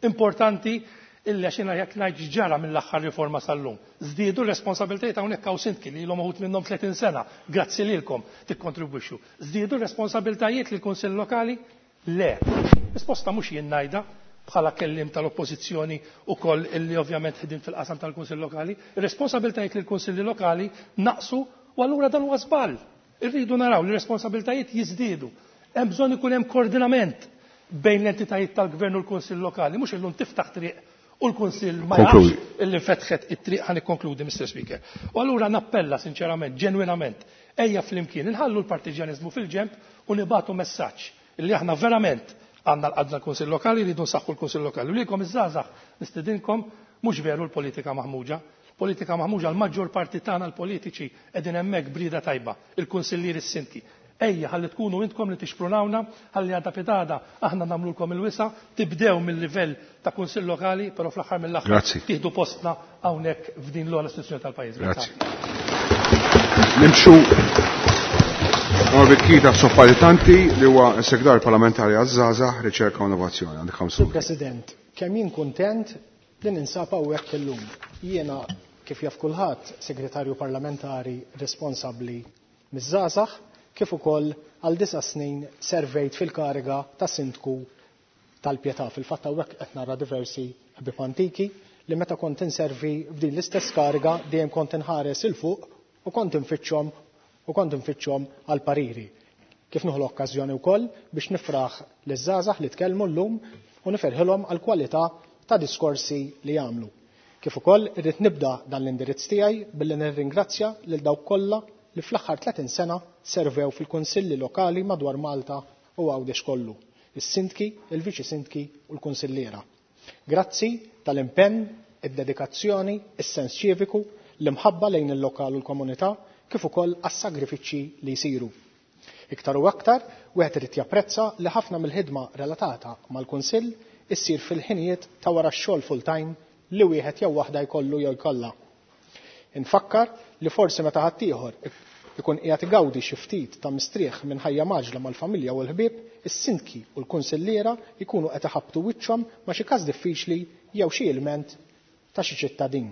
Importanti illi għax jiena jekk ngħid ġara mill-aħħar riforma sal-lum. Żdiedu r-responsabilitajiet hawnhekk hawn sindki li ilhom uħud minnhom tletin sena, grazzi lilkom tikkontribwixxu. Żdiedu r-responsabilitajiet lill-Kunsill Lokali? Le. Risposta mhux jien ngħidha bħala kellim tal-oppożizzjoni ukoll illi ovvjament ħdimt fil-qasam tal-Kunsill Lokali. Ir-responsabilitajiet lill-Kunsilli Lokali naqsu u allura dan huwa żball. Irridu naraw li r-responsabilitajiet jiżdiedu. Hemm bżonn ikun hemm koordinament bejn l-entitajiet tal-Gvern u l-Kunsill Lokali, mhux illum tiftaħ triq U l-Kunsill ma jafx illi fetħet it-triq. Ħa nikkonkludi, Mister Speaker. U allura nappella sinċerament, ġenwinament, ejja flimkien inħallu l-partiġjaniżmu fil-ġemp u nibagħtu messaġġ illi aħna verament għandna l-qadna l-Kunsill Lokali, rridu nsaħħu l-Kunsill Lokali. U lilkom iż-żgħażagħ nistedinkom, mhux veru l-politika maħmuġa. Politika maħmuġa, l-maġġor parti tagħna l-politiċi qegħdin hemmhekk b'rieda tajba, il-kunsillieri, s-sindki. Ejja, ħalli tkunu intkom li tixprunawna, ħalli għada pitgħada aħna nagħmlulkom il-wisa, tibdew mill-livell ta' kunsill lokali, però fl-aħħar mill-aħħar tieħdu postna hawnhekk f'din l-ogħla istituzzjoni tal-pajjiż. Grazzi. Nimxu Norbert Kita Soppalitanti li huwa s-Segretarju Parlamentari għaż-Żgħażagħ, Riċerka u Innovazzjoni. Għandek ħamsu. President, kemm jien kuntent li ninsab hawnhekk illum. Jiena, kif jaf kulħadd, segretarju parlamentari responsabbli miż-żgħażagħ, kif ukoll għal disa' snin servejt fil-kariga ta' sindku tal-Pietà. Fil-fatt hawnhekk qed nara diversi ħbieb antiki li meta kont inservi f'din l-istess kariga dejjem kont inħares 'il fuq u kont infittxhom u kont infittxhom għal pariri. Kif nieħu l-okkażjoni wkoll biex nifraħ liż-żgħażagħ li tkellmu llum u nifirħilhom għal kwalità ta' diskorsi li jagħmlu. Kif ukoll irrid nibda dan l-indirizz tiegħi billi nirringrazzja lil dawk kollha li fl-aħħar tletin sena servew fil-kunsilli lokali madwar Malta u Għawdex kollu, is-sindki, il-viċi sindki u l-kunsilliera. Grazzi tal-impenn, id-dedikazzjoni, is-sens ċiviku, l-imħabba lejn il-lokal u l-komunità, kif ukoll għas-sagrifiċċji li jsiru. Iktar u aktar, wieħed irid japprezza li ħafna mill-ħidma relatata mal-Kunsill issir fil-ħinijiet ta' wara x-xogħol full-time li wieħed jew waħda jkollu jew jkollha. Infakkar li forsi meta ħaddieħor ikun qiegħed igawdi xi ftit ta' mistrieħ minn ħajja maġla mal-familja u l-ħbieb, is-sindki u l-kunsilliera jkunu qed iħabbtu wiċċhom ma' xi każ diffiċli jew xi ilment ta' xi ċittadin.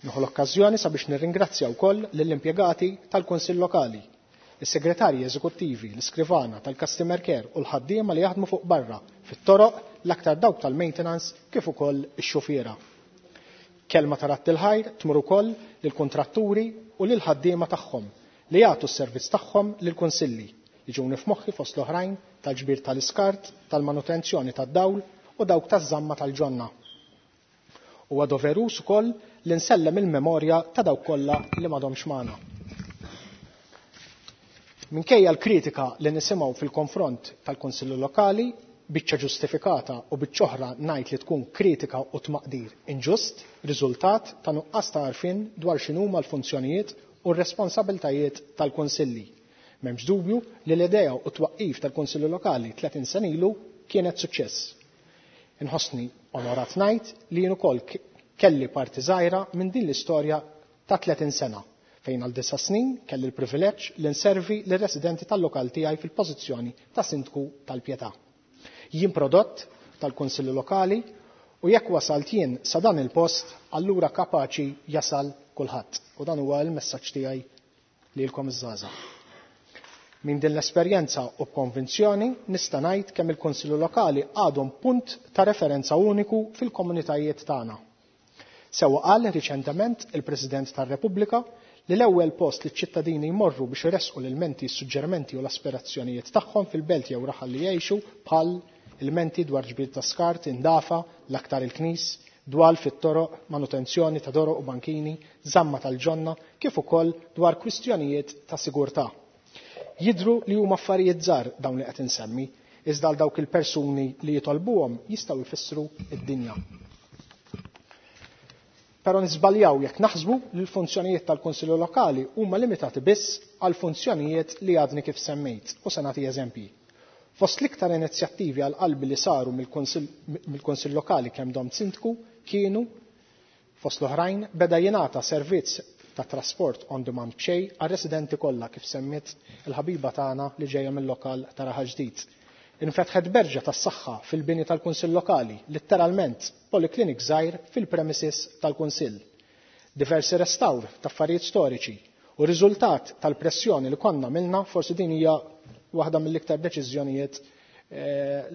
Nieħu l-okkażjoni sabiex nirringrazzja wkoll lill-impjegati tal-Kunsill Lokali, is-segretarji eżekuttivi, l-iskrivana tal-customer care u l-ħaddiema li jaħdmu fuq barra fit-toroq, l-aktar dawk tal-maintenance kif ukoll ix-xufiera. Kelma ta' radd il-ħajr tmur ukoll lill-kuntratturi u lil-ħaddiema tagħhom li jagħtu s-servizz tagħhom lill-kunsilli, jiġuni f'moħħi fost l-oħrajn tal-ġbir tal-iskart, tal-manutenzjoni tad-dawl u dawk taż-żamma tal-ġonna. Huwa doveruż ukoll li nsellem il-memorja ta' dawk kollha li m'għadhomx magħna. Minkejja l-kritika li nisimgħu fil-konfront tal-Kunsilli Lokali, biċċa ġustifikata u biċċa oħra ngħid li tkun kritika u tmaqdir inġust, riżultat ta' nuqqas ta' għarfien dwar x'inhuma l-funzjonijiet u r-responsabiltajiet tal-Kunsilli. M'hemmx dubju li l-idea u t-twaqqif tal-Kunsilli Lokali tletin sena ilu kienet suċċess. Inħossni onorat ngħid li jien ukoll kelli parti żgħira minn din l-istorja ta' tletin sena, fejn għal disa' snin kelli l-privileġġ li nservi lir-residenti tal-lokal tiegħi fil-pożizzjoni ta' sindku tal-Pietà. Jien prodott tal-Kunsilli Lokali u jekk wasalt jien sa dan il-post, allura kapaċi jasal kulħadd. U dan huwa l-messaġġ tiegħi lilkom iż-żgħażagħ. Minn din l-esperjenza u b'konvinzjoni nista' ngħid kemm il-Kunsilli Lokali għadhom punt ta' referenza uniku fil-komunitajiet tagħna. Sewwa qal riċentement il-President tar-Repubblika li l-ewwel post li ċ-ċittadini jmorru biex iressqu l-ilmenti, s-suġġerimenti u l-aspirazzjonijiet tagħhom fil-belt jew raħal li jgħixu, bħal ilmenti dwar ġbir ta' skart, indafa, l-aktar il-knis, dwal fit-toroq, manutenzjoni ta' doroq u bankini, żamma tal-ġonna, kif ukoll dwar kwistjonijiet ta' sigurtà. Jidhru li huma affarijiet żgħar dawn li qed insemmi, iżda għal dawk il-persuni li jitolbuhom jistgħu jfissru d-dinja. Però nisbaljaw jekk naħsbu li l-funzjonijiet tal-Kunsilli Lokali huma limitati biss għal funzjonijiet li għadni kif semmejt, u se nagħti eżempji. Fost l-iktar inizjattivi għal qalbi li saru mill-Kunsill Lokali kemm domt sindku kienu, fost l-oħrajn, beda jingħata servizz ta' trasport on demand b'xejn għar-residenti kollha, kif semmiet il-ħabiba tagħna li ġejja mill-lokal ta' Raħal Ġdid. Infetħet berġa tas-saħħa fil-bini tal-Kunsill Lokali, letteralment poliklinik żgħir fil-premises tal-Kunsill. Diversi restawr ta' affarijiet storiċi u riżultat tal-pressjoni li konna milna, forsi din hija waħda mill-iktar deċiżjonijiet eh,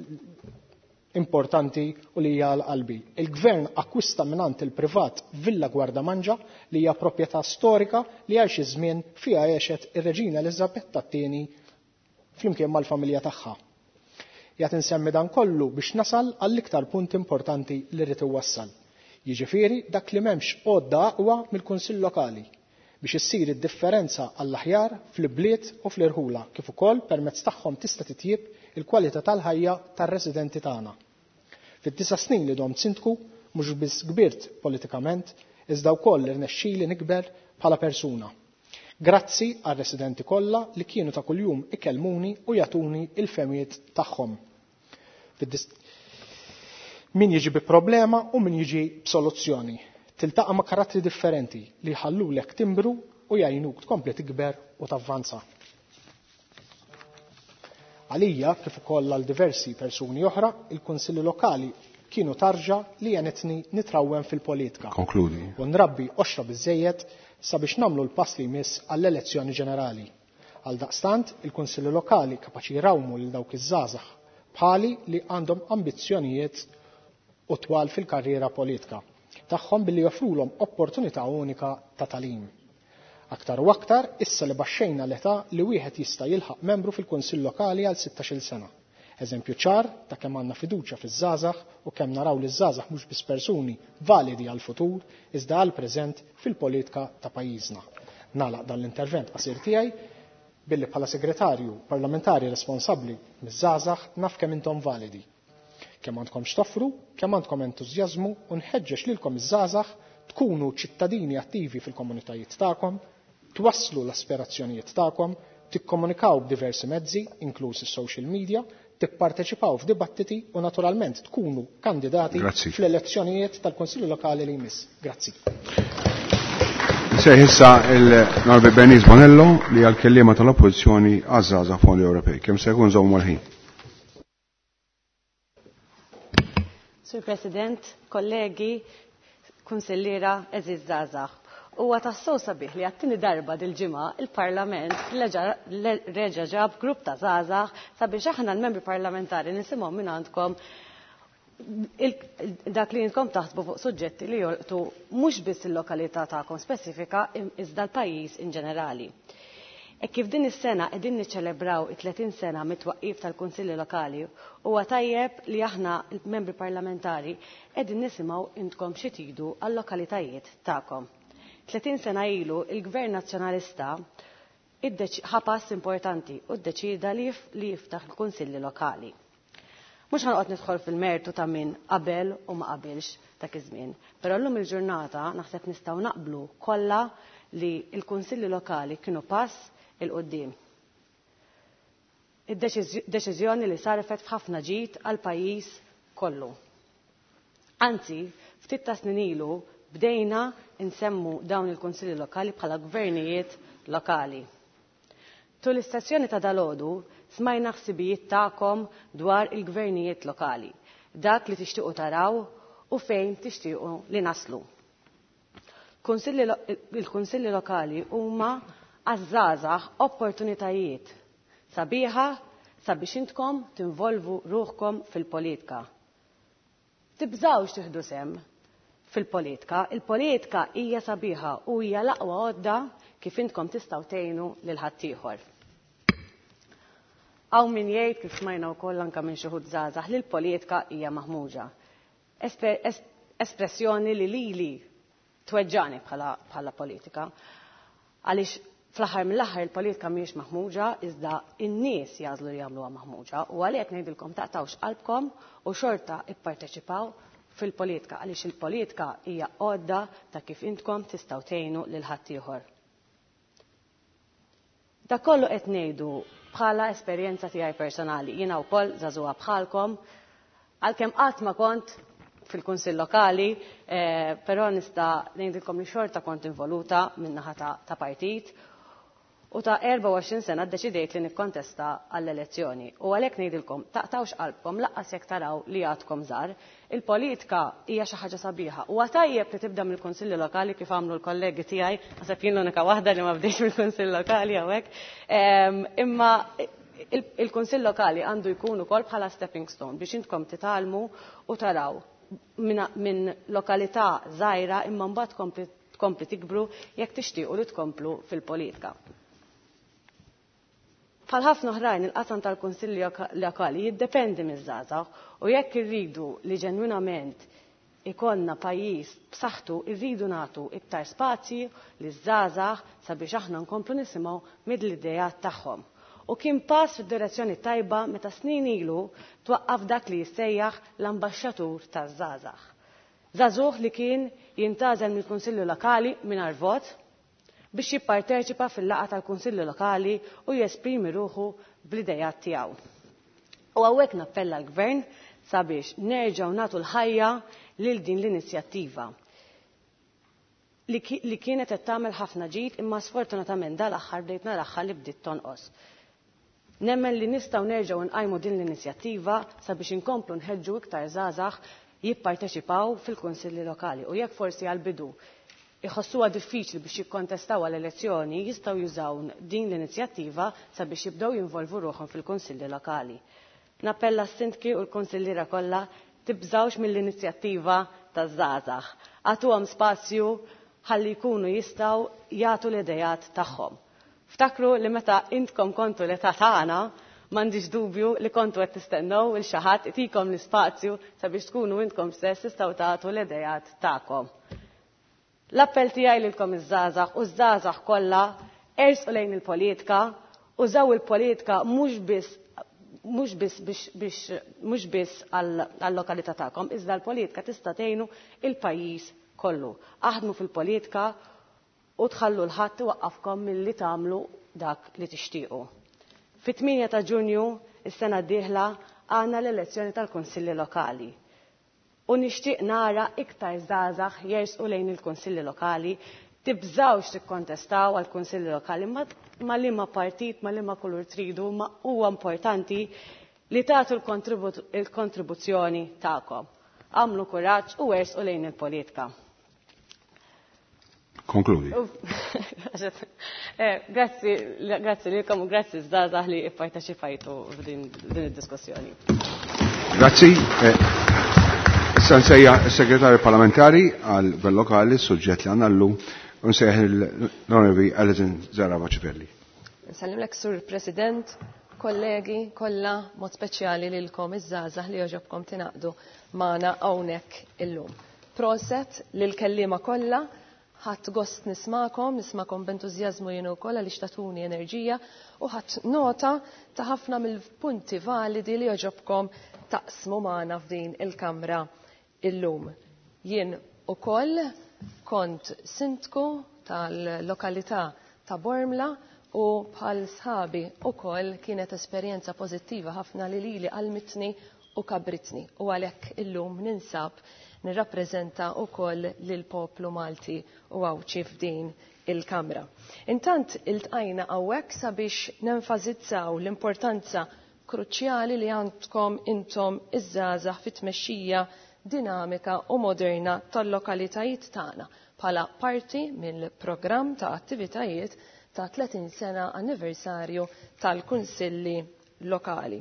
importanti u li hija għal-qalbi. Il-Gvern akkwista mingħand il-privat Villa Gwardamanġa li hija proprjetà storika li għal xi żmien fiha għexet ir-Reġina Eliżabetta t-tieni flimkien mal-familja tagħha. Jgħat insemmi dan kollu biex nasal għall-iktar punt importanti li rrid iwassal. Jiġifieri dak li m'hemmx għodda aqwa mill-Kunsill Lokali biex issir id-differenza għall-aħjar fl-bliet u fl-irħula kif ukoll permezz tagħhom tista' titjib il-kwalità tal-ħajja tar-residenti tagħna. Fid-disa' snin li domt sindku mhux biss kbirt politikament, iżda wkoll irnexxieli nikber bħala persuna. Grazzi għar-residenti kollha li kienu ta' kuljum ikellmuni u jagħtuni il-fehmiet tagħhom. Min jiġi bi problema u min jiġi b'soluzzjoni. Tiltaqa' ma' karattri differenti li jħallulek timbru u jgħinuk tkompli tikber u tavvanza. Għalija, kif ukoll għal diversi persuni oħra, il-kunsilli lokali kienu tarġa li għenitni nitrawwem fil-politika. Konkludi. U nrabbi qoxra biżejjed sabiex nagħmlu l-pass li jmiss għall-elezzjoni ġenerali. Għal daqstant, il-kunsilli lokali kapaċi jrawmu lil dawk iż-żgħażagħ bħali li għandhom ambizzjonijiet u twal fil-karriera politika tagħhom billi joffrulhom opportunità unika ta' talim. Aktar u aktar issa li baxxejna l-età li wieħed jista' jilħaq membru fil-Kunsill Lokali għal sittax-il sena. Eżempju ċar ta' kemm għandna fiduċja fiż-żgħażagħ u kemm naraw li ż-żgħażagħ mhux biss persuni validi għall-futur iżda għall-preżent fil-politika ta' pajjiżna. Nagħlaq dan l-intervent qasir tiegħi billi bħala segretarju parlamentari responsabbli miż-żgħażagħ naf kemm intom validi. Kemm għandkom x'toffru, kemm għandkom entużjażmu u nħeġġeġ lilkom iż-żgħażagħ tkunu ċittadini attivi fil-komunitajiet tagħkom, twasslu l-aspirazzjonijiet tagħkom, tikkomunikaw b'diversi mezzi, inkluż is-social media, tipparteċipaw f'dibattiti u naturalment tkunu kandidati Grazzi. fl-elezzjonijiet tal-Konsilju Lokali li jmiss. Grazzi. Sejħ issa il-Norbi Bernice Bonello li għal-kellima tal-Oppożizzjoni għaż-żgħażagħ Fondi Ewropej. Kemm se jkun żommu l-ħin. Sur President, kollegi, kunsilliera, eżiż żgħażagħ. Huwa tassew sabiħ li għat-tieni darba dil-ġimgħa il-Parlament reġa' ġab grupp ta' żgħażagħ sabiex aħna l-membri parlamentari nisimgħu minn għandkom dak li intkom taħsbu fuq suġġetti li jolqtu mhux biss il-lokalità tagħkom spesifika iżda l-pajjiż in ġenerali. E kif din is-sena qegħdin niċċelebraw it-tletin sena mit-twaqqif tal-Kunsilli Lokali, huwa tajjeb li aħna l-membri parlamentari qegħdin nisimgħu intkom xi tridu għal-lokalitajiet tagħkom. tletin sena ilu il-Gvern Nazzjonalista ħa pass importanti u ddeċida li jiftaħ il-Kunsilli Lokali. Mhux ħanqod nidħol fil-mertu ta' min qabel u ma qabilx dak iż-żmien, però llum il-ġurnata naħseb nistgħu naqblu kollha li l-Kunsilli Lokali kienu pass il-qoddim. Id-deċiżjoni li sarfet f'ħafna ġid għal pajjiż kollu. Anzi, ftit ta' snin ilu bdejna nsemmu dawn il-Kunsilli Lokali bħala gvernijiet lokali. Tul l-istazzjoni ta' dalodu smajna ħsibijiet tagħkom dwar il-gvernijiet lokali, dak li tixtiequ taraw u fejn tixtiequ li naslu. Il-Kunsilli Lokali huma għaż-żgħażagħ opportunitajiet sabiħa sabiex intkom tinvolvu ruħkom fil-politika. Tibżgħux tieħdu sehem fil-politika. Il-politika hija sabiħa u hija l-aqwa għodda kif intkom tistgħu tgħinu lil ħaddieħor. Hawn min jgħid kif smajna wkoll anke minn xi ħud żgħażagħ li l-politika hija maħmuġa. Espressjoni li lili tweġġani bħala politika. Għaliex fl-aħħar mill-aħħar il-politika mhijiex maħmuġa, iżda n-nies jagħżlu li jagħmluha maħmuġa u għalhekk ngħidilkom taqtawx qalbkom u xorta ipparteċipaw fil-politika għaliex il-politika hija għodda ta' kif intkom tistgħu tgħinu lil ħaddieħor. Dak kollu qed ngħidu bħala esperjenza tiegħi personali. Jiena wkoll żagħżugħa bħalkom, għalkemm qatt ma kont fil-Kunsill Lokali, eh, però nista' ngħidilkom li xorta kont involuta min-naħa ta' partit u ta' erbgħa u għoxrin sena ddeċidejt li nikkontesta għall-elezzjoni. U għalhekk ngħidilkom taqtawx qalbkom laqqas jekk taraw li għadkom żgħar. Il-politika hija xi ħaġa sabiħa. Huwa tajjeb li tibda mill-Kunsilli Lokali kif għamlu l-kollegi tiegħi, naħseb jien l-unika waħda li ma bdejx mill-Kunsill Lokali hawnhekk. Imma il-Kunsill Lokali għandu jkun ukoll bħala stepping stone biex intkom titgħallmu u taraw minn lokalità żgħira imma mbagħad tkompli tikbru jekk tixtiequ li tkomplu fil-politika. Bħal ħafna oħrajn il-qasam tal-Kunsilli Lokali jiddependi miż-żgħażagħ u jekk irridu li ġenwinament ikollna pajjiż b'saħħtu rridu nagħtu iktar spazji liż-żgħażagħ sabiex aħna nkomplu nisimgħu mill-idejat tagħhom. U kien pass fid-direzzjoni tajba meta snin ilu twaqqaf dak li jissejjaħ l-ambaxxatur taż-żgħażagħ. Żagħżugħ li kien jintgħażel mill-Kunsilli Lokali mingħajr vot biex jipparteċipa fil-laqgħa tal-Kunsilli Lokali u jesprimi ruħu bl-idejat tiegħu. U hawnhekk nappella l-Gvern sabiex nerġgħu nagħtu l-ħajja lil din l-inizjattiva li kienet qed tagħmel ħafna ġid imma sfortunatament dal-aħħar bdejt naraħħa li bdiet tonqos. Nemmen li nistgħu nerġgħu nqajmu din l-inizjattiva sabiex inkomplu nħeġġu iktar żgħażagħ jipparteċipaw fil-kunsilli lokali u jekk forsi għall-bidu iħossuha diffiċli biex jikkontestaw għall-elezzjoni jistgħu jużaw din l-inizjattiva sabiex jibdew jinvolvu ruħhom fil-kunsilli lokali. Nappella s-sindki u l-kunsilliera kollha tibżgħux mill-inizjattiva taż-żgħażagħ. Agħtuhom spazju ħalli jkunu jistgħu jagħtu l-idejat tagħhom. Ftakru li meta intkom kontu l-età tagħna m'għandix dubju li kontu qed tistennew il xi ħadd itikom l-ispazju sabiex tkunu intkom stess tistgħu tagħtu l-idejat tagħkom. L-appell tiegħi lilkom iż-żgħażagħ u ż-żgħażagħ kollha ersqu lejn il-politika, użaw il-politika mhux biss mhux biss biex biex mhux biss għall-lokalità tagħkom, iżda l-politika tista' tgħinu il-pajjiż kollu. Aħdmu fil-politika u tħallu l-ħadd iwaqqafkom milli tagħmlu dak li tixtiequ. Fit-tmienja ta' Ġunju is-sena d-dieħla għandna l-elezzjoni tal-Kunsilli Lokali. U nixtieq nara iktar żgħażagħ jersqu lejn il-Kunsilli Lokali, tibżgħux tikkontestaw għall-Kunsilli Lokali ma liema partit, ma liema kulur tridu, ma huwa importanti li tagħtu l-kontribuzzjoni tagħkom. Għamlu kuraġġ u ersqu lejn il-politika. Konkludi. Grazzi, grazzi lilkom u grazzi żgħażagħ li pparteċipajtu f'din id-diskussjoni. Grazzi. Issa nsejjaħ is-Segretarju Parlamentari għal Gvern Lokali, suġġett li għandna llum, u nsejjaħ l-Onorevoli Alison Zerafa Civelli. Nsellimlek Sur President, kollegi kollha, mod speċjali lilkom iż-żgħażagħ li jogħġobkom tingħaqdu magħna hawnhekk illum. Proset lill-kelliema kollha, ħadd gost nismakom, nismakom b'entużjażmu jien ukoll għaliex tagħtuni enerġija u ħadd nota ta' ħafna mill-punti validi li jogħġobkom taqsmu magħna f'din il-kamra illum. Jien ukoll kont sindku tal-lokalità ta' Bormla u bħal sħabi ukoll kienet esperjenza pożittiva ħafna li lili għalmitni u kabritni u għalhekk illum ninsab nirrappreżenta wkoll lill-poplu Malti u Għawdxi f'din il-Kamra. Intant iltqajna hawnhekk sabiex nenfasizzaw l-importanza kruċjali li għandkom intom iż-żgħażagħ fit-tmexxija dinamika u moderna tal-lokalitajiet tagħna bħala parti mill-programm ta' attivitajiet ta' tletin sena anniversarju tal-Kunsilli Lokali.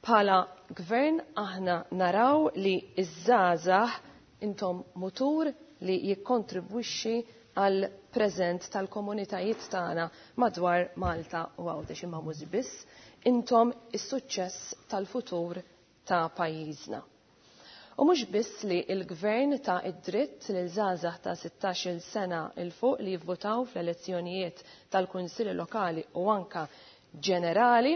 Bħala gvern aħna naraw li iż-żgħażagħ intom mutur li jikkontribwixxi għal preżent tal-komunitajiet tagħna madwar Malta u Għawdex, imma mhux biss, intom is-suċċess tal-futur ta' pajjiżna. U mhux biss li l-gvern ta' id-dritt lil żgħażagħ ta' sittax-il sena il fuq li jivvotaw fl-elezzjonijiet tal-Kunsilli Lokali u anka ġenerali,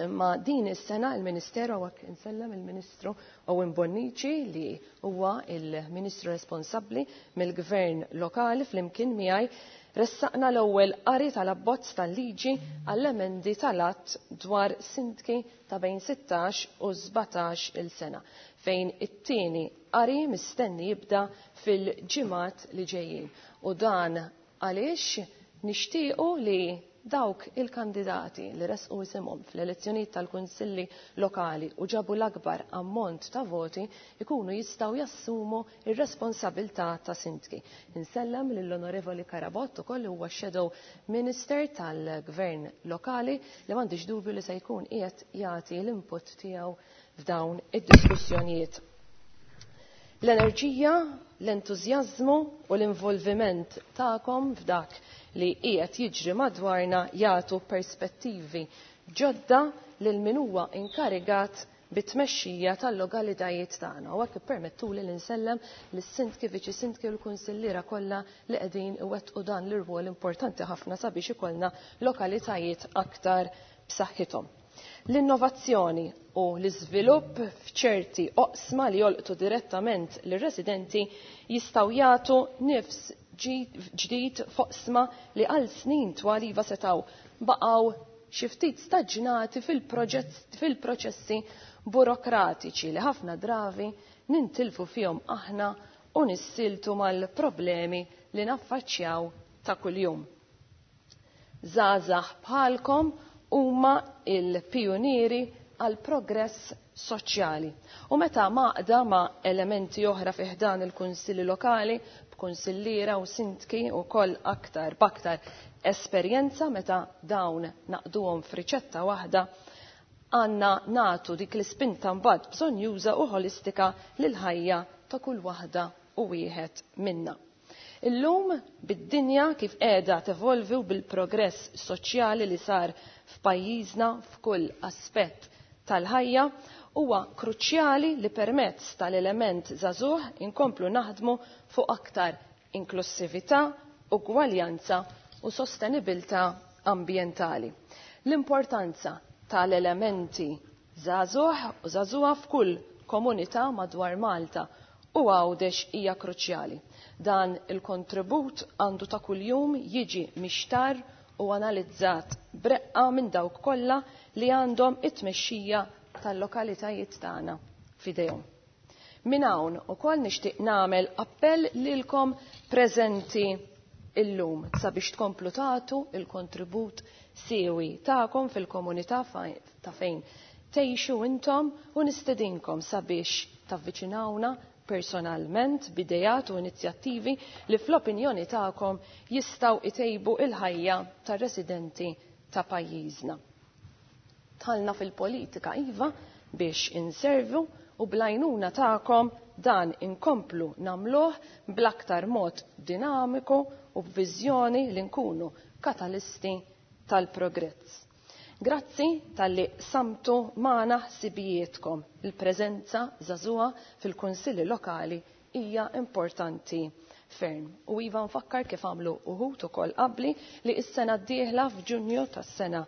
imma din is-sena il-Ministeru, hawnhekk insellem il-Ministru Owen Bonnici li huwa il-Ministru responsabbli mill-Gvern Lokali flimkien miegħi ressaqna l-ewwel qari tal-abbozz tal-liġi għall-emendi tal-att dwar sindki ta' bejn sittax u sbatax il sena, fejn it-tieni qari mistenni jibda fil-ġimgħat li ġejjin. U dan għaliex nixtiequ li dawk il-kandidati li resqu isimhom fl-elezzjonijiet tal-kunsilli lokali u ġabu l-akbar ammont ta' voti ikunu jistgħu jassumu ir-responsabilità ta' sindki. Insellem lill-Onorevoli Carabott ukoll huwa Shadow Minister tal-Gvern Lokali li m'għandix dubju li se jkun qiegħed jagħti l-input tiegħu f'dawn id-diskussjonijiet. L-enerġija, l-entużjażmu u l-involviment tagħkom f'dak li qiegħed jiġri madwarna jagħtu perspettivi ġodda lil min huwa inkarigat bit-tmexxija tal-lokalitajiet tagħna. U hekk ippermettuli li nsellem lis-sindki, viċi sindki u l-kunsilliera kollha li qegħdin iwettqu dan l-irwol importanti ħafna sabiex ikollna lokalitajiet aktar b'saħħithom. L-innovazzjoni u l-iżvilupp f'ċerti oqsma li jolqtu direttament lir-residenti jistgħu jagħtu nifs ġdid f'oqsma li għal snin twal iva setgħu baqgħu xi ftit staġnati fil-proċessi burokratiċi li ħafna drabi nintilfu fihom aħna u nissiltu mal-problemi li naffaċċjaw ta' kuljum. Żgħażagħ bħalkom huma il-pijunieri għal progress soċjali. U meta maqda ma' elementi oħra fi ħdan il-kunsilli lokali, b'kunsilliera u sindki u koll aktar b'aktar esperjenza meta dawn naqduhom f'riċetta waħda, għandna nagħtu dik l-ispinta mbagħad bżonjuża u ħolistika lil ħajja ta' kull waħda u wieħed minna. Illum bid-dinja kif qiegħda tevolvi u bil-progress soċjali li sar f'pajjiżna f'kull aspett tal-ħajja, huwa kruċjali li permezz tal-element żagħżugħ inkomplu naħdmu fuq aktar inklusività, ugwaljanza u sostenibilità ambjentali. L-importanza tal-elementi żagħżugħ u żagħżugħa f'kull komunità madwar Malta u Għawdex hija kruċjali. Dan il-kontribut għandu ta' kuljum jiġi mixtar u analizzat breqqa minn dawk kollha li għandhom it-tmexxija tal-lokalitajiet tagħna f'idejhom. Minn hawn ukoll nixtieq nagħmel appell lilkom preżenti illum sabiex tkomplu tagħtu il-kontribut siewi tagħkom fil-komunità ta' fejn tgħixu intom u nistedinkom sabiex tavviċinawna personalment b'idejat u inizjattivi li fl-opinjoni tagħkom jistgħu itejbu il-ħajja tar-residenti ta' pajjiżna. Tħallna fil-politika iva biex inservu u blajnuna tagħkom dan inkomplu nagħmluh bl-aktar mod dinamiku u b'viżjoni li nkunu katalisti tal-progress. Grazzi tal-li samtu magħna ħsibijietkom. Il-preżenza żagħżugħa fil-kunsilli lokali hija importanti ferm. U iva nfakkar kif għamlu uħud ukoll qabli li s-sena d-dieħla f'Ġunju tas-sena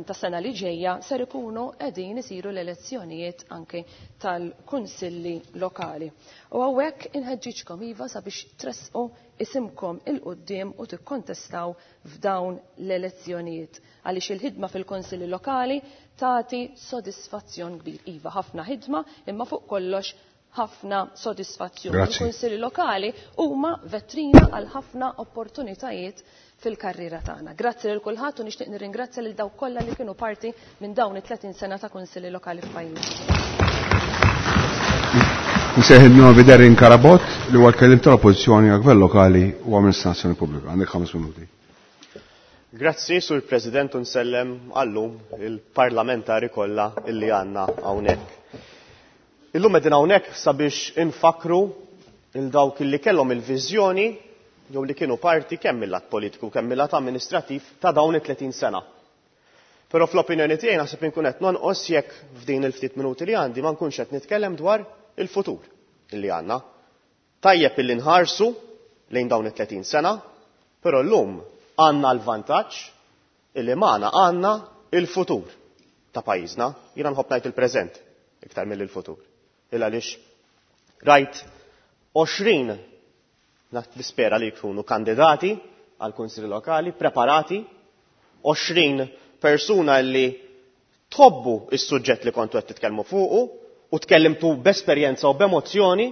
ta' sena li ġejja ser ikunu qegħdin isiru l-elezzjonijiet anke tal-kunsilli lokali. U hawnhekk inħeġġiġkom iva sabiex tressqu isimkom il-quddiem u tikkontestaw f'dawn l-elezzjonijiet. Għaliex il-ħidma fil-kunsilli lokali tagħti sodisfazzjon kbir. Iva ħafna ħidma imma fuq kollox ħafna sodisfazzjon. Il-kunsilli lokali huma vetrina għal ħafna opportunitajiet fil-karriera tagħna. Grazzi lil kulħadd u nixtieq nirringrazzja lil dawk kollha li kienu parti minn dawn it-tletin sena ta' kunsilli lokali f'pajjiżna. Nsejħ il-Novi Darren Carabott li huwa l-kelliem tal-Oppożizzjoni għal Gvern Lokali u Amministrazzjoni Pubblika. Għandek ħames minuti. Grazzi, Sur President, u nsellem għallum il-parlamentari kollha illi għandna hawnhekk. Illum qegħdin hawnhekk sabiex infakru il dawk illi kellhom il-viżjoni jew li kienu parti kemm mill-lat politiku kemm mill-lat amministrattiv ta' dawn it-tletin sena. Però fl-opinjoni tiegħi naħseb inkun qed nonqos jekk f'din il-ftit minuti li għandi ma nkunx qed nitkellem dwar il-futur illi għandna. Tajjeb illi nħarsu lejn dawn it-tletin sena, però llum għandna l-vantaġġ illi magħna għandna il-futur ta' pajjiżna. Jiena nħobb ngħid il-preżent iktar mill-futur. Il għaliex rajt għoxrin nispera li jkunu kandidati għal kunsilli lokali, preparati, għoxrin persuna li tħobbu is-suġġett li kontu qed titkellmu fuqu u tkellimtu b'esperjenza u b'emozzjoni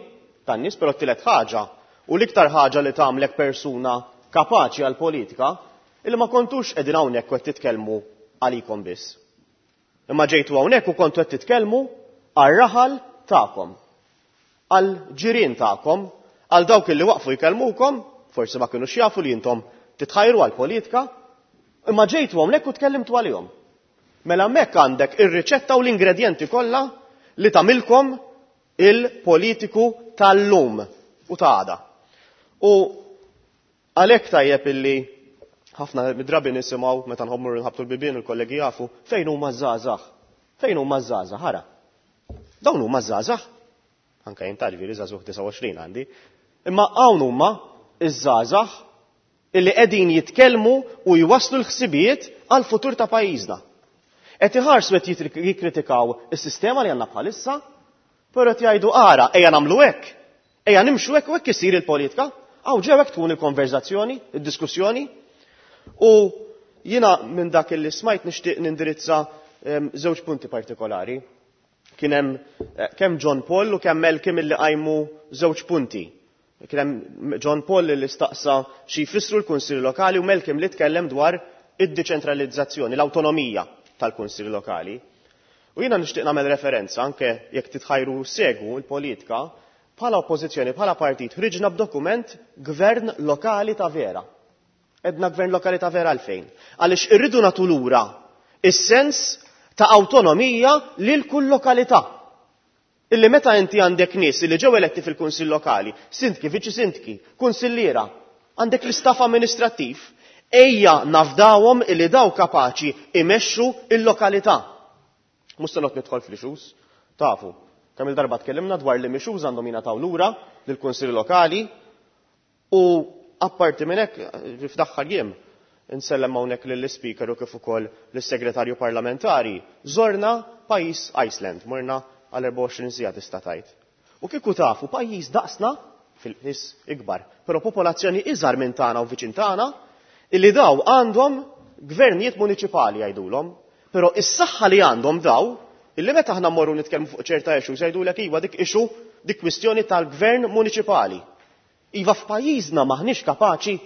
tan-nies, però t-tielet ħaġa u l-iktar ħaġa li tagħmlek persuna kapaċi għal politika illi ma kontux qegħdin hawnhekk u qed titkellmu għalikom biss. Imma ġejtu hawnhekk u kontu qed titkellmu għar-raħal tagħkom, għall-ġirien tagħkom, għal dawk illi waqfu jkellmukom, forsi ma kinux jafu li intom titħajru għal-politika, imma ġejtu hawnhekk u tkellimtu għalihom. Mela hemmhekk għandek ir-riċetta u l-ingredjenti kollha li tagħmilkom Il-politiku tal-lum u ta' għada. U għalhekk tajjeb illi ħafna mid-drabi nisimgħu meta nħommur nħabtu l-bibien, il-kollegi jafu fejn huma żgħażagħ. Fejn huma żgħażagħ, ħara. Dawn huma żgħażagħ. Anke jien tarvi li żagħżugħ, disgħa u għoxrin għandi. Imma hawn huma iż-żgħażagħ illi qegħdin jitkellmu u jwasslu l-ħsibijiet għal futur ta' pajjiżna. Qed iħarsu, qed jikkritikaw is-sistema li għandna bħalissa, però qed jgħidu: "Ara, ejja nagħmlu hekk, ejja nimxu hekk u hekk isir il-politika." Hawn ġew hekk tkun il-konverzazzjoni, id-diskussjoni. U jiena minn dak li smajt nixtieq nindirizza żewġ punti partikolari. Kien hemm eh, kemm John Paul u kemm Malcolm illi qajmu żewġ punti. Kien hemm John Paul li staqsa xi jfissru l-Kunsilli Lokali u Malcolm li tkellem dwar id-deċentralizzazzjoni, l-awtonomija tal-Kunsilli Lokali. U jiena nixtieq nagħmel referenza, anke jekk titħajru segwu l-politika, bħala oppożizzjoni, bħala partit, ħriġna b'dokument Gvern Lokali ta' Vera. Għedna gvern lokali ta' vera għalfejn? Għaliex irridu nagħtu lura is-sens ta' awtonomija lil kull lokalità. Illi meta inti għandek nies li ġew eletti fil-kunsill lokali, sindki, viċi sindki, kunsilliera, għandek l-istaff amministrattiv, ejja nafdawhom illi daw kapaċi imexxu il-lokalità. Mhux se noqgħod nidħol fl-issues, tafu. Kemm il-darba tkellimna dwar li issues għandhom jingħataw lura lill-kunsilli lokali u apparti minn hekk, f'daħħal jiem insellem hawnhekk lill-Ispeaker u kif ukoll lis-Segretarju Parlamentari. Żorna pajjiż Iceland, morna għal erbgħa u għoxrin siegħa tista' tgħid. U kieku tafu, pajjiż daqsna fil-nis ikbar, però popolazzjoni iżgħar minn tagħna u viċin tagħna, illi daw għandhom gvernijiet municipali jgħidulhom, però is-saħħa li għandhom daw, illi meta aħna mmorru nitkellmu fuq ċerta issues jgħidulek: "Iva, dik issue, dik kwistjoni tal-gvern municipali." Iva, f'pajjiżna maħniex kapaċi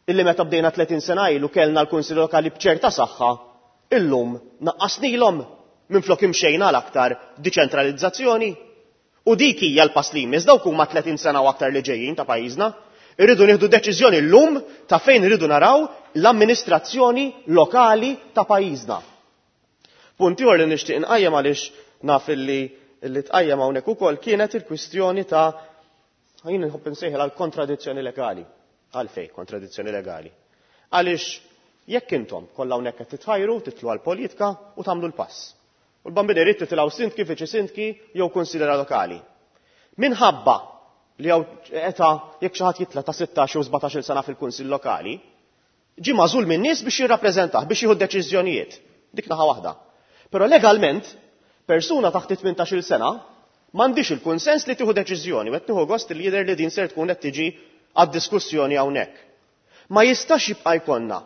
illi meta bdejna tletin sena ilu kellna l-Kunsill Lokali b'ċerta saħħa, illum naqqasnilhom minflok imxejna l-aktar deċentralizzazzjoni. U dik hija l-pass li jmiss, dawk huma tletin sena u aktar li ġejjin ta' pajjiżna. Irridu nieħdu deċiżjoni llum ta' fejn irridu naraw l-amministrazzjoni lokali ta' pajjiżna. Punt ieħor li nixtieq inqajjem, għaliex naf illi li tqajjem hawnhekk ukoll, kienet il-kwistjoni ta' jien nħobb insejħel għal kontradizzjoni legali. Għalfej kontradizzjoni legali? Għaliex jekk intom kollha hawnhekk qed titħajru, titlu għal politika u tagħmlu l-pass. U l-bambini irid titilgħu sindki, viċi sindki jew kunsilliera lokali. Minħabba li hawn età, jekk xi ħadd jitla' ta' sittax jew sbatax-il sena fil-kunsill lokali, ġi magħżul minn nies biex jirrappreżentah, biex jieħu deċiżjonijiet. Dik naħa waħda. Però legalment, persuna taħt tmintax-il sena m'għandix il-kunsens li tieħu deċiżjoni, u qed nieħu gost li jidher li din ser tkun qed tiġi għad-diskussjoni hawnhekk. Ma jistax jibqa' jkollna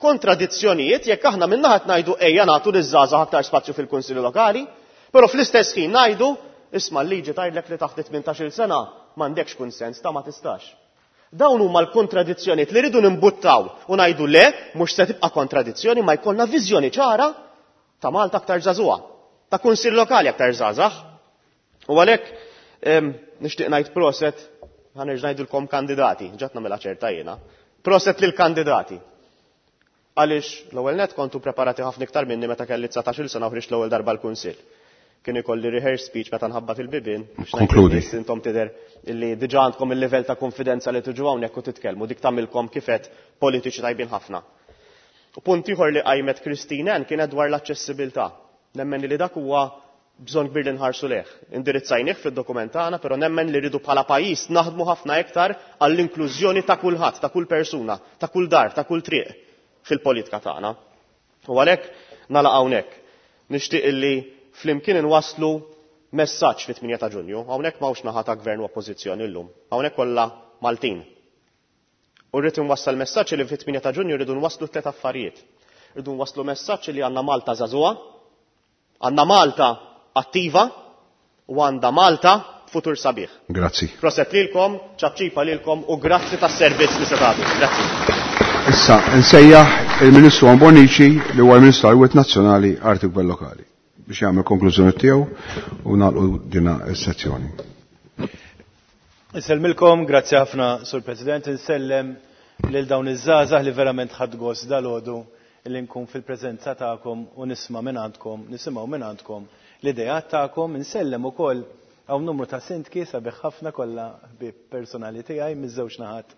kontradizzjonijiet jekk aħna min-naħa ngħidu ejja nagħtu liż-żgħażagħ aktar spazju fil-kunsilli lokali, però fl-istess ħin ngħidu: "Isma', l-liġi tgħidlek li taħt tmintax-il sena m'għandekx kunsens ta' ma tistax." Dawn huma l-kontradizzjonijiet li rridu nimbuttaw u ngħidu le, mhux se tibqa' kontradizzjoni, ma jkollna viżjoni ċara ta' Malta aktar żagħżugħa, ta' kunsill lokali aktar żgħażagħ. U għalhekk nixtieq ngħid proset, ħa nerġa' ngħidulkom kandidati, ġat nagħmilha ċerta jiena. Proset lill-kandidati. Għaliex l-ewwel net kontu preparati ħafna iktar minni meta kelli dsatax-il sena u ħriġt l-ewwel darba l-kunsill. Kien ikolli rehearse speech meta nħabbat il-bibien biex ngħid Konkludi. lin-nies. Intom tidher illi diġà għandkom il-livell ta' konfidenza li tiġu hawnhekk u titkellmu, dik tagħmilkom kifet politiċi tajbin ħafna. U punt ieħor li qajmet Christine Ann kienet dwar l-aċċessibilità. Nemmen li dak huwa bżonn kbir li nħarsu leh. Indirizzajnih fid-dokument tagħna, però nemmen li rridu bħala pajjiż naħdmu ħafna iktar għall-inklużjoni ta' kulħadd, ta' kull persuna, ta' kull dar, ta' kull triq fil-politika tagħna. U għalhekk nagħlaq hawnhekk. Nixtieq illi flimkien inwasslu messaġġ fit-tmienja ta' Ġunju. Hawnhekk m'hawnx naħa ta' gvern u oppożizzjoni llum. Hawnhekk kollha Maltin. U rrid inwassal messaġġ li fit-tmienja ta' Ġunju rridu nwasslu tliet affarijiet. Rridu nwasslu messaġġ li għandna Malta żagħżugħa, għandna Malta attiva u għandha Malta futur sabiħ. Grazzi. Proset lilkom, ċapċipa lilkom u grazzi tas-servizz li se tagħtu. Grazzi. Issa, nsejjaħ il-Ministru Bonnici, li huwa l-Ministru għal Nazzjonali, Arti u Gvern Lokali, biex jagħmel konklużjoni tiegħu u nagħlqu dina s-sezzjoni. Insellmilkom, grazzi ħafna, Sur President, insellem lil dawn iż-żgħażagħ li verament ħadt gost dalgħodu li nkun fil-preżenza tagħkom u nisma' minn għandkom, nisimgħu minn għandkom l-idejat tagħkom, insellem ukoll Hawn numru ta' sindki sabiħ ħafna kollha ħbieb personali tiegħi miż-żewġ naħat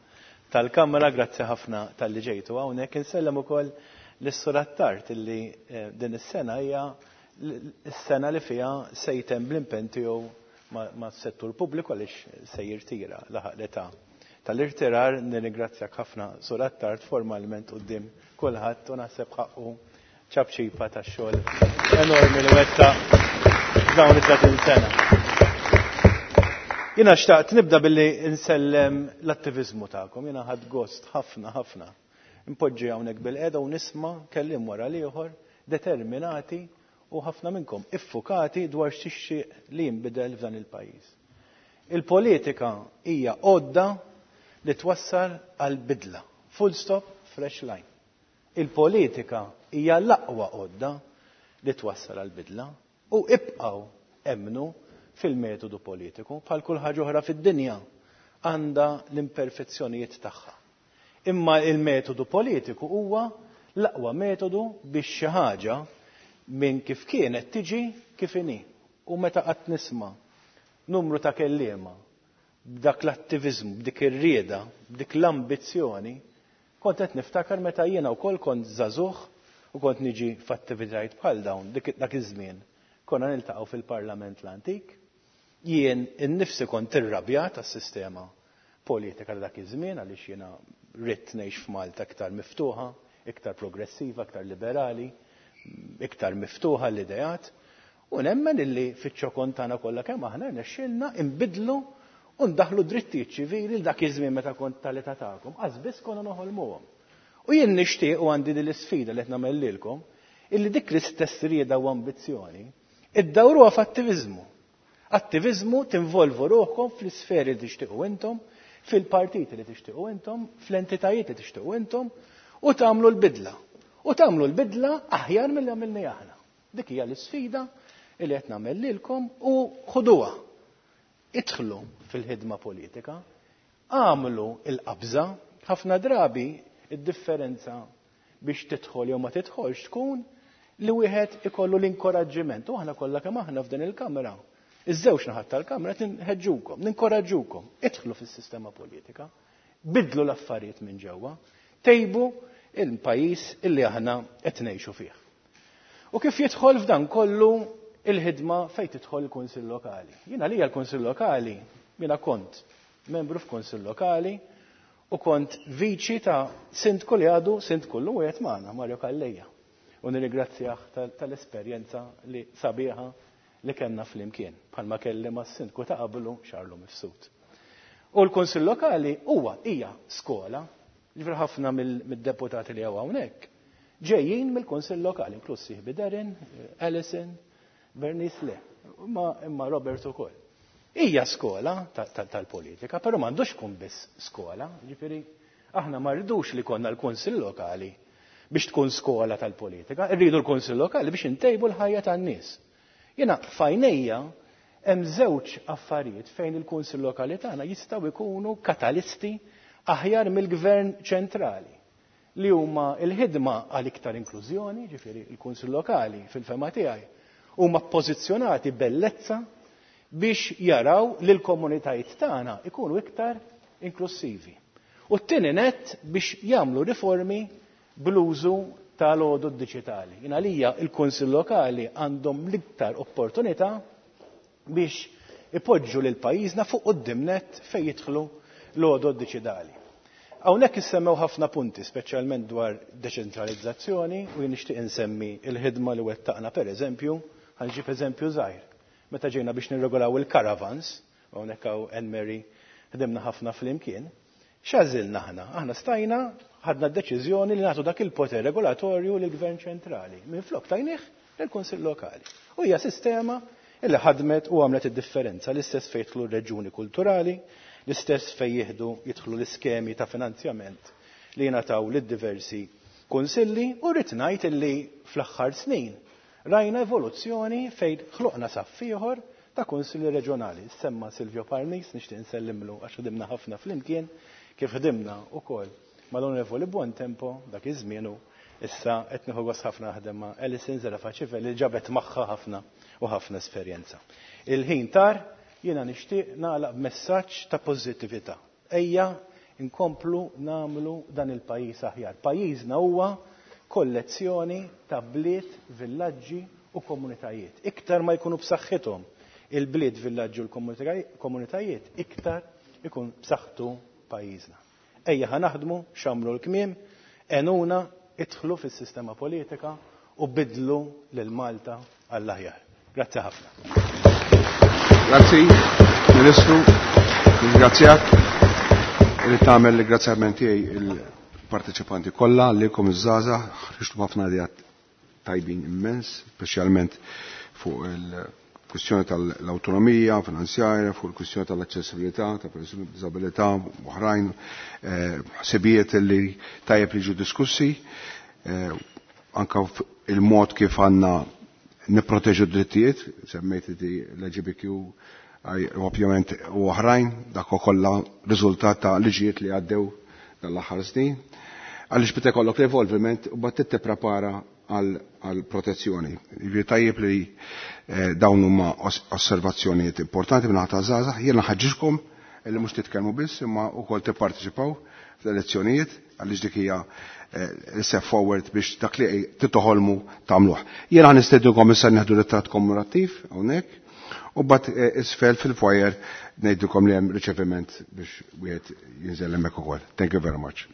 tal-Kamra, grazzi ħafna talli ġejtu hawnhekk. Insellem ukoll lis-Sur Attard illi din is-sena hija s-sena li fiha se jtemm bl-impenn tiegħu mas-settur pubbliku għaliex se jirtira, laħaq l-età tal-irtirar. Nirringrazzjak ħafna, Sur Attard, formalment quddiem kulħadd u naħseb ħaqqu ċapċipa tax-xogħol enormi li wettaq f'dawn it-tletin sena. Jiena xtaqt nibda billi nsellem l-attiviżmu tagħkom. Jiena ħadt gost ħafna ħafna. Npoġġi hawnhekk bil-qiegħda u nisma' kelliem wara l-ieħor determinati u ħafna minnkom iffukati dwar x'tixtieq li jinbidel f'dan il-pajjiż. Il-politika hija għodda li twassal għal bidla. Full stop, fresh line. Il-politika hija l-aqwa għodda li twassal għal bidla u ibqgħu emmnu fil-metodu politiku. Bħal kull ħaġa oħra fid-dinja għandha l-imperfezzjonijiet tagħha. Imma il-metodu politiku huwa l-aqwa metodu biex xi ħaġa minn kif kienet tiġi kif inhi. U meta qatt nisma' numru ta' kelliema b'dak l-attiviżmu, b'dik ir-rieda, b'dik l-ambizzjoni, kont qed niftakar meta jiena wkoll kont żagħżugħ u kont niġi f'attivitajiet bħal dawn dak iż-żmien. Konna niltaqgħu fil-Parlament l-antik. Jien innifsi kont irrabjat għas-sistema politika ta' dak iż-żmien għaliex jiena ridt ngħix f'Malta iktar miftuħa, iktar progressiva, iktar liberali, iktar miftuħa l-ideat. U nemmen illi fiċ-ċokon tagħna kollha kemm aħna rnexxielna nbiddlu u ndaħlu drittijiet ċivili l dak iż-żmien meta kont tal-età tagħkom, qas biss konna noħolmuhom. U jien nixtieq u għandi din l-isfida li qed nagħmel lilkom, illi dik l-istess rieda u ambizzjoni iddawruha f'attiviżmu. Attiviżmu tinvolvu ruħkom fl-isferi li tixtiequ intom, fil-partiti li tixtiequ intom, fl-entitajiet li tixtiequ intom, u tagħmlu l-bidla. U tagħmlu l-bidla aħjar milli għamilni aħna. Dik hija l-isfida li qed nagħmel lilkom u ħuduha. Idħlu fil-ħidma politika, għamlu l-qabża, ħafna drabi id-differenza biex tidħol jew ma tidħolx tkun li wieħed ikollu l-inkoraġġiment. U aħna kollha kemm aħna f'din il-kamra, iż-żewġ naħat tal-kamra tinħeġġukom, ninkoraġġukom, idħlu fis-sistema politika, bidlu l-affarijiet minn ġewwa, tejbu il-pajjiż illi aħna qed ngħixu fih. U kif jidħol f'dan kollu il-ħidma fejn tidħol il-Kunsill Lokali. Jiena lija l-Kunsill Lokali, jiena kont membru f'Kunsill Lokali u kont viċi ta' sindku li għadu sindku llum u qiegħed magħna, Mario Calleja. U nirringrazzjah tal-esperjenza li sabiħa li kellna flimkien, bħalma kelli mas-sindku ta' qablu Xarlu Mifsud. U l-Kunsill Lokali huwa hija skola, ġifier ħafna mid-deputati li hawn hawnhekk ġejjin mill-Kunsill Lokali, inkluż sieħbi Darren, Alison, Bernice le, imma Robert ukoll. Hija skola tal-politika, però m'għandux tkun biss skola, ġifieri aħna ma rridux li konna l-Kunsill Lokali biex tkun skola tal-politika, irridu l-Kunsill Lokali biex intejbu l-ħajja tan-nies. Jiena f'għajnejja hemm żewġ affarijiet fejn il-Kunsill Lokali tagħna jistgħu jkunu katalisti aħjar mill-Gvern ċentrali, li huma l-ħidma għal iktar inklużjoni, ġifieri l-Kunsill Lokali fil-fema tiegħi huma pożizzjonati bellezza biex jaraw li l-komunitajiet tagħna ikunu iktar inklusivi. U t-tieni nett biex jagħmlu riformi bl-użu tal-għodod diġitali. Jien għalija il-Kunsill Lokali għandhom l-iktar opportunità biex ipoġġu lil pajjiżna fuq quddiem nett fejn jidħlu l-għodod diġitali. Hawnhekk issemmew ħafna punti, speċjalment dwar deċentralizzazzjoni, u jien nixtieq insemmi l-ħidma li wettaqna pereżempju, ħanġib eżempju żgħir. Meta ġejna biex nirregolaw il-caravans, u hawnhekk hawn Anne Mary ħdimna ħafna flimkien, x'għażilna aħna? Aħna stajna ħadna d-deċiżjoni li nagħtu dak il-poter regolatorju lill-Gvern ċentrali. Minflok tajnih lill-Kunsill Lokali. U hija sistema illi ħadmet u għamlet id-differenza, l-istess fejn jidħlu r-reġuni kulturali, l-istess fejn jieħdu jidħlu l-iskemi ta' finanzjament li jingħataw lid-diversi kunsilli, u rrid ngħid illi fl-aħħar snin rajna evoluzzjoni fejn ħloqna saff ieħor ta' kunsilli reġjonali. Semma Silvio Parnis, nixtieq insellimlu għax ħdimna ħafna flimkien, kif ħdimna wkoll mal-Onorevoli Buontempo dak iż-żmien, u issa qed nieħu gost ħafna naħdem ma' Alison Zerafa Civelli li ġabet magħha ħafna u ħafna esperjenza. Il-ħin tar, Jiena nixtieq nagħlaq b'messaġġ ta' pożittività. Ejja nkomplu nagħmlu dan il-pajjiż aħjar. Pajjiżna huwa kollezzjoni ta' bliet, villaġġi u komunitajiet. Iktar ma jkunu b'saħħithom il-bliet, villaġġi u l-komunitajiet, iktar ikun b'saħħtu pajjiżna. Ejja ħa naħdmu, xammru l-kmiem, għinuna, idħlu fis-sistema politika u bidlu lil Malta għall-aħjar. Grazzi ħafna. Grazzi, Ministru, ringrazzjak. Irrid tagħmel ringrazzjament tiegħi il-parteċipanti kollha lilkom iż-żgħażagħ, ħriġtu ħafna ideat tajbin immens, speċjalment fuq il-kwistjoni tal-awtonomija finanzjarja, fuq il-kwistjoni tal-aċċessibilità, ta' persuni b'diżabilità u oħrajn, ħsibijiet li tajjeb li ġu diskussi, anka il-mod kif għandna nipproteġu d-drittijiet, semmejt di l-L G B T Q, ovvjament u oħrajn, dak kollha riżultat ta' liġijiet li għaddew dal-aħħar snin. Għaliex bita jkollok l-evolviment u bat tipprepara għal protezzjoni. Jiġifieri tajjeb li dawn huma osservazzjonijiet importanti minn ħata żgħażagħ. Jiena nħeġġiġkom li mhux titkellmu biss imma wkoll tipparteċipaw fl-elezzjonijiet, għaliex dik hija step forward biex dak li titoħolmu tagħmluh. Jiena nistednukom issa nieħdu ritratt kommemorattiv hawnhekk u bat isfel fil-foyer ngħidilkom li hemm riċeviment biex wieħed jinżel hemmhekk ukoll. Thank you very much.